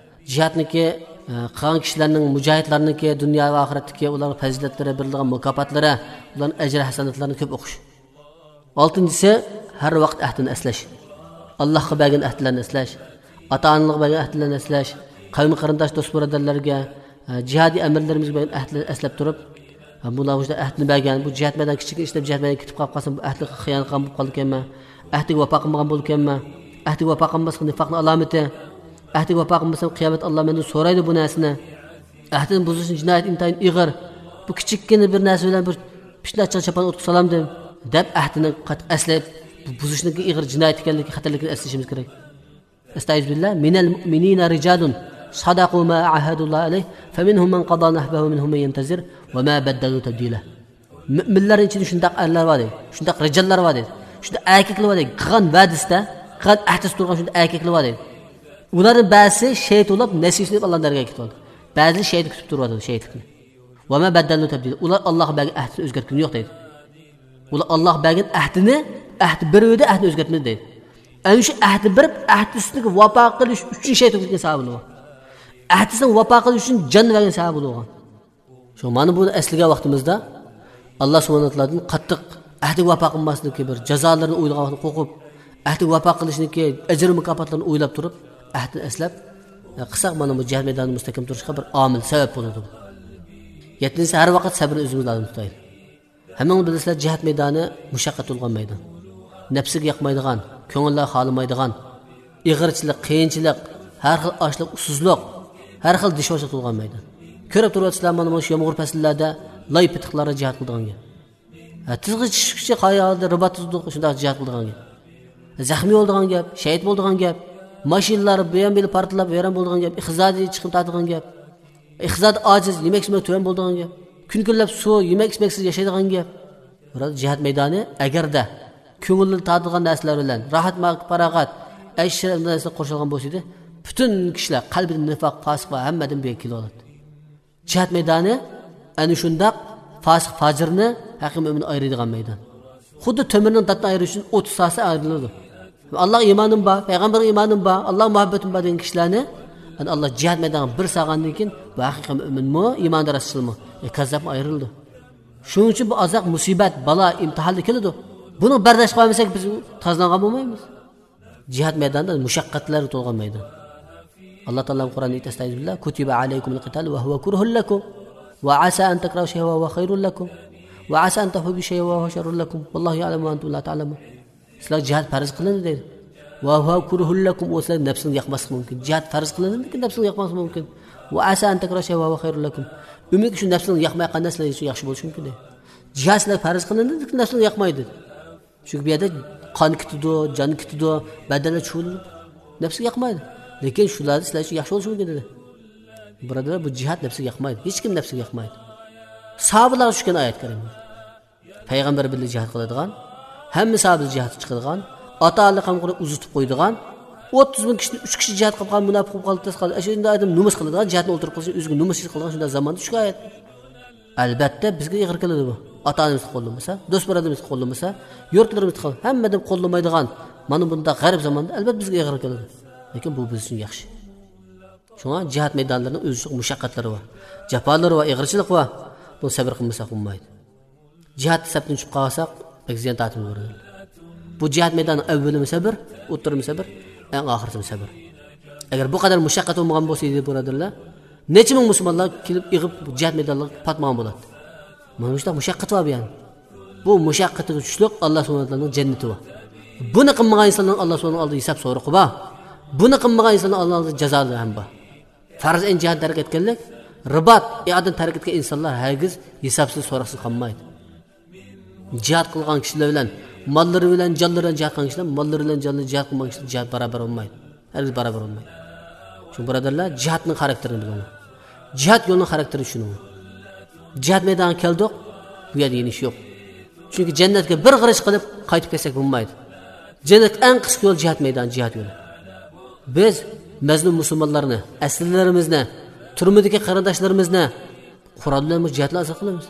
جىھادنىڭكى، ئە، قىلغان كىشىلەرنىڭ، مۇجاھىدلارنىڭكى دۇنيا ۋە ئاخىرەتتىكى ئۇلارنىڭ پەزىلەتلىرى، بېرىلىدىغان مۇكاپاتلىرى، ئۇلارنىڭ ئەجرى ھەسەناتلىرىنى كۆپ ئوقۇش. ئالتىنچىسى، ھەر ۋاقىت ئەھدىنى ئەسلەش. ئاللاھقا بەرگەن ئەھدىلەرنى ئەسلەش، ئاتا-ئانىلارغا بەرگەن ئەھدىلەرنى ئەسلەش، قەۋم-قېرىنداش، دوست-بۇرادەرلەرگە، ئە، جىھادىي ئەمىرلىرىمىزگە بەرگەن ئەھدىلەرنى ئەسلەپ تۇرۇپ، ھە، بۇلار مۇشۇنداق ئەھدىنى بەرگەن، بۇ جىھاد مەيدانى كىچىك ئىشلەپ جىھاد مەيدانىغا كېتىپ قاپ قالسام، بۇ ئەھدىگە خىيانەت قىلغان بولۇپ قالىدىكەنمەن، ئەھدىگە ۋاپا قىلمىغان بولىدىكەنمەن، ئەھدىگە ۋاپا قىلماسلىق نىفاقنىڭ ئالامىتى، ئەھدىگە ۋاپا قىلمىسام، قىيامەتتە ئاللا مەندىن سورايدۇ بۇ نەرسىنى، ئەھدىنى بۇزۇشنىڭ جىنايىتى ئىنتايىن ئېغىر، بۇ كىچىككىنە بىر نەرسە بىلەن بىر پىتنە ئاچچىق چاپان ئوتقا سالامدىم، دەپ ئەھدىنى قاتتىق ئەسلەپ، بۇ بۇزۇشنىڭكى ئېغىر جىنايەت ئىكەنلىكى، خەتەرلىكىنى ئەسلىشىمىز كېرەك. ئەستەئىزۇبىللا، مىنەل مۇئمىنىنا رىجالۇن سەدەقۇ ما ئاھەدۇللا ئەلەيھ، فەمىنھۇم مەن قەزا نەھبەھۇ، مىنھۇم مەن يەنتەزىر، ۋە ما بەددەلۇ تەبدىلە. مۆمىنلەرنىڭ ئىچىدە شۇنداق ئەرلەر بار دەيدۇ، شۇنداق رىجاللار بار دەيدۇ، شۇنداق ئەركەكلەر بار دەيدۇ، قىلغان ۋەدىسىدە، قىلغان ئەھدىسىدە تۇرغان شۇنداق ئەركەكلەر بار دەيدۇ. ئۇلارنىڭ بەزىسى شېھىت بولۇپ، نەسىۋىسىنى ئېلىپ، ئاللانىڭ دەرگاھىغا كېتىۋالدى. بەزىلىرى شېھىتنى كۈتۈپ تۇرۇۋاتىدۇ، شېھىتلىكنى. ۋە ما بەددەلۇ تەبدىلە. ئۇلار ئاللاغا بەرگەن ئەھدىسىنى ئۆزگەرتكىنى يوق دەيدۇ. ئۇلار ئاللاغا بەرگەن ئەھدىنى، ئەھدى بېرىۋىدى، ئەھدىنى ئۆزگەرتمىدى دەيدۇ. ئەنە شۇ ئەھدى بېرىپ، ئەھدىسىگە ۋاپا قىلىش ئۈچۈن شېھىت بولغان سەۋەبى بولغان. ئەھدىسىگە ۋاپا قىلىش ئۈچۈن جان بەرگەن سەۋەبى بولغان. شۇ مانا بۇنى ئەسلىگەن ۋاقتىمىزدا، ئاللا سۇبھانەھۇ ۋە تائالادىن قاتتىق ئەھدىگە ۋاپا قىلماسلىقنىڭكى بىر جازالىرىنى ئويلىغان ۋاقتىدا قورقۇپ، ئەھدىگە ۋاپا قىلىشنىڭكى ئەجىر مۇكاپاتلىرىنى ئويلاپ تۇرۇپ، ئەھدىنى ئەسلەپ، ئە، قىلساق، مانا بۇ جىھاد مەيدانىدا مۇستەھكەم تۇرۇشقا بىر ئامىل، سەۋەب بولىدۇ. يەتتىنچىسى، ھەر ۋاقىت سەبرنى ئۆزىمىز لازىم تۇتايلى. ھەممىڭلار بىلىسىلەر، جىھاد مەيدانى مۇشەققەت تولغان مەيدان. نەپسىگە ياقمايدىغان، كۆڭۈللەر خالىمايدىغان، ئېغىرچىلىق، قىيىنچىلىق، ھەر خىل ئاچلىق، ئۇسسۇزلۇق، ھەر خىل دىشۋاشلىق تولغان مەيدان. كۆرۈپ تۇرۇۋاتىسىلەر، مانا، مانا شۇ يامغۇر پەسىللەردە لاي پېتىقلاردا جىھاد قىلىدىغان گەپ. ھە، تىزغا چۈشكۈچە قايا ھالدا رىبات تۇتۇپ شۇنداق جىھاد قىلىدىغان گەپ. زەخمىي بولىدىغان گەپ، شېھىت بولىدىغان گەپ. ماشىنىلار بۇيان بېلى پارتلاپ ۋەيران بولىدىغان گەپ. ئىقتىسادىي چىقىم تارتىدىغان گەپ. ئىقتىسادى ئاجىز، يېمەك ئىچمەك تۆۋەن بولىدىغان گەپ. كۈن كۈنلەپ سۇ، يېمەك ئىچمەكسىز ياشايدىغان گەپ. بۇرادەر، جىھاد مەيدانى ئەگەردە كۆڭۈلنى تارتىدىغان نەرسىلەر بىلەن، راھەت، پاراغەت، ئەيش ئىشرەت نەرسىلەر قورشالغان بولسا ئىدى، پۈتۈن كىشىلەر قەلبىدە نىفاق، پاسىق ۋە ھەممە ئادەم بۇ يەرگە كېلىۋالاتتى. جىھاد مەيدانى ئەنە شۇنداق پاسىق، پاجىرنى ھەقىقىي مۆمىن ئايرىيدىغان مەيدان. خۇددى تۆمۈرنىڭ داتنى ئايرىش ئۈچۈن ئوتتۇز ساسا ئايرىلىدۇ. ئاللاغا ئىمانىم بار، پەيغەمبەرگە ئىمانىم بار، ئاللاغا مۇھەببىتىم بار دېگەن كىشىلەرنى، ئەنە ئاللا جىھاد مەيدانىغا بىر سالغاندىن كېيىن، بۇ ھەقىقىي مۆمىنمۇ، ئىماندا راستچىلمۇ، ئە، كاززاپمۇ ئايرىلىدۇ. شۇنىڭ ئۈچۈن بۇ ئازراق مۇسىبەت، بالا، ئىمتىھانلار كېلىدۇ. بۇنى بەرداشلىق قىلالمىساق، بىز تازىلانغان بولمايمىز. جىھاد مەيدانىدا مۇشەققەتلەر تولغان مەيدان. ئاللا تائالا قۇرئاندا ئېيتتى، ئەستەئىزۇبىللا، كۇتىبە ئەلەيكۇمۇل قىتالۇ ۋە ھۇۋە كۇرھۇن لەكۇم، ۋە ئەسا ئەن تەكرەھۇ شەيئەن ۋە ھۇۋە خەيرۇن لەكۇم، ۋە ئەسا ئەن تۇھىببۇ شەيئەن ۋە ھۇۋە شەررۇن لەكۇم، ۋەللاھۇ يەئلەمۇ ۋە ئەنتۇم لا تەئلەمۇن. سىلەرگە جىھاد پەرز قىلىندى دەيدۇ. ۋە ھۇۋە كۇرھۇن لەكۇم، ئۇ سىلەرگە نەپسىڭىزنى ياقماسلىقى مۇمكىن. جىھاد پەرز قىلىندى، لېكىن نەپسىڭىزنى ياقماسلىقى مۇمكىن. ۋە ئەسا ئەن تەكرەھۇ شەيئەن ۋە ھۇۋە خەيرۇن لەكۇم. ئۈمىدكى شۇ نەپسىڭىزنى ياقمايدىغان نەرسىلەر ئۈچۈن ياخشى بولۇشى مۇمكىن دەيدۇ. جىھاد سىلەرگە پەرز قىلىندى، لېكىن نەپسىڭىزنى ياقمايدۇ دەيدۇ. چۈنكى بۇ يەردە قان كېتىدۇ، جان كېتىدۇ، بەدەنلەر چۇۋۇلىدۇ. نەپسىگە ياقمايدۇ. لېكىن شۇلاردا سىلەر ئۈچۈن ياخشى بولۇشى مۇمكىن دېدى. بۇرادەرلەر، بۇ جىھاد نەپسىگە ياقمايدۇ. ھېچكىم نەپسىگە ياقمايدۇ. ساھابىلارغا چۈشكەن ئايەت كەرىم. پەيغەمبەر بىللە جىھاد قىلىدىغان، ھەممە ساھابە جىھادقا چىقىدىغان، ئاتا-ئانىلىرى قامىغان ئۇزىتىپ قويىدىغان، ئوتتۇز مىڭ كىشىدىن ئۈچ كىشى جىھاد قىلىپ قالغان، مۇناپىق بولۇپ قالدى، تېز قالدى. ئەشۇنداق ئادەم نومۇس قىلىدىغان، جىھادنى ئولتۇرۇپ قىلسا، ئۆزىگە نومۇس قىلىدىغان شۇنداق زاماندا چۈشكەن ئايەت. ئەلبەتتە، بىزگە ئېغىر كېلىدۇ بۇ. ئاتا-ئانىمىزغا قوللىمىسا، دوست-بۇرادىرىمىزغا قوللىمىسا، يۇرتلىرىمىزدا قول-، ھەممە ئادەم قوللىمايدىغان، مانا بۇنداق غەرىب زاماندا ئەلبەتتە بىزگە ئېغىر كېلىدۇ. لېكىن بۇ بىز ئۈچۈن ياخشى. شۇڭا جىھاد مەيدانلىرىنىڭ ئۆزىچە مۇشەققەتلىرى بار، جاپالىرى بار، ئېغىرچىلىقى بار. بۇنى سەۋر قىلمىساق بولمايدۇ. جىھاد سەپتىن چۈشۈپ قالساق، بەك زىيان تارتىمىز بۇرادەرلەر. بۇ جىھاد مەيدانىنىڭ ئەۋۋىلىمۇ سەۋر، ئوتتۇرىمۇ سەۋر، ئەڭ ئاخىرىسىمۇ سەۋر. ئەگەر بۇ قەدەر مۇشەققەت بولمىغان بولسا ئىدى، بۇرادەرلەر، نەچچە مىڭ مۇسۇلمانلار كېلىپ ئېغىپ جىھاد مەيدانلىرىغا پاتمىغان بولاتتى. مانا مۇشۇنداق مۇشەققەت بار بۇ يەردە. بۇ مۇشەققەتكە چۈشلۈك ئاللا سۇبھانەھۇ ۋە تائالانىڭ جەننىتى بار. بۇنى قىلمىغان ئىنساننىڭ ئاللا سۇبھانەھۇ ۋە تائالانىڭ ئالدىدا ھېساب سورىقى بار. بۇنى قىلمىغان ئىنساننىڭ ئاللا ئالدىدا جازالىرى ھەم بار. پەرز ئەين جىھادنى تەرك ئەتكەنلىك، رىبات ئىئادىنى تەرك ئەتكەن ئىنسانلار ھەرگىز ھېسابسىز، سوراقسىز قالمايدۇ. جىھاد قىلغان كىشىلەر بىلەن، ماللىرى بىلەن، جانلىرى بىلەن جىھاد قىلغان كىشىلەر، ماللىرى بىلەن، جانلىرى جىھاد قىلمىغان كىشىلەر جىھاد باراۋەر بولمايدۇ. ھەرگىز باراۋەر بولمايدۇ. شۇڭا بۇرادەرلەر، جىھادنىڭ خاراكتېرىنى بىلىڭلار. جىھاد يولىنىڭ خاراكتېرى شۇنىڭ. جىھاد مەيدانىغا كەلدۇق، بۇ يەردە يېنىش يوق. چۈنكى جەننەتكە بىر غېرىش قىلىپ قايتىپ كەلسەك بولمايدۇ. جەننەتكە ئەڭ قىسقا يول جىھاد مەيدانى، جىھاد يولى. بىز مەزلۇم مۇسۇلمانلارنى، ئەسىرلىرىمىزنى، تۈرمىدىكى قېرىنداشلىرىمىزنى قورال بىلەن جىھادنى ئازاد قىلىمىز.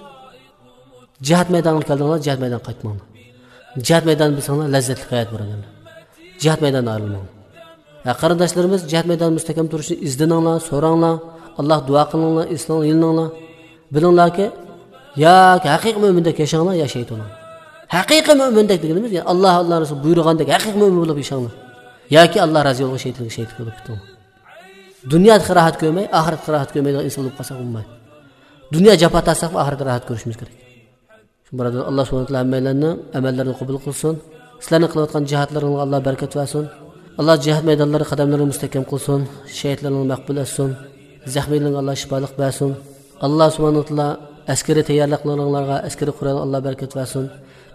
جىھاد مەيدانىغا كەلدىڭلار، جىھاد مەيدانىغا قايتماڭلار. جىھاد مەيدانى بىلسەڭلار، لەززەتلىك ھايات بۇرادەرلەر. جىھاد مەيدانىدىن ئايرىلماڭلار. ھە، قېرىنداشلىرىمىز، جىھاد مەيدانىدا مۇستەھكەم تۇرۇشنى ئىزدىنىڭلار، سوراڭلار. ئاللاھقا دۇئا قىلىڭلار، ئېسىلىڭلار، يېلىنىڭلار. بىلىڭلاركى، ياكى ھەقىقىي مۆمىندەك ياشاڭلار، يا شېھىت بولۇڭلار. ھەقىقىي مۆمىندەك دېگىنىمىز، يەنى ئاللا، ئاللا رەسۇلى بۇيرۇغاندەك ھەقىقىي مۆمىن بولۇپ ياشاڭلار. ياكى ئاللا رازى بولغان شېھىتلىك، شېھىتلىك بولۇپ كېتىڭلار. دۇنيادا راھەت كۆرمەي، ئاخىرەتتە راھەت كۆرمەيدىغان ئىنسان بولۇپ قالساق بولمايدۇ. دۇنيا جاپا تارتساقمۇ ئاخىرەتتە راھەت كۆرۈشىمىز كېرەك. شۇ بۇرادەر، ئاللا سۇبھانەھۇ ۋە تائالا ھەممەيلەننىڭ ئەمەللىرىنى قوبۇل قىلسۇن. سىلەرنىڭ قىلىۋاتقان جىھادلىرىڭلارغا ئاللا بەرىكەت بەرسۇن. ئاللا جىھاد مەيدانلىرىدا قەدەملىرىنى مۇستەھكەم قىلسۇن. شېھىتلىرىڭلارنى مەقبۇل ئەتسۇن. زەخمىيلىرىڭلارغا ئاللا شىپالىق بەرسۇن. ئاللا سۇبھانەھۇ ۋە تائالا ئەسكىرىي تەييارلىقلىرىڭلارغا، ئەسكىرىي قورالغا ئاللا بەرىكەت بەرسۇن.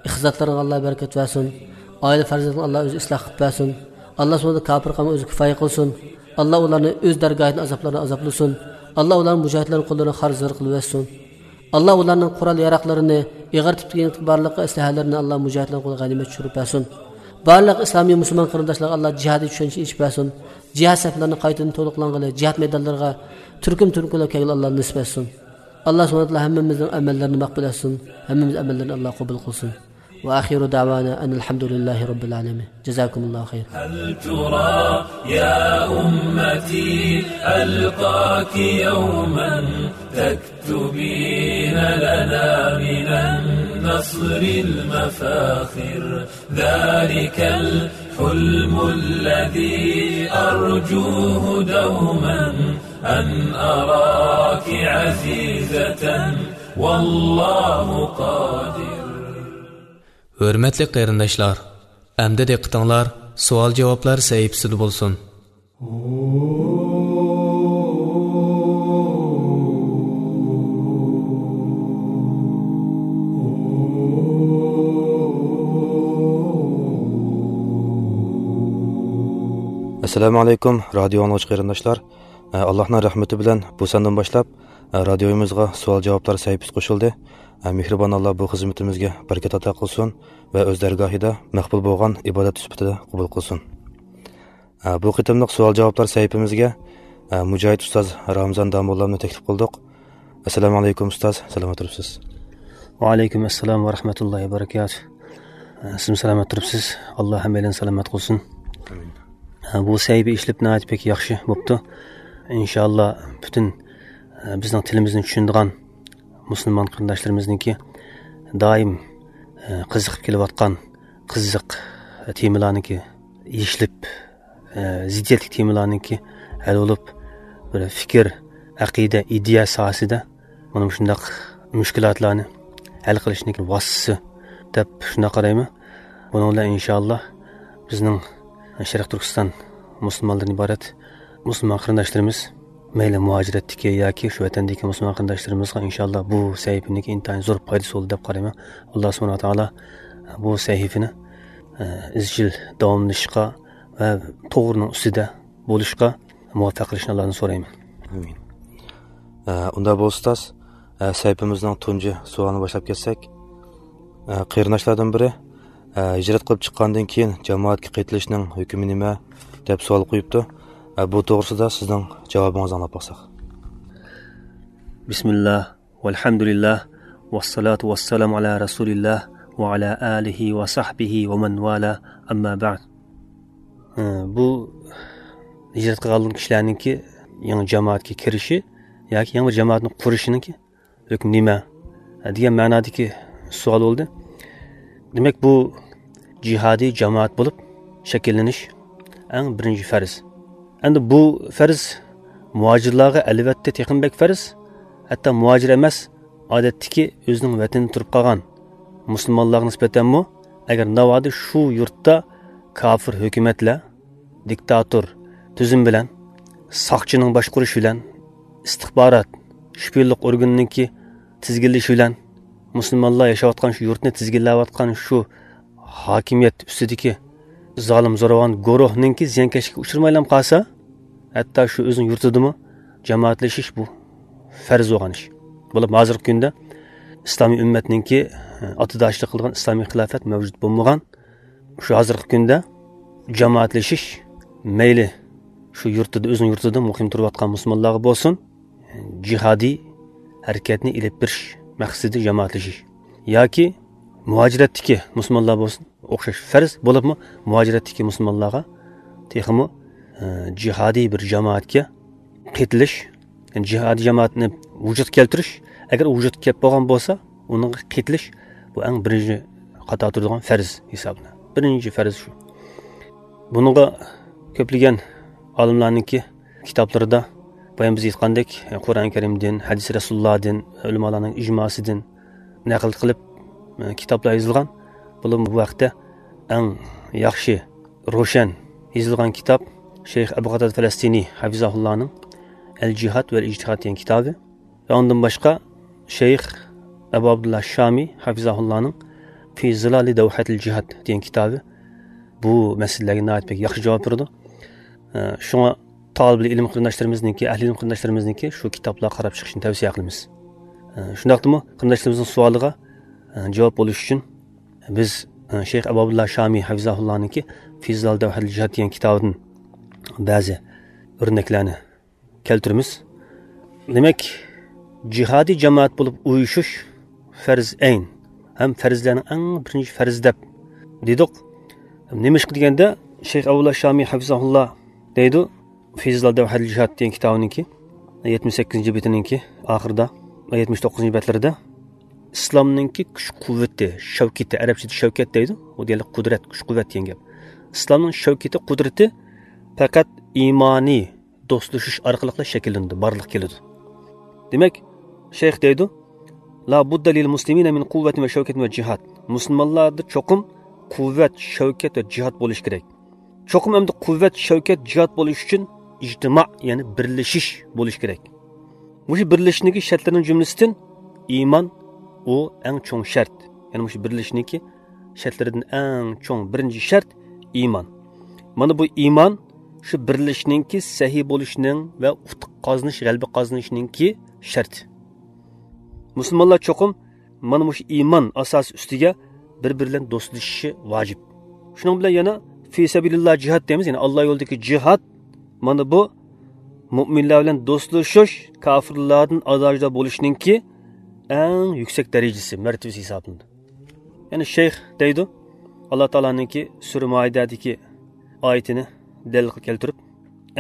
ئىقتىسادلىرىغا ئاللا بەرىكەت بەرسۇن. ئائىلە پەرزەنتىنى ئاللا ئۆزى ئىسلاھ قىلىپ بەرسۇن. ئاللا سۇبھانەھۇ كاپىر قەۋمگە ئۆزى كىپايە قىلسۇن. ئاللا ئۇلارنى ئۆز دەرگاھىدىن ئازابلارنى ئازابلىسۇن. ئاللا ئۇلارنى مۇجاھىدلارنىڭ قوللىرىغا خار زەر قىلىۋەتسۇن. ئاللا ئۇلارنىڭ قورال ياراقلىرىنى، ئېغىر تىپتىكى بارلىق ئەسلىھەلىرىنى ئاللا مۇجاھىدلارنىڭ قولىغا غەنىيمەت چۈشۈرۈپ بەرسۇن. بارلىق ئىسلامىي مۇسۇلمان قېرىنداشلارغا ئاللا جىھادىي چۈشەنچە ئېچىپ بەرسۇن. جىھاد سەپلىرىنى قايتىدىن تولۇقلانغىلى، جىھاد مەيدانلىرىغا تۈركۈم تۈركۈملەپ كەلگىلى ئاللا نېسىپ ئەتسۇن. ئاللا سۇبھانەھۇ ۋە تائالا ھەممىمىزنىڭ ئەمەللىرىنى مەقبۇل ئەتسۇن. ھەممىمىز ئەمەللىرىنى ئاللا قوبۇل قىلسۇن. وآخر دعوانا أن الحمد لله رب العالمين. جزاكم الله خير. هل ترى يا أمتي ألقاك يوما تكتبين لنا من النصر المفاخر، ذلك الحلم الذي أرجوه دوما أن أراك عزيزة والله قادر. ھۆرمەتلىك قېرىنداشلار، ئەمدى دىققىتىڭلار سوئال-جاۋابلار سەھىپىسىدە بولسۇن. ئەسسالامۇ ئەلەيكۇم، رادىيو ئاڭلىغۇچى قېرىنداشلار. ئە، ئاللاھنىڭ رەھمىتى بىلەن بۇ ساندىن باشلاپ، ئە، رادىيومىزغا سوئال-جاۋابلار سەھىپىسى قوشۇلدى. ئە، مېھرىبان ئاللا بۇ خىزمىتىمىزگە بەرىكەت ئاتا قىلسۇن ۋە ئۆز دەرگاھىدا مەقبۇل بولغان ئىبادەت سۈپىتىدە قوبۇل قىلسۇن. ئە، بۇ قېتىملىق سوئال-جاۋابلار سەھىپىمىزگە، ئە، مۇجاھىد ئۇستاز رامزان داموللامنى تەكلىپ قىلدۇق. ئەسسالامۇ ئەلەيكۇم ئۇستاز، سالامەت تۇرۇپسىز؟ ۋەئەلەيكۇم ئەسسالام ۋە رەھمەتۇللاھى ۋە بەرىكاتۇھ. ئە، سىزمۇ سالامەت تۇرۇپسىز؟ ئاللا ھەممەيلەننى سالامەت قىلسۇن. ئامىن. ئە، بۇ سەھىپە ئېچىلىپ ناھايىتى بەك ياخشى بوپتۇ. ئىنشاللا پۈتۈن، ئە، بىزنىڭ تىلىمىزنى چۈشىنىدىغان مۇسۇلمان قېرىنداشلىرىمىزنىڭكى دائىم، ئە، قىزىقىپ كېلىۋاتقان قىزىق تېمىلارنىڭكى يېشىلىپ، ئە، زىددىيەتلىك تېمىلارنىڭكى ھەل بولۇپ، بىر پىكىر، ئەقىدە، ئىدىيە ساھەسىدە مانا مۇشۇنداق مۈشكۈلاتلارنى ھەل قىلىشنىڭكى ۋاسىتىسى دەپ شۇنداق قارايمەن. بۇنىڭ بىلەن ئىنشاللا بىزنىڭ شەرقىي تۈركىستان مۇسۇلمانلىرىدىن ئىبارەت مۇسۇلمان قېرىنداشلىرىمىز، مەيلى مۇھاجىرەتتىكى ياكى شۇ ۋەتەندىكى مۇسۇلمان قېرىنداشلىرىمىزغا ئىنشاللا بۇ سەھىپىنىڭكى ئىنتايىن زور پايدىسى بولدى دەپ قارايمەن. ئاللا سۇبھانەھۇ ۋە تائالا بۇ سەھىپىنى، ئە، ئىزچىل داۋاملىشىشقا ۋە توغرىنىڭ ئۈستىدە بولۇشقا مۇۋەپپەق قىلىشنى ئاللادىن سورايمەن. ئامىن. ئە، ئۇنداق بولسا ئۇستاز، ئە، سەھىپىمىزنىڭ تۇنجى سوئالىنى باشلاپ كەتسەك. ئە، قېرىنداشلاردىن بىرى، ئە، ھىجرەت قىلىپ چىققاندىن كېيىن جامائەتكە قېتىلىشنىڭ ھۆكمى نېمە؟ دەپ سوئال قويۇپتۇ. ئە، بۇ توغرىسىدا سىزنىڭ جاۋابىڭىزنى ئاڭلاپ باقساق. بسم الله، والحمد لله، والصلاة والسلام على رسول الله، وعلى آله وصحبه ومن والاه، أما بعد. ئە، بۇ ھىجرەت قىلغان كىشىلەرنىڭكى يېڭى جامائەتكە كىرىشى ياكى يېڭى بىر جامائەتنى قۇرۇشىنىڭكى ھۆكمى نېمە؟ دېگەن مەنادىكى سوئال بولدى. دېمەك، بۇ جىھادىي جامائەت بولۇپ شەكىللىنىش ئەڭ بىرىنچى پەرز. ئەمدى بۇ پەرز مۇھاجىرلارغا ئەلۋەتتە تېخىمۇ بەك پەرز. ھەتتا مۇھاجىر ئەمەس، ئادەتتىكى ئۆزىنىڭ ۋەتىنىدە تۇرۇپ قالغان مۇسۇلمانلارغا نىسبەتەنمۇ، ئەگەر ناۋادا شۇ يۇرتتا كاپىر ھۆكۈمەتلەر دىكتاتور تۈزۈم بىلەن، ساقچىنىڭ باشقۇرۇشى بىلەن، ئىستىخبارات، شپىيونلۇق ئورگىنىنىڭكى تىزگىنلىشى بىلەن، مۇسۇلمانلار ياشاۋاتقان شۇ يۇرتنى تىزگىنلەۋاتقان شۇ ھاكىمىيەت ئۈستىدىكى زالىم زوراۋان گۇرۇھنىڭكى زىيانكەشلىككە ئۇچرىمايلا قالسا، ھەتتا شۇ ئۆزىنىڭ يۇرتىدىمۇ جامائەتلىشىش بۇ پەرز بولغان ئىش. بولۇپ ھازىرقى كۈندە ئىسلامىي ئۈممەتنىڭكى ئاتىداشلىق قىلغان ئىسلامىي خىلاپەت مەۋجۇت بولمىغان شۇ ھازىرقى كۈندە جامائەتلىشىش، مەيلى شۇ يۇرتىدا، ئۆزىنىڭ يۇرتىدا مۇقىم تۇرۇۋاتقان مۇسۇلمانلارغا بولسۇن، جىھادىي ھەرىكەتنى ئېلىپ بېرىش مەقسىتىدە جامائەتلىشىش ياكى مۇھاجىرەتتىكى مۇسۇلمانلار بولسۇن، ئوخشاش پەرز بولۇپمۇ، مۇھاجىرەتتىكى مۇسۇلمانلارغا تېخىمۇ، ئە، جىھادىي بىر جامائەتكە قېتىلىش، يەنى جىھادىي جامائەتنى ۋۇجۇدقا كەلتۈرۈش، ئەگەر ئۇ ۋۇجۇدقا كەپ بولغان بولسا، ئۇنىڭغا قېتىلىش، بۇ ئەڭ بىرىنچى قاتاردا تۇرىدىغان پەرز ھېسابلىنىدۇ. بىرىنچى پەرز شۇ. بۇنىڭغا كۆپلىگەن ئالىملارنىڭكى كىتابلىرىدا بايام بىز ئېيتقاندەك، قۇرئان كەرىمدىن، ھەدىس رەسۇلۇللادىن، ئۆلىمالارنىڭ ئىجماسىدىن نەقىل قىلىپ، كىتابلار يېزىلغان. بولۇپمۇ بۇ ھەقتە ئەڭ ياخشى روشەن يېزىلغان كىتاب شەيخ ئەبۇ قاتادە پەلەستىنى ھەفىزەھۇللانىڭ ئەل جىھاد ۋەل ئىجتىھاد دېگەن كىتابى ۋە ئۇندىن باشقا شەيخ ئەبۇ ئابدۇللا شامى ھەفىزەھۇللانىڭ في ظلال دوحة الجهاد دېگەن كىتابى بۇ مەسىلىلەرگە ناھايىتى بەك ياخشى جاۋاب بېرىدۇ. ئە، شۇڭا تالىبىل ئىلىم قېرىنداشلىرىمىزنىڭكى، ئەھلى ئىلىم قېرىنداشلىرىمىزنىڭكى شۇ كىتابلارغا قاراپ چىقىشنى تەۋسىيە قىلىمىز. ئە، شۇنداقتىمۇ قېرىنداشلىرىمىزنىڭ سوئالىغا، ئە، جاۋاب بولۇش ئۈچۈن بىز، ئە، شەيخ ئەبۇ ئابدۇللا شامى ھەفىزاھۇللانىڭكى في ظلال دوحة الجهاد دېگەن كىتابىدىن بەزى ئۆرنەكلەرنى كەلتۈرىمىز. دېمەك، جىھادىي جامائەت بولۇپ ئۇيۇشۇش پەرز ئەين ھەم پەرزلەرنىڭ ئەڭ بىرىنچى پەرزى دەپ دېدۇق. نېمىشقا دېگەندە، شەيخ ئابدۇللا شامى ھەفىزاھۇللا دەيدۇ، في ظلال دوحة الجهاد دېگەن كىتابىنىڭكى يەتمىش سەككىزىنچى بېتىنىڭكى ئاخىرىدا ۋە يەتمىش توققۇزىنچى بەتلىرىدە، ئىسلامنىڭكى كۈچ قۇۋۋىتى، شەۋكىتى، ئەرەبچىدە شەۋكەت دەيدۇ، ئۇ دېگەنلىك قۇدرەت، كۈچ قۇۋۋەت دېگەن گەپ. ئىسلامنىڭ شەۋكىتى، قۇدرىتى پەقەت ئىمانىي دوستلىشىش ئارقىلىقلا شەكىللىنىدۇ، بارلىققا كېلىدۇ. دېمەك، شەيخ دەيدۇ، لا بد للمسلمين من قوة وشوكة وجهاد. مۇسۇلمانلاردا چوقۇم قۇۋۋەت، شەۋكەت ۋە جىھاد بولۇشى كېرەك. چوقۇم ئەمدى قۇۋۋەت، شەۋكەت، جىھاد بولۇش ئۈچۈن ئىجتىما، يەنى بىرلىشىش بولۇشى كېرەك. مۇشۇ بىرلىشىشنىڭكى شەرتلىرىنىڭ جۈملىسىدىن ئىمان، ئۇ ئەڭ چوڭ شەرت. يەنى مۇشۇ بىرلىشىشنىڭكى شەرتلىرىدىن ئەڭ چوڭ بىرىنچى شەرت ئىمان. مانا بۇ ئىمان شۇ بىرلىشىشنىڭكى سەھىي بولۇشىنىڭ ۋە ئۇتۇق قازىنىش، غەلىبە قازىنىشنىڭكى شەرتى. مۇسۇلمانلار چوقۇم مانا مۇشۇ ئىمان ئاساسى ئۈستىگە بىر-بىرى بىلەن دوستلىشىشى ۋاجىپ. شۇنىڭ بىلەن يەنە في سەبىلىللا جىھاد دەيمىز، يەنى ئاللا يولىدىكى جىھاد، مانا بۇ مۇئمىنلار بىلەن دوستلىشىش، كاپىرلاردىن ئازادە بولۇشنىڭكى ئەڭ يۈكسەك دەرىجىسى، مەرتىۋىسى ھېسابلىنىدۇ. يەنى شەيخ دەيدۇ، ئاللا تائالانىڭكى سۈرە مائىدەدىكى ئايىتىنى دەلىل قىلىپ كەلتۈرۈپ،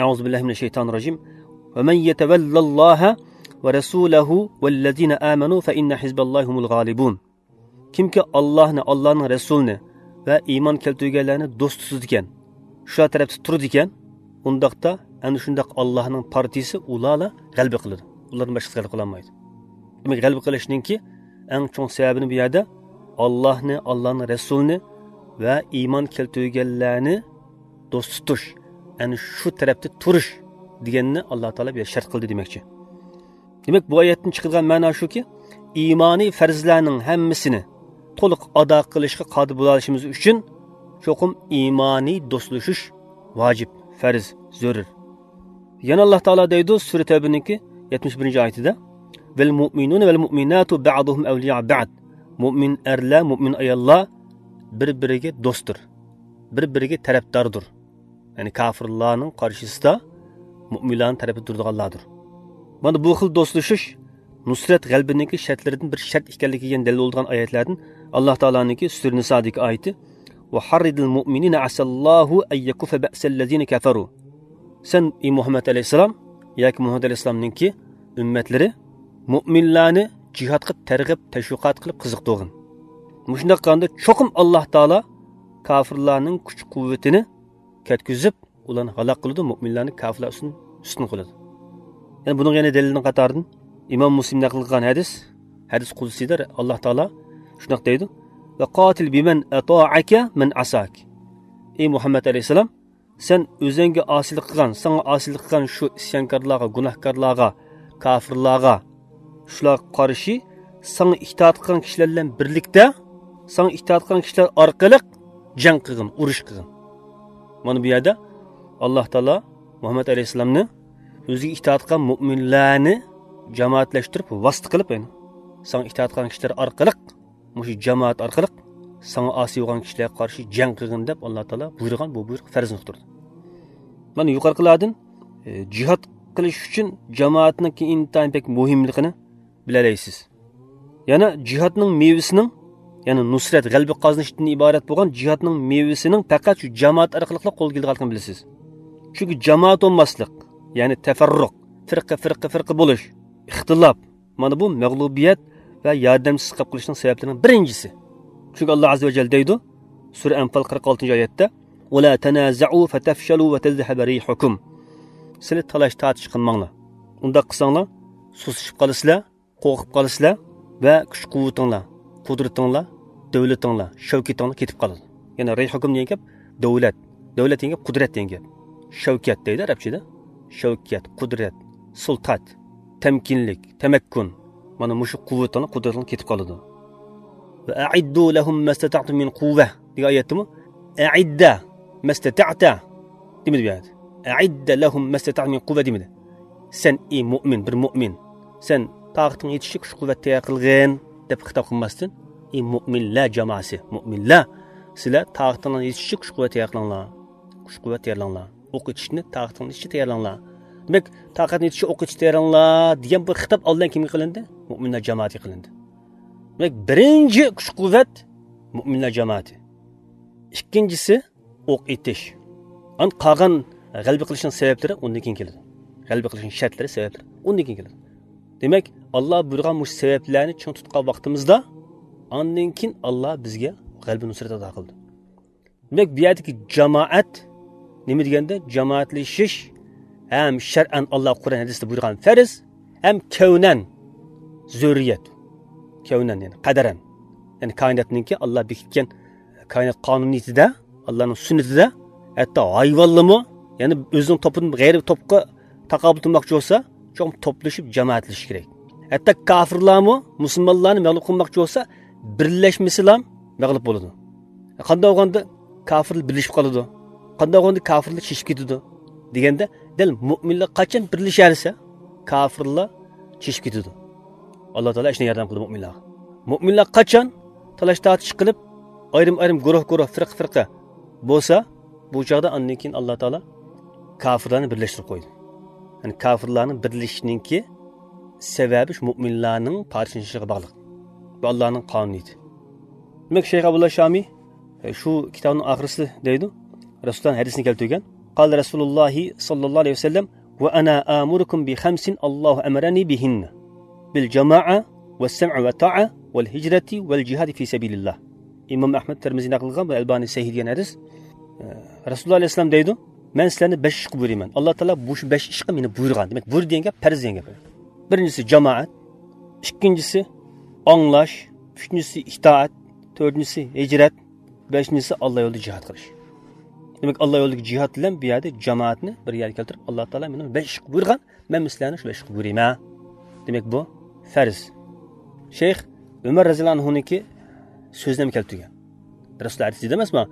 أعوذ بالله من الشيطان الرجيم. ومن يتول الله ورسوله والذين آمنوا فإن حزب الله هم الغالبون. كىمكى ئاللاھنى، ئاللانىڭ رەسۇلىنى ۋە ئىمان كەلتۈرگەنلەرنى دوست تۇتىدىكەن، شۇلار تەرەپتە تۇرىدىكەن، ئۇنداقتا ئەنە شۇنداق ئاللاھنىڭ پارتىيىسى ئۇلارلا غەلىبە قىلىدۇ. ئۇلاردىن باشقىسى غەلىبە قىلالمايدۇ. دېمەك، غەلىبە قىلىشنىڭكى ئەڭ چوڭ سەۋەبىنى بۇ يەردە ئاللاھنى، ئاللانىڭ رەسۇلىنى ۋە ئىمان كەلتۈرگەنلەرنى دوست تۇتۇش، ئەنە شۇ تەرەپتە تۇرۇش دېگەننى ئاللا تائالا بۇ يەردە شەرت قىلدى دېمەكچى. دېمەك، بۇ ئايەتتىن چىقىدىغان مەنا شۇكى، ئىمانىي پەرزلەرنىڭ ھەممىسىنى تولۇق ئادا قىلىشقا قادىر بولالىشىمىز ئۈچۈن، چوقۇم ئىمانىي دوستلىشىش ۋاجىپ، پەرز، زۆرۈر. يەنە ئاللا تائالا دەيدۇ، سۈرە تەۋبىنىڭكى يەتمىش بىرىنچى ئايىتىدە، والمؤمنون والمؤمنات بعضهم أولياء بعض. مۇئمىن ئەرلەر، مۇئمىن ئاياللار بىر-بىرىگە دوستتۇر، بىر-بىرىگە تەرەپداردۇر. يەنى كاپىرلارنىڭ قارشىسىدا مۇئمىنلارنىڭ تەرىپىدە تۇرىدىغانلاردۇر. مانا بۇ خىل دوستلىشىش نۇسرەت غەلىبىنىڭكى شەرتلىرىدىن بىر شەرت ئىكەنلىكىگە دەلىل بولىدىغان ئايەتلەردىن ئاللا تائالانىڭكى سۈرە نىسادىكى ئايىتى، وحرض المؤمنين عسى الله أن يكف بأس الذين كفروا. سەن، ئى مۇھەممەد ئەلەيھىسسالام ياكى مۇھەممەد ئەلەيھىسسالامنىڭكى ئۈممەتلىرى مۇئمىنلارنى جىھادقا تەرغىب، تەشۋىقات قىلىپ قىزىقتۇرغىن. مۇشۇنداق قىلغاندا چوقۇم ئاللا تائالا كاپىرلارنىڭ كۈچ قۇۋۋىتىنى كەتكۈزۈپ، ئۇلارنى ھالاك قىلىدۇ، مۆمىنلەرنى كاپىرلار ئۈستۈن، ئۈستۈن قىلىدۇ. يەنە بۇنىڭغا يەنە دەلىلنىڭ قاتارىدىن ئىمام مۇسلىم نەقىل قىلغان ھەدىس، ھەدىس قۇدسىيدا ئاللا تائالا شۇنداق دەيدۇ، وقاتل بمن أطاعك من عصاك. ئى مۇھەممەد ئەلەيھىسسالام، سەن ئۆزۈڭگە ئاسىيلىق قىلغان، ساڭا ئاسىيلىق قىلغان شۇ ئىسيانكارلارغا، گۇناھكارلارغا، كاپىرلارغا، شۇلارغا قارشى ساڭا ئىتائەت قىلغان كىشىلەر بىلەن بىرلىكتە، ساڭا ئىتائەت قىلغان كىشىلەر ئارقىلىق جەڭ قىلغىن، ئۇرۇش قىلغىن. مانا بۇ يەردە ئاللا تائالا مۇھەممەد ئەلەيھىسسالامنى ئۆزىگە ئىتائەت قىلغان مۆمىنلەرنى جامائەتلەشتۈرۈپ، ۋاسىتە قىلىپ، يەنى ساڭا ئىتائەت قىلغان كىشىلەر ئارقىلىق، مۇشۇ جامائەت ئارقىلىق ساڭا ئاسىي بولغان كىشىلەرگە قارشى جەڭ قىلغىن دەپ ئاللا تائالا بۇيرۇغان، بۇ بۇيرۇق پەرزنى ئۇقتۇردى. مانا يۇقىرىقىلاردا، ئى، جىھاد قىلىش ئۈچۈن جامائەتنىڭكى ئىنتايىن بەك مۇھىملىقىنى بىلەلەيسىز. يەنە جىھادنىڭ مېۋىسىنىڭ، يەنى نۇسرەت، غەلىبە قازىنىشتىن ئىبارەت بولغان جىھادنىڭ مېۋىسىنىڭ پەقەت شۇ جامائەت ئارقىلىقلا قولغا كېلىدىغانلىقىنى بىلىسىز. چۈنكى جامائەت بولماسلىق، يەنى تەپەررۇق، فىرقە، فىرقە، فىرقە بولۇش، ئىختىلاپ، مانا بۇ مەغلۇبىيەت ۋە ياردەمسىز قېلىپ قېلىشنىڭ سەۋەبلىرىنىڭ بىرىنچىسى. چۈنكى ئاللا ئەززە ۋە جەل دەيدۇ، سۈرە ئەنفال قىرىق ئالتىنچى ئايەتتە، ولا تنازعوا فتفشلوا وتذهب ريحكم. سىلەر تالاش تارتىش قىلماڭلار. ئۇنداق قىلساڭلار، سۇسلىشىپ قالىسىلەر، قورقۇپ قالىسىلەر ۋە كۈچ قۇۋۋىتىڭلار، قۇدرىتىڭلار، دۆلىتىڭلار، شەۋكىتىڭلار كېتىپ قالىدۇ. يەنى رەي ھۆكۈم دېگەن گەپ دۆلەت، دۆلەت دېگەن گەپ قۇدرەت دېگەن گەپ. شەۋكەت دەيدۇ ئەرەبچىدە. شەۋكەت، قۇدرەت، سۇلتات، تەمكىنلىك، تەمەككۇن. مانا مۇشۇ قۇۋۋىتىڭلار، قۇدرىتىڭلار كېتىپ قالىدۇ. ۋە ئەئىددۇ لەھۇم مەستەتەئتۇم مىن قۇۋۋە دېگەن ئايەتتىمۇ ئەئىددە مەستەتەئتە دېمىدى بۇ يەردە. ئەئىددە لەھۇم مەستەتەئتۇم مىن قۇۋۋە دېمىدى. سەن، ئى مۇئمىن، بىر مۇئمىن، سەن تاقىتىڭ يېتىشىچە كۈچ قۇۋۋەت تەييار قىلغىن دەپ خىتاب قىلماستىن، ئى مۇئمىنلەر جامائىسى، مۇئمىنلەر، سىلەر تاقىتىڭلار يېتىشىچە كۈچ قۇۋۋەت تەييار قىلىڭلار. كۈچ قۇۋۋەت تەييارلاڭلار. ئوق ئېتىشنى تاقىتىڭلار يېتىشىچە تەييارلاڭلار. دېمەك، تاقىتىڭلار يېتىشىچە ئوق ئېتىشنى تەييارلاڭلار دېگەن بۇ خىتاب ئالدىن كىمگە قىلىندى؟ مۇئمىنلەر جامائىتىگە قىلىندى. دېمەك، بىرىنچى كۈچ قۇۋۋەت مۇئمىنلەر جامائىتى. ئىككىنچىسى ئوق ئېتىش. ئان قالغان غەلىبە قىلىشنىڭ سەۋەبلىرى ئۇندىن كېيىن كېلىدۇ. غەلىبە قىلىشنىڭ شەرتلىرى، سەۋەبلىرى ئۇندىن كېيىن كېلىدۇ. دېمەك، ئاللا بۇيرۇغان مۇشۇ سەۋەبلەرنى چىڭ تۇتقان ۋاقتىمىزدا، ئاندىن كېيىن ئاللا بىزگە غەلىبە نۇسرەت ئاتا قىلىدۇ. دېمەك، بۇ يەردىكى جامائەت نېمە دېگەندە، جامائەتلىشىش ھەم شەرئەن ئاللا قۇرئان ھەدىستە بۇيرۇغان پەرز، ھەم كەۋنەن زۆرۈرىيەت. كەۋنەن، يەنى قەدەرەن. يەنى كائىناتنىڭكى ئاللا بېكىتكەن كائىنات قانۇنىيىتىدە، ئاللانىڭ سۈننىتىدە، ھەتتا ھايۋانلارمۇ، يەنى ئۆزىنىڭ توپىدىن غەيرىي توپقا تاقابىل تۇرماقچى بولسا، چوقۇم توپلىشىپ جامائەتلىشىش كېرەك. ھەتتا كاپىرلارمۇ مۇسۇلمانلارنى مەغلۇپ قىلماقچى بولسا، بىرلەشمىسىلا مەغلۇپ بولىدۇ. قانداق بولغاندا كاپىرلار بىرلىشىپ قالىدۇ؟ قانداق بولغاندا كاپىرلار چېچىپ كېتىدۇ؟ دېگەندە، دەل مۇئمىنلار قاچان بىرلىشەلىسە، كاپىرلار چېچىپ كېتىدۇ. ئاللا تائالا شۇنى ياردەم قىلدى مۇئمىنلارغا. مۇئمىنلار قاچان تالاش تارتىش قىلىپ، ئايرىم-ئايرىم، گۇرۇھ-گۇرۇھ، فىرقە-فىرقە بولسا، بۇ چاغدا ئاندىن كېيىن ئاللا تائالا كاپىرلارنى بىرلەشتۈرۈپ قويدى. يەنى كاپىرلارنىڭ بىرلىشىشىنىڭكى سەۋەبى شۇ مۇئمىنلارنىڭ پارچىلىنىشىغا باغلىق. بۇ ئاللانىڭ قانۇنىيىتى. دېمەك، شەيخ ئابدۇللا شامى، ئە، شۇ كىتابنىڭ ئاخىرىسىدا دەيدۇ، رەسۇلۇللانىڭ ھەدىسىنى كەلتۈرگەن. قال رسول الله صلى الله عليه وسلم: وأنا آمركم بخمس الله أمرني بهن: بالجماعة، والسمع والطاعة، والهجرة، والجهاد في سبيل الله. ئىمام ئەھمەد تىرمىزى نەقىل قىلغان، بۇ ئەلبانى سەھىھ دېگەن ھەدىس. ئە، رەسۇلۇللا ئەلەيھىسسالام دەيدۇ، مەن سىلەرنى بەش ئىشقا بۇيرۇيمەن. ئاللا تائالا بۇ شۇ بەش ئىشقا مېنى بۇيرۇغان. دېمەك، بۇيرۇ دېگەن گەپ پەرز دېگەن گەپ. بىرىنچىسى جامائەت، ئىككىنچىسى ئاڭلاش، ئۈچىنچىسى ئىتائەت، تۆتىنچىسى ھىجرەت، بەشىنچىسى ئاللا يولىدا جىھاد قىلىش. دېمەك، ئاللا يولىدىكى جىھاد بىلەن بۇ يەردە جامائەتنى بىر يەرگە كەلتۈرۈپ، ئاللا تائالا مېنى بەش ئىشقا بۇيرۇغان، مەن سىلەرنى شۇ بەش ئىشقا بۇيرۇيمەن. دېمەك، بۇ پەرز. شەيخ ئۆمەر رەزىياللاھۇ ئەنھۇنىڭكى سۆزىنى ھەم كەلتۈرگەن. رەسۇلۇللا ھەدىس دېدى ئەمەسمۇ؟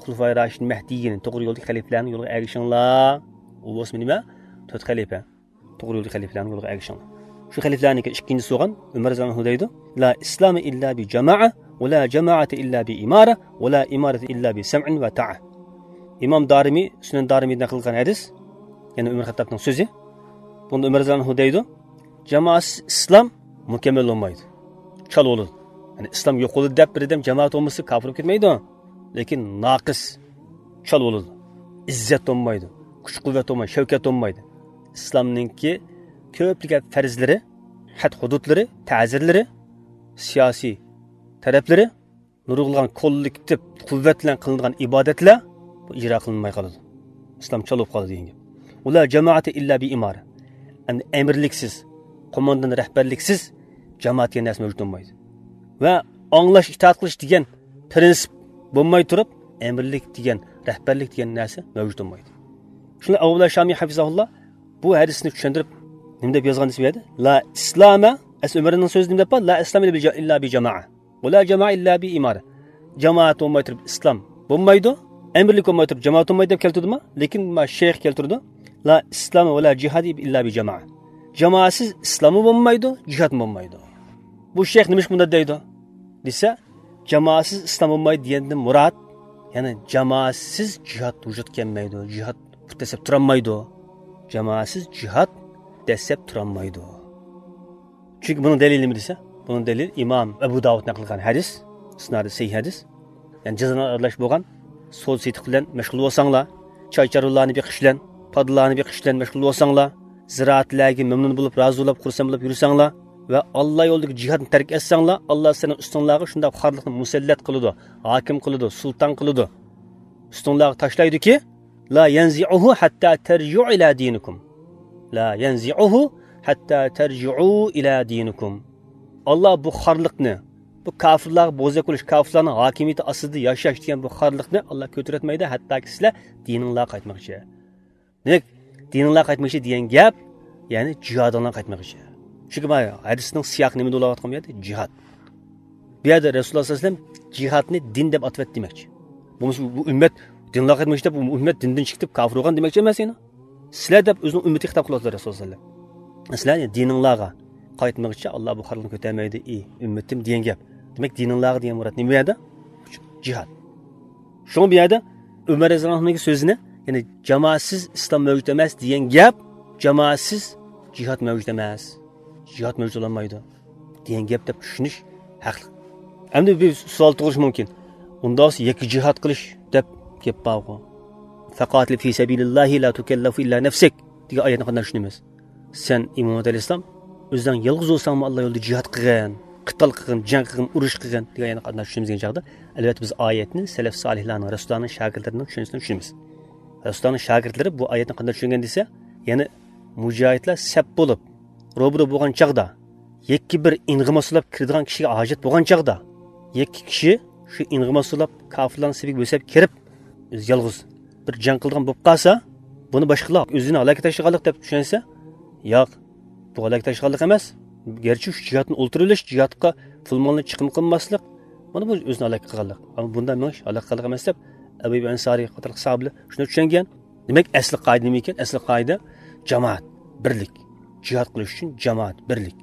خۇلىفائى راشىدىن مەھدىيين، توغرا يولدىكى خەلىپىلەرنىڭ يولىغا ئەگىشىڭلار. ئۇ بولسا نېمە؟ تۆت خەلىپە. توغرا يولدىكى خەلىپىلەرنىڭ يولىغا ئەگىشىڭلار. شۇ خەلىپىلەرنىڭكى ئىككىنچىسى بولغان ئۆمەر رەزىياللاھۇ ئەنھۇ دەيدۇ، لا ئىسلامە ئىللا بى جامائە، ۋە لا جامائەتە ئىللا بى ئىمارە، ۋە لا ئىمارەتە ئىللا بى سەمئىن ۋە تائە. ئىمام دارىمى، سۈنەن دارىمىدىن نەقىل قىلغان ھەدىس، يەنى ئۆمەر خەتتابنىڭ سۆزى. بۇندا ئۆمەر رەزىياللاھۇ ئەنھۇ دەيدۇ، جامائەتسىز ئىسلام مۇكەممەل بولمايدۇ، چالا بولىدۇ. يەنى ئىسلام يوقىلىدۇ دەپ بىر ئادەم جامائەت بولمىسا كاپىر بولۇپ كەتمەيدۇ، لېكىن ناقىس، چالا بولىدۇ. ئىززەت بولمايدۇ، كۈچ-قۇۋۋەت بولمايدۇ، شەۋكەت بولمايدۇ. ئىسلامنىڭكى كۆپلىگەن پەرزلىرى، ھەد-ھۇدۇدلىرى، تەزىرلىرى، سىياسىي تەرەپلىرى، نۇرغۇنلىغان كوللېكتىپ قۇۋۋەت بىلەن قىلىنىدىغان ئىبادەتلەر بۇ ئىجرا قىلىنماي قالىدۇ. ئىسلام چالا بولۇپ قالىدۇ دېگەن گەپ. ۋە لا جامائەتە ئىللا بى ئىمارە. يەنى ئەمىرلىكسىز، قوماندان رەھبەرلىكسىز جامائەت دېگەن نەرسە مەۋجۇت بولمايدۇ. ۋە ئاڭلاش، ئىتائەت قىلىش دېگەن پىرىنسىپ بولماي تۇرۇپ، ئەمىرلىك دېگەن، رەھبەرلىك دېگەن نەرسە مەۋجۇت بولمايدۇ. شۇڭا ئەبۇللا شامى ھەفىزاھۇللا بۇ ھەدىسنى چۈشەندۈرۈپ، نېمە دەپ يازغان دېسە بۇ يەردە؟ لا ئىسلامە، ئەسلى ئۆمەرنىڭ سۆزى نېمە دەپ بار؟ لا ئىسلامە ئىللا بى جامائە. ۋە لا جامائە ئىللا بى ئىمارە. جامائەت بولماي تۇرۇپ ئىسلام بولمايدۇ، ئەمىرلىك بولماي تۇرۇپ جامائەت بولمايدۇ دەپ كەلتۈردىما؟ لېكىن ما شەيخ كەلتۈردى. لا ئىسلام ۋە لا جىھاد ئىللا بى جامائە. جامائەتسىز ئىسلاممۇ بولمايدۇ، جىھادمۇ بولمايدۇ. بۇ شەيخ نېمىشقا بۇنداق دەيدۇ دېسە، جامائەتسىز ئىسلام بولمايدۇ دېگەندىن مۇراد، يەنى جامائەتسىز جىھاد ۋۇجۇدقا كەلمەيدۇ، جىھاد پۇت دەسسەپ تۇرالمايدۇ. جامائەتسىز جىھاد دەسسەپ تۇرالمايدۇ. چۈنكى بۇنىڭ دەلىلى نېمە دېسە، بۇنىڭ دەلىلى ئىمام ئەبۇ داۋۇد نەقىل قىلغان ھەدىس، ئىسنادى سەھىھ ھەدىس. يەنى جىزانلار ئارىلاش بولغان سودا سېتىق بىلەن مەشغۇل بولساڭلار، چاي-چارۋىلارنى بېقىش بىلەن، پادىلارنى بېقىش بىلەن مەشغۇل بولساڭلار، زىرائەتلەرگە مەمنۇن بولۇپ، رازى بولۇپ، خۇرسەن بولۇپ يۈرسەڭلار ۋە ئاللا يولىدىكى جىھادنى تەرك ئەتسەڭلار، ئاللا سىلەرنىڭ ئۈستۈڭلارغا شۇنداق خارلىقنى مۇسەللەت قىلىدۇ، ھاكىم قىلىدۇ، سۇلتان قىلىدۇ. ئۈستۈڭلارغا تاشلايدۇكى، لا يەنزىئۇھۇ ھەتتا تەرجىئۇ ئىلا دىنىكۇم. لا يەنزىئۇھۇ ھەتتا تەرجىئۇ ئىلا دىنىكۇم. ئاللا بۇ خارلىقنى، بۇ كاپىرلارغا بوزەك بولۇش، كاپىرلارنىڭ ھاكىمىيىتى ئاستىدا ياشاش دېگەن بۇ خارلىقنى ئاللا كۆتۈرەتمەيدۇ، ھەتتاكى سىلەر دىنىڭلارغا قايتمىغىچە. دېمەك، دىنىڭلارغا قايتمىغىچە دېگەن گەپ، يەنى جىھادىڭلارغا قايتمىغىچە. چۈنكى مانا ھەدىسنىڭ سىياقى نېمىدە بولاۋاتقان بۇ يەردە؟ جىھاد. بۇ يەردە رەسۇلۇللاھ سەللەللاھۇ ئەلەيھى ۋەسەللەم جىھادنى دىن دەپ ئاتىۋەتتى دېمەكچى. بولمىسا بۇ ئۈممەت دىنلارغا قايتمىشى دەپ، بۇ ئۈممەت دىندىن چىقىپ كاپىر بولغان دېمەكچى ئەمەس يەنە. سىلەر دەپ ئۆزىنىڭ ئۈممىتىگە خىتاب قىلىۋاتىدۇ رەسۇلۇللاھ سەللەللاھۇ ئەلەيھى ۋەسەللەم. سىلەر دىنىڭلارغا قايتمىغىچە ئاللاھ بۇ خارلىقنى كۆتەرمەيدۇ، ئى ئۈممىتىم دېگەن گەپ. دېمەك، دىنىڭلارغا دېگەن مۇراد نېمە بۇ يەردە؟ جىھاد. شۇڭا بۇ يەردە ئۆمەر رەزىياللاھۇ ئەنھۇنىڭ سۆزىنى، يەنى جامائەتسىز ئىسلام مەۋجۇت ئەمەس دېگەن گەپ، جامائەتسىز جىھاد مەۋجۇت ئەمەس. جىھاد مەۋجۇت بولالمايدۇ دېگەن گەپ دەپ چۈشىنىش ھەقلىق. ئەمدى بىر سوئال تۇغۇلۇشى مۇمكىن. ئۇنداق بولسا يەككە جىھاد قىلىش دەپ گەپ بارغۇ. فقاتل في سبيل الله لا تكلف إلا نفسك دېگەن ئايەتنى قانداق چۈشىنىمىز؟ سەن ئىمام ئەلەيھىسسالام ئۆزۈڭ يالغۇز بولساڭمۇ ئاللا يولىدا جىھاد قىلغىن، قىتال قىلغىن، جەڭ قىلغىن، ئۇرۇش قىلغىن دېگەن ئايەتنى قانداق چۈشىنىمىز دېگەن چاغدا، ئەلۋەتتە بىز ئايەتنى سەلەف سالىھلارنىڭ، رەسۇلۇللاھنىڭ شاگىرتلىرىنىڭ چۈشەنچىسىدىن چۈشىنىمىز. رەسۇلۇللاھنىڭ شاگىرتلىرى بۇ ئايەتنى قانداق چۈشەنگەن دېسە، يەنى مۇجاھىدلار سەپ بولۇپ، روبىرو بولغان چاغدا، يەككە بىر ئىنغىماسلاپ كىرىدىغان كىشىگە ھاجەت بولغان چاغدا، يەككە كىشى شۇ ئىنغىماسلاپ كاپىرلارنىڭ سېپىگە بۆسەپ كىرىپ، ئۆزى يالغۇز بىر جەڭ قىلىدىغان بولۇپ قالسا، بۇنى باشقىلار ئۆزىنى ھالاكەتكە تاشلىغانلىق دەپ چۈشەنسە، ياق، بۇ ھالاكەتكە تاشلىغانلىق ئەمەس. گەرچە شۇ جىھادتىن ئولتۇرۇۋېلىش، جىھادقا پۇل مالنى چىقىم قىلماسلىق، مانا بۇ ئۆزىنى ھالاك قىلغانلىق. ئەمما بۇنداق مېڭىش ھالاك قىلغانلىق ئەمەس دەپ، ئەبۇ ئەييۇب ئەنسارىي قاتارلىق ساھابىلەر شۇنداق چۈشەنگەن. دېمەك، ئەسلى قائىدە نېمە ئىكەن؟ ئەسلى قائىدە جامائەت، بىرلىك. جىھاد قىلىش ئۈچۈن جامائەت، بىرلىك.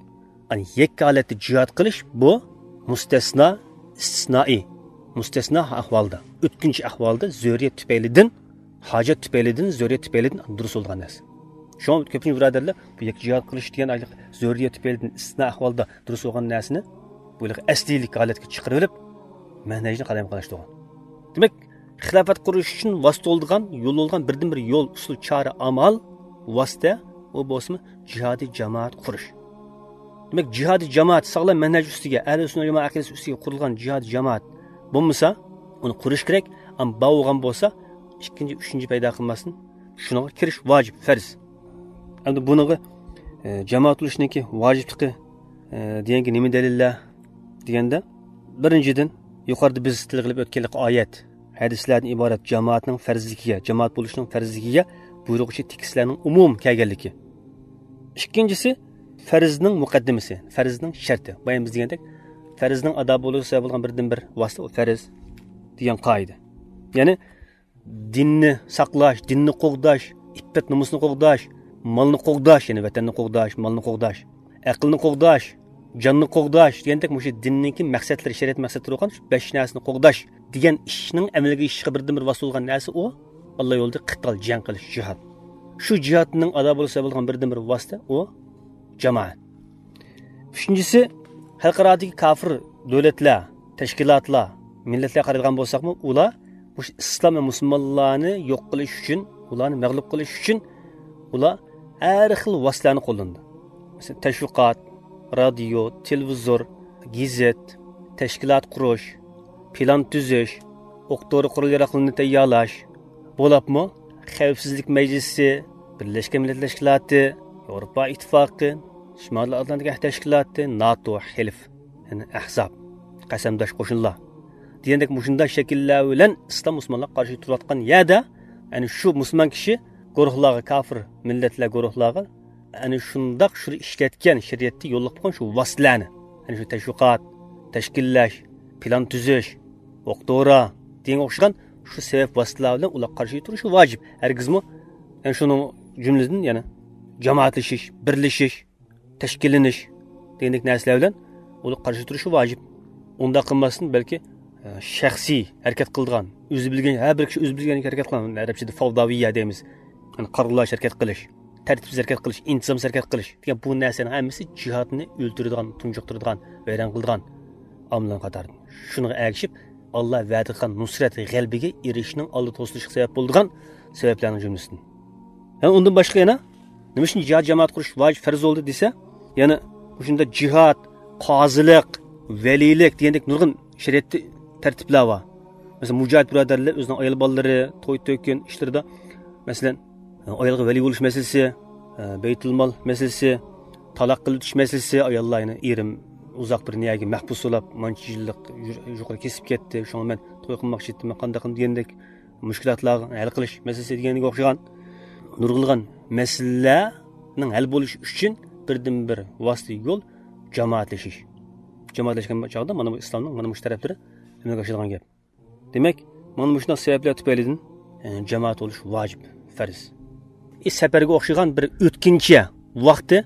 يەنى يەككە ھالەتتە جىھاد قىلىش بۇ مۇستەسنا، ئىستىسنائىي، مۇستەسنا ئەھۋالدا، ئۆتكۈنچى ئەھۋالدا، زۆرۈرىيەت تۈپەيلىدىن، ھاجەت تۈپەيلىدىن، زۆرۈرىيەت تۈپەيلىدىن دۇرۇس بولىدىغان نەرسە. شۇڭا كۆپىنچە بۇرادەرلەر بۇ يەككە جىھاد قىلىش دېگەن ئايلىق زۆرۈرىيەت تۈپەيلىدىن ئىستىسنا ئەھۋالدا دۇرۇس بولغان نەرسىنى بۇ ئەسلىيلىك ھالەتكە چىقىرىۋېلىپ، مەنھەجنى قالايمىقانلاشتۇرغان. دېمەك، خىلاپەت قۇرۇش ئۈچۈن ۋاسىتە بولىدىغان، يول بولىدىغان بىردىنبىر يول، ئۇسۇل، چارە، ئامال، ۋاسىتە، ئۇ بولسىمۇ جىھادىي جامائەت قۇرۇش. دېمەك، جىھادىي جامائەت ساغلام مەنھەج ئۈستىگە، ئەھلى سۈننە جامائە ئەقىدىسى ئۈستىگە قۇرۇلغان جىھادىي جامائەت بولمىسا، ئۇنى قۇرۇش كېرەك. ئەمما بار بولغان بولسا، ئىككىنچى، ئۈچىنچى پەيدا قىلماستىن شۇنىڭغا كىرىش ۋاجىپ، پەرز. ئەمدى بۇنىڭغا، ئە، جامائەت بولۇشنىڭكى ۋاجىپلىقى، ئە، دېگەنگە نېمە دەلىللەر دېگەندە، بىرىنچىدىن، يۇقىرىدا بىز تىلغا ئېلىپ ئۆتكەنلىك ئايەت، ھەدىسلەردىن ئىبارەت جامائەتنىڭ پەرزلىكىگە، جامائەت بولۇشنىڭ پەرزلىكىگە بۇيرۇغۇچى تېكىستلەرنىڭ ئومۇم كەلگەنلىكى. ئىككىنچىسى، پەرزنىڭ مۇقەددىمىسى، پەرزنىڭ شەرتى. بايا بىز دېگەندەك، پەرزنىڭ ئادا بولۇشىغا سەۋەب بولغان بىردىنبىر ۋاسىتە ئۇ پەرز دېگەن قائىدە. يەنى دىننى ساقلاش، دىننى قوغداش، ئىپپەت نومۇسنى قوغداش، مالنى قوغداش، يەنى ۋەتەننى قوغداش، مالنى قوغداش، ئەقىلنى قوغداش، جاننى قوغداش دېگەندەك مۇشۇ دىننىڭكى مەقسەتلىرى، شەرىئەت مەقسەتلىرى بولغان شۇ بەش نەرسىنى قوغداش دېگەن ئىشنىڭ ئەمەلگە ئېشىشىغا بىردىنبىر ۋاسىتە بولغان نەرسە ئۇ ئاللا يولىدا قىتال، جەڭ قىلىش، جىھاد. شۇ جىھادنىڭ ئادا بولۇشىغا سەۋەب بولغان بىردىنبىر ۋاسىتە ئۇ جامائەت. ئۈچىنچىسى، خەلقئارادىكى كاپىر دۆلەتلەر، تەشكىلاتلار، مىللەتلەرگە قارايدىغان بولساقمۇ، ئۇلار مۇشۇ ئىسلام ۋە مۇسۇلمانلارنى يوق قىلىش ئۈچۈن، ئۇلارنى مەغلۇپ قىلىش ئۈچۈن ئۇلار ھەر خىل ۋاسىتىلەرنى قوللىنىدۇ. مەسىلەن، تەشۋىقات، رادىيو، تېلېۋىزور، گېزىت، تەشكىلات قۇرۇش، پىلان تۈزۈش، ئوق دورا قورال ياراغلىرىنى تەييارلاش، بولۇپمۇ خەۋپسىزلىك مەجلىسى، بىرلەشكەن مىللەتلەر تەشكىلاتى، ياۋروپا ئىتتىپاقى، شىمالىي ئاتلانتىك ئەھدى تەشكىلاتى، ناتو، خېلىف، يەنى ئەھزاب، قەسەمداش قوشۇنلار دېگەندەك مۇشۇنداق شەكىللەر بىلەن ئىسلام مۇسۇلمانلارغا قارشى تۇرۇۋاتقان يەردە، يەنى شۇ مۇسۇلمان كىشى گۇرۇھلارغا، كاپىر مىللەتلەر گۇرۇھلارغا ئەنە شۇنداق شۇ ئىشلەتكەن، شەرىئەتتە يوللۇق بولغان شۇ ۋاسىتىلەرنى، يەنى شۇ تەشۋىقات، تەشكىللەش، پىلان تۈزۈش، ئوق دورا دېگەنگە ئوخشىغان شۇ سەۋەب ۋاسىتىلەر بىلەن ئۇلارغا قارشى تۇرۇشى ۋاجىپ. ھەرگىزمۇ، يەنى شۇنىڭ جۈملىدىن، يەنى جامائەتلىشىش، بىرلىشىش، تەشكىللىنىش دېگەندەك نەرسىلەر بىلەن ئۇلارغا قارشى تۇرۇشى ۋاجىپ. ئۇنداق قىلماستىن، بەلكى، ئە، شەخسىي ھەرىكەت قىلىدىغان، ئۆزى بىلگەن، ھەر بىر كىشى ئۆزى بىلگەندەك ھەرىكەت قىلغان، ئەرەبچىدە فەۋداۋىيە دەيمىز. يەنى قارىغۇلارچە ھەرىكەت قىلىش، تەرتىپسىز ھەرىكەت قىلىش، ئىنتىزامسىز ھەرىكەت قىلىش دېگەن بۇ نەرسىلەرنىڭ ھەممىسى جىھادنى ئۆلتۈرىدىغان، تۇنجۇقتۇرىدىغان، ۋەيران قىلىدىغان ئامىللارنىڭ قاتارىدىن. شۇنىڭغا ئەگىشىپ، ئاللا ۋەدە قىلغان نۇسرەت، غەلىبىگە ئېرىشىشنىڭ ئالدىدا توسۇلۇشقا سەۋەب بولىدىغان سەۋەبلەرنىڭ جۈملىسىدىن. يەنى ئۇندىن باشقا يەنە نېمە ئۈچۈن جىھاد جامائەت قۇرۇش ۋاجىپ، پەرز بولدى دېسە، يەنە مۇشۇنداق جىھاد، قازىلىق، ۋەلىيلىك دېگەندەك نۇرغۇن شەرىئەتتە تەرتىپلەر بار. مەسىلەن، مۇجاھىد بۇرادەرلەر ئۆزىنىڭ ئايال بالىلىرى، توي-تۆكۈن ئىشلىرىدا، مەسىلەن، ئايالغا ۋەلىي بولۇش مەسىلىسى، بەيتۇلمال مەسىلىسى، تالاق قىلىۋېتىش مەسىلىسى، ئاياللار، يەنى ئېرىم ئۇزاق بىر نىيەگە مەھبۇس بولاپ، مانچە يىللىق يۇ-، يۇقىرى كېسىپ كەتتى، شۇڭا مەن توي قىلماقچى ئىدىم، مەن قانداق قىلدىم دېگەندەك مۈشكۈلاتلارغا ھەل قىلىش مەسىلىسى دېگەنگە ئوخشىغان نۇرغۇنلىغان مەسىلىلەرنىڭ ھەل بولۇشى ئۈچۈن بىردىنبىر ۋاسىتە يول جامائەتلىشىش. جامائەتلەشكەن چاغدا مانا بۇ ئىسلامنىڭ مانا مۇشۇ تەرەپلىرى ئەمەلگە ئاشىدىغان گەپ. دېمەك، مانا مۇشۇنداق سەۋەبلەر تۈپەيلىدىن، ئە، جامائەت بولۇش ۋاجىپ، پەرز. ئى، سەپەرگە ئوخشىغان بىر ئۆتكۈنچى ۋاقتى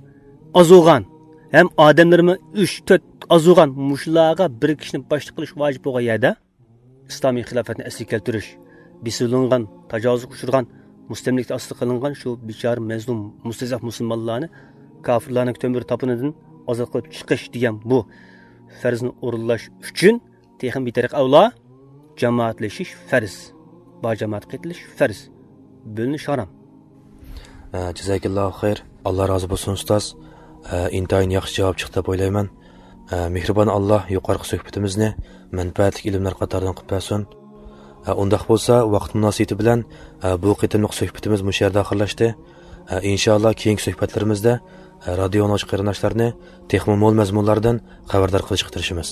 ئازۇغان ھەم ئادەملىرىمۇ ئۈچ، تۆت ئازۇغان مۇشۇلارغا بىر كىشىنى باشلىق قىلىش ۋاجىپ بولغان يەردە، ئىسلامىي خىلاپەتنى ئەسلىگە كەلتۈرۈش، بېسىۋېلىنغان، تاجاۋۇزغا ئۇچرىغان، مۇستەملىكە ئاستىغا قىلىنغان شۇ بىچارە، مەزلۇم، مۇستەزەف مۇسۇلمانلارنى كاپىرلارنىڭ تۆمۈر تاپىنىدىن ئازاد قىلىپ چىقىش دېگەن بۇ پەرزنى ئورۇنلاش ئۈچۈن تېخىمۇ بىتەرەققىي ئەۋلا جامائەتلىشىش پەرز. بار جامائەتكە قېتىلىش پەرز. بۆلۈنۈش ھارام. ئە، جازاكاللاھۇ خەير. ئاللا رازى بولسۇن، ئۇستاز. ئە، ئىنتايىن ياخشى جاۋاب چىقتى دەپ ئويلايمەن. ئە، مېھرىبان ئاللا يۇقىرىقى سۆھبىتىمىزنى مەنپەئەتلىك ئىلىملەر قاتارىدىن قىلىپ بەرسۇن. ئە، ئۇنداق بولسا، ۋاقىت مۇناسىۋىتى بىلەن، ئە، بۇ قېتىملىق سۆھبىتىمىز مۇشۇ يەردە ئاخىرلاشتى. ئە، ئىنشائاللا، كېيىنكى سۆھبەتلىرىمىزدە، ئە، رادىيو ئاڭلىغۇچى قېرىنداشلارنى تېخىمۇ مول مەزمۇنلاردىن خەۋەردار قىلىشقا تىرىشىمىز.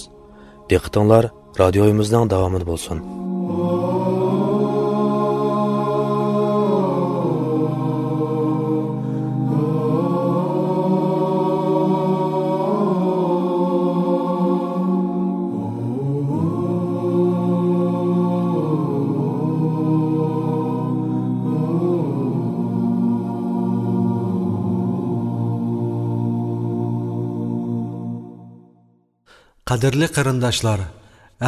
دىققىتىڭلار رادىيويىمىزنىڭ داۋامىدا بولسۇن. قەدىرلىك قېرىنداشلار،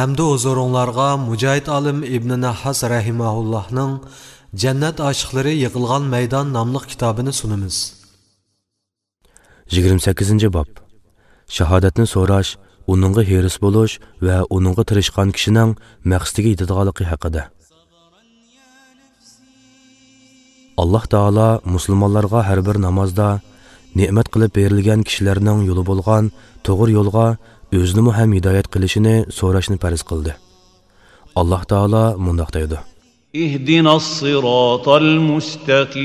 ئەمدى ھۇزۇرۇڭلارغا مۇجاھىد ئالىم ئىبنى نەھھاس رەھىمەھۇللاھنىڭ جەننەت ئاشىقلىرى يىغىلغان مەيدان ناملىق كىتابىنى سۇنىمىز. يىگىرمە سەككىزىنچى باب. شاھادەتنى سوراش، ئۇنىڭغا ھېرىس بولۇش ۋە ئۇنىڭغا تىرىشقان كىشىنىڭ مەقسىتىگە يېتىدىغانلىقى ھەققىدە. ئاللاھ تائالا مۇسۇلمانلارغا ھەر بىر نامازدا نېمەت قىلىپ بېرىلگەن كىشىلەرنىڭ يولى بولغان توغرا يولغا ئۆزىنىمۇ ھەم ھىدايەت قىلىشىنى سوراشنى پەرز قىلدى. ئاللاھ تائالا مۇنداق دەيدۇ. اهدنا الصراط المستقيم.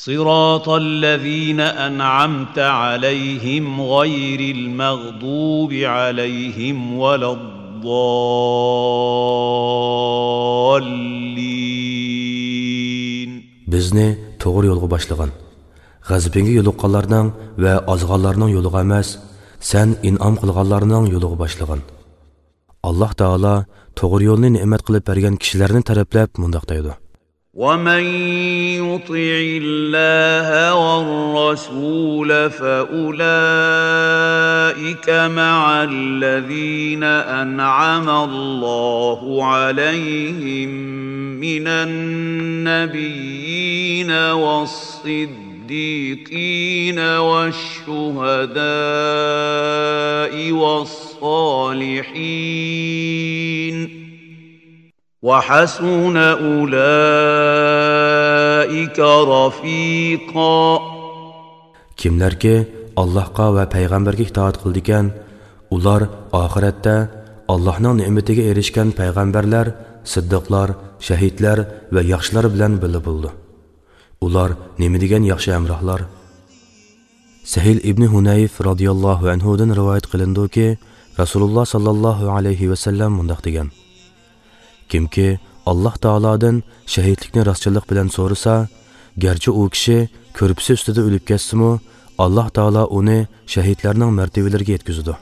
صراط الذين أنعمت عليهم غير المغضوب عليهم ولا الضالين. بىزنى توغرا يولغا باشلىغىن. غەزىپىڭگە يولۇققانلارنىڭ ۋە ئازغانلارنىڭ يولىغا ئەمەس، سەن ئىنئام قىلغانلارنىڭ يولىغا باشلىغىن. ئاللاھ تائالا توغرا يولنى نېمەت قىلىپ بەرگەن كىشىلەرنى تەرىپلەپ مۇنداق دەيدۇ. ومن يطع الله والرسول فأولئك مع الذين أنعم الله عليهم من النبيين والصديقين والشهداء والصالحين وحسن أولئك رفيقا. كىملەركى ئاللاھقا ۋە پەيغەمبەرگە ئىتائەت قىلىدىكەن، ئۇلار ئاخىرەتتە ئاللاھنىڭ نېمىتىگە ئېرىشكەن پەيغەمبەرلەر، سىددىقلار، شەھىدلەر ۋە ياخشىلار بىلەن بىللە بولىدۇ. ئۇلار نېمە دېگەن ياخشى ھەمراھلار! سەھىل ئىبنى ھۇنەيف رازىياللاھۇ ئەنھۇدىن رىۋايەت قىلىنىدۇكى، رەسۇلۇللا ساللاللاھۇ ئەلەيھى ۋەسەللەم مۇنداق دېگەن: كىمكى ئاللاھ تائالادىن شەھىدلىكنى راستچىللىق بىلەن سورىسا، گەرچە ئۇ كىشى كۆرپىسى ئۈستىدە ئۆلۈپ كەتسىمۇ، ئاللاھ تائالا ئۇنى شەھىدلەرنىڭ مەرتىۋىلىرىگە يەتكۈزىدۇ.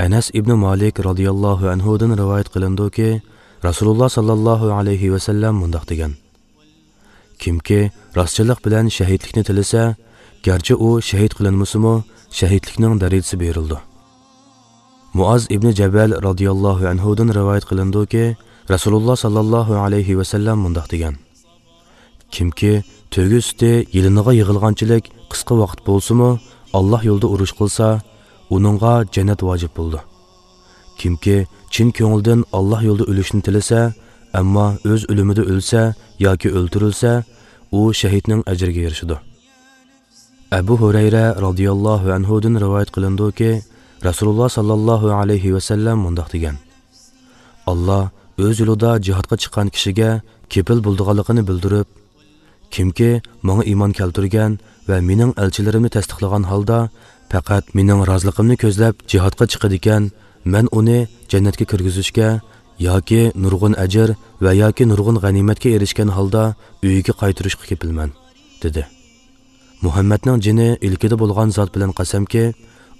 ئەنەس ئىبنى مالىك رازىياللاھۇ ئەنھۇدىن رىۋايەت قىلىنىدۇكى، رەسۇلۇللا ساللاللاھۇ ئەلەيھى ۋەسەللەم مۇنداق دېگەن: كىمكى راستچىللىق بىلەن شەھىدلىكنى تىلىسە، گەرچە ئۇ شەھىد قىلىنمىسىمۇ، شەھىدلىكنىڭ دەرىجىسى بېرىلىدۇ. مۇئاز ئىبنى جەبەل رازىياللاھۇ ئەنھۇدىن رىۋايەت قىلىنىدۇكى، رەسۇلۇللا ساللاللاھۇ ئەلەيھى ۋەسەللەم مۇنداق دېگەن: كىمكى تۆگە سۈتى يېلىنىغا يىغىلغانچىلىك قىسقا ۋاقىت بولسىمۇ، ئاللاھ يولىدا ئۇرۇش قىلسا، ئۇنىڭغا جەننەت ۋاجىپ بولىدۇ. كىمكى چىن كۆڭلىدىن ئاللاھ يولىدا ئۆلۈشنى تىلىسە، ئەمما ئۆز ئۆلۈمىدە ئۆلسە ياكى ئۆلتۈرۈلسە، ئۇ شەھىدنىڭ ئەجرىگە ئېرىشىدۇ. ئەبۇ ھۇرەيرە رازىياللاھۇ ئەنھۇدىن رىۋايەت قىلىنىدۇكى، رەسۇلۇللا ساللاللاھۇ ئەلەيھى ۋەسەللەم مۇنداق دېگەن: ئاللاھ ئۆز يولىدا جىھادقا چىققان كىشىگە كېپىل بولىدىغانلىقىنى بىلدۈرۈپ، كىمكى ماڭا ئىمان كەلتۈرگەن ۋە مېنىڭ ئەلچىلىرىمنى تەستىقلىغان ھالدا پەقەت مېنىڭ رازىلىقىمنى كۆزلەپ جىھادقا چىقىدىكەن، مەن ئۇنى جەننەتكە كىرگۈزۈشكە ياكى نۇرغۇن ئەجىر ۋە ياكى نۇرغۇن غەنىيمەتكە ئېرىشكەن ھالدا ئۆيىگە قايتۇرۇشقا كېپىلمەن، دېدى. مۇھەممەدنىڭ جېنى ئىلكىدە بولغان زات بىلەن قەسەمكى،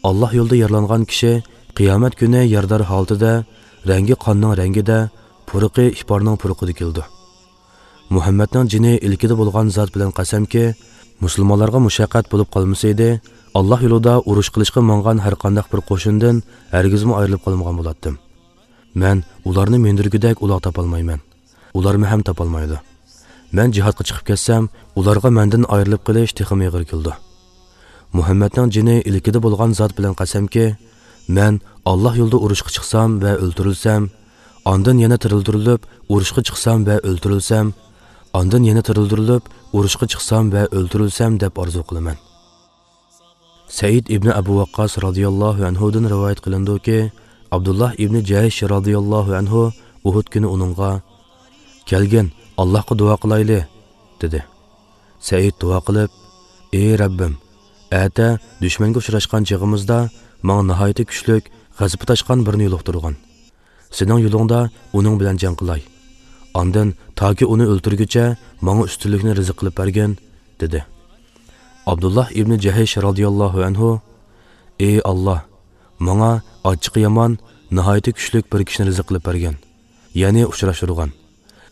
ئاللاھ يولىدا يارىلانغان كىشى قىيامەت كۈنى يارىدار ھالىتىدە، رەڭگى قاننىڭ رەڭگىدە، پۇرىقى ئىپارنىڭ پۇرىقىدا كېلىدۇ. مۇھەممەدنىڭ جېنى ئىلكىدە بولغان زات بىلەن قەسەمكى، مۇسۇلمانلارغا مۇشەققەت بولۇپ قالمىسىدى، ئاللاھ يولىدا ئۇرۇش قىلىشقا ماڭغان ھەرقانداق بىر قوشۇندىن ھەرگىزمۇ ئايرىلىپ قالمىغان بولاتتىم. مەن ئۇلارنى مىندۈرگۈدەك ئۇلاغ تاپالمايمەن. ئۇلارمۇ ھەم تاپالمايدۇ. مەن جىھادقا چىقىپ كەتسەم، ئۇلارغا مەندىن ئايرىلىپ قېلىش تېخىمۇ ئېغىر كېلىدۇ. مۇھەممەدنىڭ جېنى ئىلكىدە بولغان زات بىلەن قەسەمكى، مەن ئاللاھ يولىدا ئۇرۇشقا چىقسام ۋە ئۆلتۈرۈلسەم، ئاندىن يەنە تىرىلدۈرۈلۈپ، ئۇرۇشقا چىقسام ۋە ئۆلتۈرۈلسەم، ئاندىن يەنە تىرىلدۈرۈلۈپ، ئۇرۇشقا چىقسام ۋە ئۆلتۈرۈلسەم دەپ ئارزۇ قىلىمەن. سەئىد ئىبنى ئەبۇ ۋەققاس رازىياللاھۇ ئەنھۇدىن رىۋايەت قىلىنىدۇكى، ئابدۇللاھ ئىبنى جەھش رازىياللاھۇ ئەنھۇ ئۇھۇد كۈنى ئۇنىڭغا، «كەلگىن، ئاللاھقا دۇئا قىلايلى» دېدى. سەئىد دۇئا قىلىپ، «ئى رەببىم، ئەتە دۈشمەنگە ئۇچراشقان چېغىمىزدا ماڭا ناھايىتى كۈچلۈك، غەزىپى تاشقان بىرنى يولۇقتۇرغىن. سېنىڭ يولۇڭدا ئۇنىڭ بىلەن جەڭ قىلاي. ئاندىن تاكى ئۇنى ئۆلتۈرگۈچە ماڭا ئۈستۈنلۈكنى رىزىق قىلىپ بەرگىن» دېدى. ئابدۇللاھ ئىبنى جەھش رازىياللاھۇ ئەنھۇ، «ئى ئاللاھ، ماڭا ئاچچىقى يامان، ناھايىتى كۈچلۈك بىر كىشىنى رىزىق قىلىپ بەرگىن، يەنى ئۇچراشتۇرغىن.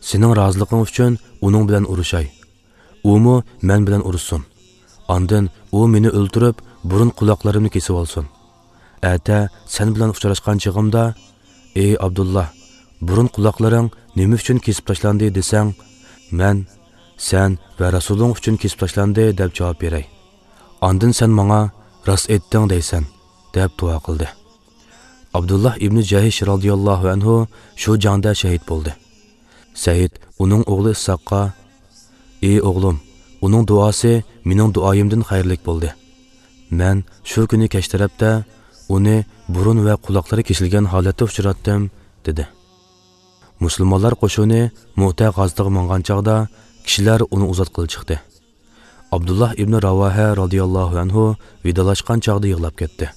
سېنىڭ رازىلىقىڭ ئۈچۈن ئۇنىڭ بىلەن ئۇرۇشاي. ئۇمۇ مەن بىلەن ئۇرۇشسۇن. ئاندىن ئۇ مېنى ئۆلتۈرۈپ، بۇرۇن قۇلاقلىرىمنى كېسىۋالسۇن. ئەتە سەن بىلەن ئۇچراشقان چېغىمدا، ئى ئابدۇللاھ، بۇرۇن قۇلاقلىرىڭ نېمە ئۈچۈن كېسىپ تاشلاندى دېسەڭ، مەن، سەن ۋە رەسۇلۇڭ ئۈچۈن كېسىپ تاشلاندى دەپ جاۋاب بېرەي. ئاندىن سەن ماڭا، راست ئېيتتىڭ دەيسەن» دەپ دۇئا قىلدى. ئابدۇللاھ ئىبنى جەھش رازىياللاھۇ ئەنھۇ شۇ جەڭدە شەھىت بولدى. سەئىد ئۇنىڭ ئوغلى ئىسھاققا، «ئى ئوغلۇم، ئۇنىڭ دۇئاسى مېنىڭ دۇئايىمدىن خەيرلىك بولدى. مەن شۇ كۈنى كەچ تەرەپتە ئۇنى بۇرۇن ۋە قۇلاقلىرى كېسىلگەن ھالەتتە ئۇچراتتىم» دېدى. مۇسۇلمانلار قوشۇنى مۇئتە غازىتىغا ماڭغان چاغدا كىشىلەر ئۇنى ئۇزاتقىلى چىقتى. ئابدۇللاھ ئىبنى راۋاھە رازىياللاھۇ ئەنھۇ ۋىدالاشقان چاغدا يىغلاپ كەتتى.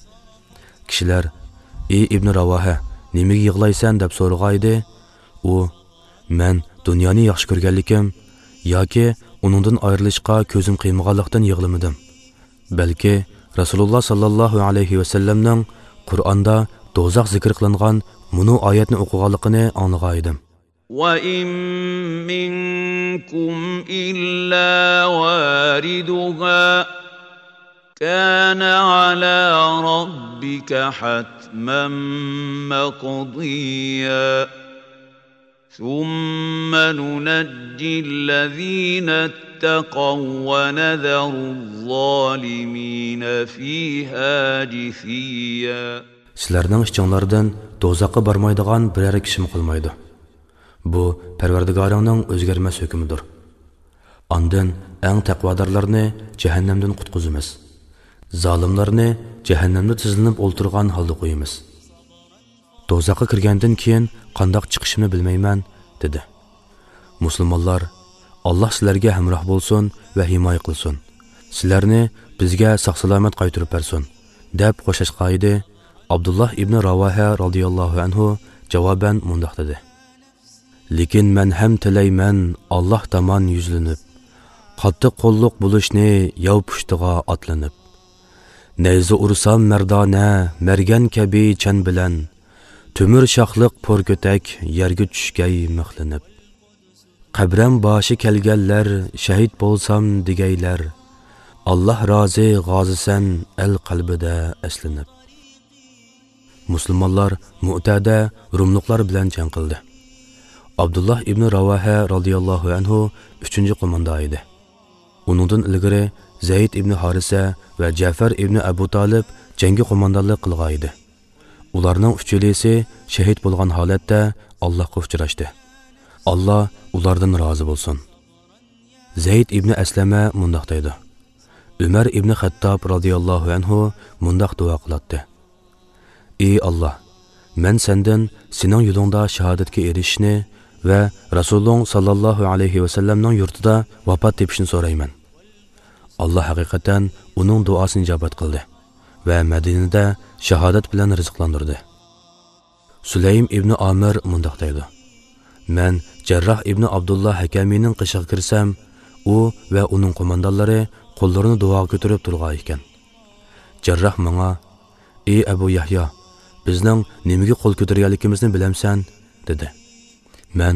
كىشىلەر، «ئى ئىبنى راۋاھە، نېمىگە يىغلايسەن؟» دەپ سورىغانىدى. ئۇ، «مەن دۇنيانى ياخشى كۆرگەنلىكىم ياكى ئۇنىڭدىن ئايرىلىشقا كۆزۈم قىيمىغانلىقتىن يىغلىمىدىم. بەلكى رەسۇلۇللاھ ساللاللاھۇ ئەلەيھى ۋەسەللەمنىڭ قۇرئاندا دوزاخ زىكىر قىلىنغان مۇنۇ ئايەتنى ئوقۇغانلىقىنى ئاڭلىغانىدىم.» وَإِن مِّنكُمْ إِلَّا وَارِدُهَا كَانَ عَلَىٰ رَبِّكَ حَتْمًا مَّقْضِيًّا. ثُمَّ نُنَجِّي الَّذِينَ اتَّقَوا وَّنَذَرُ الظَّالِمِينَ فِيهَا جِثِيًّا. سىلەرنىڭ ئىچىڭلاردىن دوزاخقا بارمايدىغان بىرەر كىشىمۇ قالمايدۇ. بۇ پەرۋەردىگارىڭنىڭ ئۆزگەرمەس ھۆكمىدۇر. ئاندىن ئەڭ تەقۋادارلارنى جەھەننەمدىن قۇتقۇزىمىز. زالىملارنى جەھەننەمدە تىزلىنىپ ئولتۇرغان ھالدا قويىمىز. دوزاخقا كىرگەندىن كېيىن قانداق چىقىشىمنى بىلمەيمەن، دېدى. مۇسۇلمانلار، ئاللاھ سىلەرگە ھەمراھ بولسۇن ۋە ھىمايە قىلسۇن. سىلەرنى بىزگە ساق-سالامەت قايتۇرۇپ بەرسۇن، دەپ خوشلاشقانىدى. ئابدۇللاھ ئىبنى راۋاھە رازىياللاھۇ ئەنھۇ جاۋابەن مۇنداق دېدى. لېكىن مەن ھەم تىلەيمەن ئاللاھ تامان يۈزلىنىپ، قاتتىق قوللۇق بولۇشنى ياۋ پۇشتىغا ئاتلىنىپ. نەيزە ئۇرسام مەردانە، مەرگەن كەبى چەن بىلەن، تۆمۈر شاخلىق پور كۆتەك يەرگە چۈشكەي مىخلىنىپ. قەبرەم باشى كەلگەنلەر، شەھىت بولسام دېگەيلەر، ئاللاھ رازى غازىسەن ئەل قەلبىدە ئەسلىنىپ. مۇسۇلمانلار مۇئتەدە روملۇقلار بىلەن جەڭ قىلدى. ئابدۇللاھ ئىبنى راۋاھە رازىياللاھۇ ئەنھۇ ئۈچىنچى قوماندا ئىدى. ئۇنىڭدىن ئىلگىرى زەيد ئىبنى ھارىسە ۋە جەفەر ئىبنى ئەبۇ تالىپ جەڭگە قوماندانلىق قىلغان ئىدى. ئۇلارنىڭ ئۈچىلىسى شەھىت بولغان ھالەتتە ئاللاھقا ئۇچراشتى. ئاللاھ ئۇلاردىن رازى بولسۇن. زەيد ئىبنى ئەسلەمە مۇنداق دەيدۇ: ئۆمەر ئىبنى خەتتاب رازىياللاھۇ ئەنھۇ مۇنداق دۇئا قىلاتتى: ئى ئاللاھ، مەن سەندىن سېنىڭ يولۇڭدا شاھادەتكە ئېرىشىشنى ۋە رەسۇلۇڭ ساللاللاھۇ ئەلەيھى ۋەسەللەمنىڭ يۇرتىدا ۋاپات تېپىشنى سورايمەن. ئاللاھ ھەقىقەتەن ئۇنىڭ دۇئاسىنى ئىجابەت قىلدى ۋە مەدىنىدە شاھادەت بىلەن رىزىقلاندۇردى. سۇلەيم ئىبنى ئامىر مۇنداق دەيدۇ: مەن جەرراھ ئىبنى ئابدۇللا ھەكەمىنىڭ قېشىغا كىرسەم، ئۇ ۋە ئۇنىڭ قوماندانلىرى قوللىرىنى دۇئاغا كۆتۈرۈپ تۇرغان ئىكەن. جەرراھ ماڭا، «ئى ئەبۇ يەھيا، بىزنىڭ نېمىگە قول كۆتۈرگەنلىكىمىزنى بىلەمسەن؟» دېدى. مەن،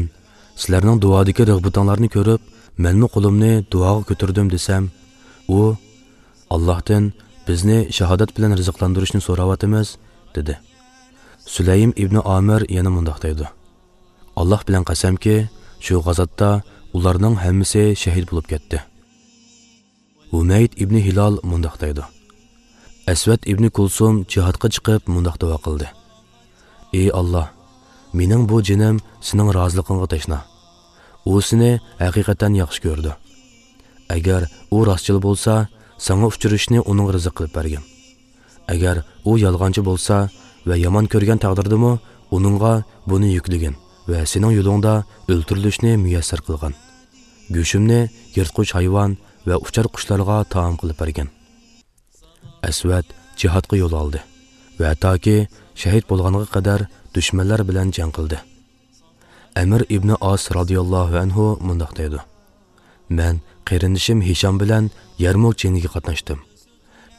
«سىلەرنىڭ دۇئادىكى رىغبىتىڭلارنى كۆرۈپ، مەنمۇ قولۇمنى دۇئاغا كۆتۈردۈم» دېسەم، ئۇ، «ئاللاھتىن بىزنى شاھادەت بىلەن رىزىقلاندۇرۇشنى سوراۋاتىمىز» دېدى. سۇلەيم ئىبنى ئامىر يەنە مۇنداق دەيدۇ، «ئاللاھ بىلەن قەسەمكى، شۇ غازاتتا ئۇلارنىڭ ھەممىسى شەھىد بولۇپ كەتتى.» ھۇمەيد ئىبنى ھىلال مۇنداق دەيدۇ، «ئەسۋەد ئىبنى كۇلسۇم جىھادقا چىقىپ مۇنداق دۇئا قىلدى، ئى ئاللاھ، مېنىڭ بۇ جېنىم سېنىڭ رازىلىقىڭغا تەشنا. ئۇ سېنى ھەقىقەتەن ياخشى كۆرىدۇ. ئەگەر ئۇ راستچىل بولسا، ساڭا ئۇچرىشىشنى ئۇنىڭغا رىزىق قىلىپ بەرگىن. ئەگەر ئۇ يالغانچى بولسا ۋە يامان كۆرگەن تەقدىردىمۇ، ئۇنىڭغا بۇنى يۈكلىگىن ۋە سېنىڭ يولۇڭدا ئۆلتۈرۈلۈشنى مۇيەسسەر قىلغىن. گۆشۈمنى يىرتقۇچ ھايۋان ۋە ئۇچار قۇشلارغا تائام قىلىپ بەرگىن.» ئەسۋەد جىھادقا يول ئالدى ۋە ھەتتاكى شەھىد بولغانغا قەدەر دۈشمەنلەر بىلەن جەڭ قىلدى. ئەمىر ئىبنى ئاس رازىياللاھۇ ئەنھۇ مۇنداق دەيدۇ، «مەن قېرىندىشىم ھىشام بىلەن يەرمۇك جېڭىگە قاتناشتىم.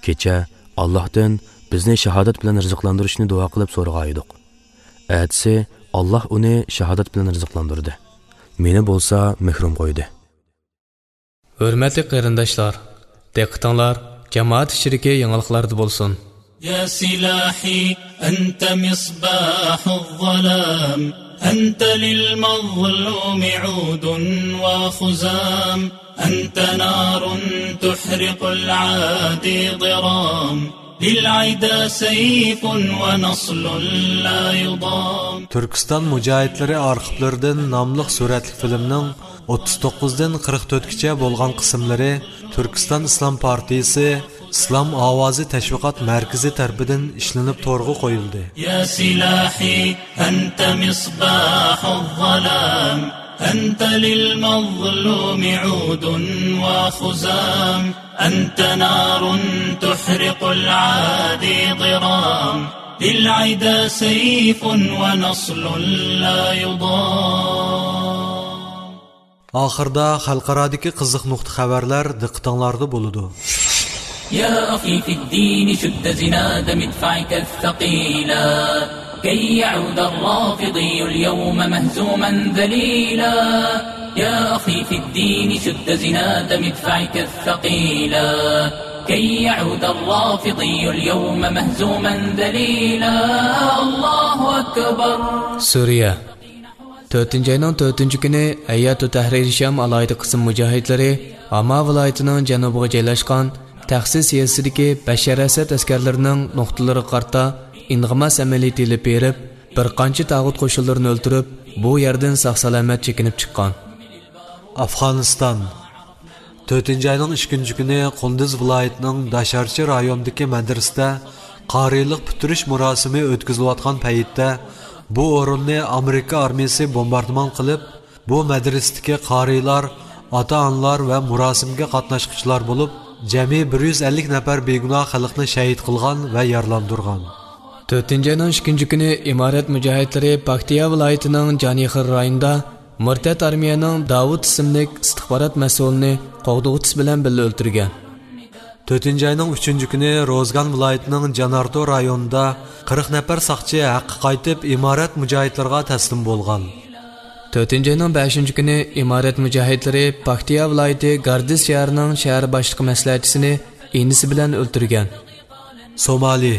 كېچە ئاللاھتىن بىزنى شاھادەت بىلەن رىزىقلاندۇرۇشنى دۇئا قىلىپ سورىغان ئىدۇق. ئەتىسى ئاللاھ ئۇنى شاھادەت بىلەن رىزىقلاندۇردى. مېنى بولسا مەھرۇم قويدى.» ھۆرمەتلىك قېرىنداشلار، دىققىتىڭلار جامائەت ئىچىدىكى يېڭىلىقلاردا بولسۇن. يا سلاحي أنت مصباح الظلام، أنت للمظلوم عود وخزام، أنت نار تحرق العادي ضرام، للعدا سيف ونصل لا يضام. تۈركىستان مۇجاھىدلىرى ئارخىپلىرىدىن ناملىق سۈرەتلىك فىلىمنىڭ ئوتتۇز توققۇزدىن قىرىق تۆتكىچە بولغان قىسىملىرى تۈركىستان ئىسلام پارتىيىسى ئىسلام ئاۋازى تەشۋىقات مەركىزى تەرىپىدىن ئىشلىنىپ تورغا قويۇلدى. يا سلاحي أنت مصباح الظلام، أنت للمظلوم عود وخزام، أنت نار تحرق العادي ضرام، للعدا سيف ونصل لا يضام. ئاخىردا خەلقئارادىكى قىزىق نۇقتا خەۋەرلەر دىققىتىڭلاردا بولىدۇ. يا أخي في الدين شد زناد مدفعك الثقيلا، كي يعود الرافضي اليوم مهزوما ذليلا. يا أخي في الدين شد زناد مدفعك الثقيلا، كي يعود الرافضي اليوم مهزوما ذليلا. الله أكبر. سۈرىيە. تۆتىنچى ئاينىڭ تۆتىنچى كۈنى ھەيئەتۇ تەھرىر شام ئالاھىدە قىسىم مۇجاھىدلىرى ھاما ۋىلايىتىنىڭ جەنۇبىغا جايلاشقان تەخسىس يېزىسىدىكى بەشەر ئەسەد ئەسكەرلىرىنىڭ نۇقتىلىرىغا قارىتا ئىنغىماس ئەمەلىيىتى ئېلىپ بېرىپ، بىر قانچە تاغۇت قوشۇنلىرىنى ئۆلتۈرۈپ، بۇ يەردىن ساق-سالامەت چېكىنىپ چىققان. ئافغانىستان. تۆتىنچى ئاينىڭ ئىككىنچى كۈنى قۇندۇز ۋىلايىتىنىڭ داشارچى رايونىدىكى مەدرىسىدە قارىيلىق پۈتتۈرۈش مۇراسىمى ئۆتكۈزۈلۈۋاتقان پەيتتە، بۇ ئورۇننى ئامېرىكا ئارمىيىسى بومباردىمان قىلىپ، بۇ مەدرىسىدىكى قارىيلار، ئاتا-ئانىلار ۋە مۇراسىمگە قاتناشقۇچىلار بولۇپ، جەمئىي بىر يۈز ئەللىك نەپەر بىگۇناھ خەلقنى شەھىت قىلغان ۋە يارىلاندۇرغان. تۆتىنچى ئاينىڭ ئىككىنچى كۈنى ئىمارەت مۇجاھىدلىرى پاكتىيا ۋىلايىتىنىڭ جانىخېر رايونىدا مۇرتەت ئارمىيەنىڭ داۋۇت ئىسىملىك ئىستىخبارات مەسئۇلىنى قوغدىغۇچىسى بىلەن بىللە ئۆلتۈرگەن. تۆتىنچى ئاينىڭ ئۈچىنچى كۈنى روزگان ۋىلايىتىنىڭ جانارتو رايونىدا قىرىق نەپەر ساقچى ھەققە قايتىپ، ئىمارەت مۇجاھىدلىرىغا تەسلىم بولغان. تۆتىنچى ئاينىڭ بەشىنچى كۈنى ئىمارەت مۇجاھىدلىرى پاكتىيا ۋىلايىتى گاردىس شەھىرىنىڭ شەھەر باشلىقى مەسلىھەتچىسىنى ئىنىسى بىلەن ئۆلتۈرگەن. سومالى.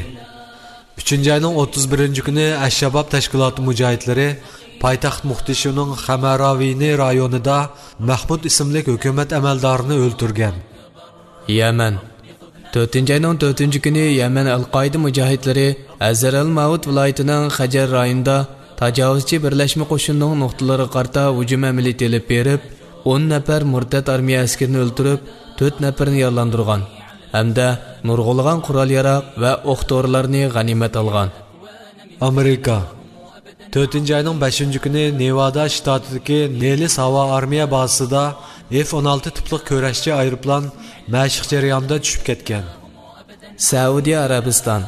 ئۈچىنچى ئاينىڭ ئوتتۇز بىرىنچى كۈنى ئەششاباب تەشكىلاتى مۇجاھىدلىرى پايتەخت موقدىشۇنىڭ خەمەراۋىنى رايونىدا مەھمۇد ئىسىملىك ھۆكۈمەت ئەمەلدارىنى ئۆلتۈرگەن. يەمەن. تۆتىنچى ئاينىڭ تۆتىنچى كۈنى يەمەن ئەل-قائىدە مۇجاھىدلىرى ھەزەرەل ماۋۇت ۋىلايىتىنىڭ خەجەر رايونىدا تاجاۋۇزچى بىرلەشمە قوشۇنىنىڭ نۇقتىلىرىغا قارىتا ھۇجۇم ئەمەلىيىتى ئېلىپ بېرىپ، ئون نەپەر مۇرتەت ئارمىيە ئەسكىرىنى ئۆلتۈرۈپ، تۆت نەپىرىنى يارىلاندۇرغان ھەمدە نۇرغۇنلىغان قورال-ياراغ ۋە ئوق-دورىلارنى غەنىيمەت ئالغان. ئامېرىكا. تۆتىنچى ئاينىڭ بەشىنچى كۈنى نېۋادا شتاتىدىكى نېلىس ھاۋا ئارمىيە بازىسىدا ئېف ئون ئالتە تىپلىق كۈرەشچى ئايروپىلان مەشىق جەريانىدا چۈشۈپ كەتكەن. سەئۇدى ئەرەبىستان.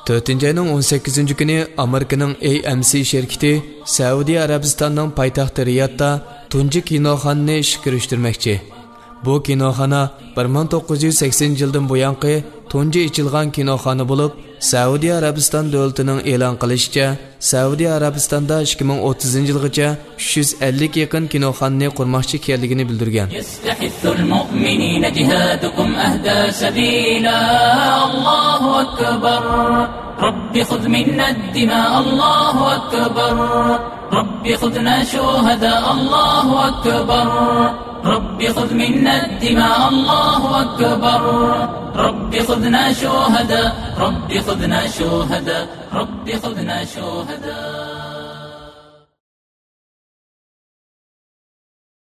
تۆتىنچى ئاينىڭ ئون سەككىزىنچى كۈنى ئامېرىكىنىڭ ئەي ئېم سى شىركىتى سەئۇدى ئەرەبىستاننىڭ پايتەختى رىيادتا تۇنجى كىنوخانىنى ئىشقا كىرىشتۈرمەكچى. بۇ كىنوخانا بىر مىڭ توققۇز يۈز سەكسىنىنچى يىلدىن بۇيانقى تۇنجى ئېچىلغان كىنوخانا بولۇپ، سەئۇدى ئەرەبىستان دۆلىتىنىڭ ئېلان قىلىشىچە، سەئۇدى ئەرەبىستاندا ئىككى مىڭ ئوتتۇزىنچى يىلغىچە ئۈچ يۈز ئەللىككە يېقىن كىنوخانىنى قۇرماقچى ئىكەنلىكىنى بىلدۈرگەن. يستحث المؤمنين جهادكم أهدى سبيلا. الله أكبر. رب خذ منا الدماء. الله أكبر. رب خذنا شهداء. الله أكبر. رب خذ منا الدماء. الله أكبر. رب خذنا شهداء. رب خذنا شهداء. رب خذنا شهداء.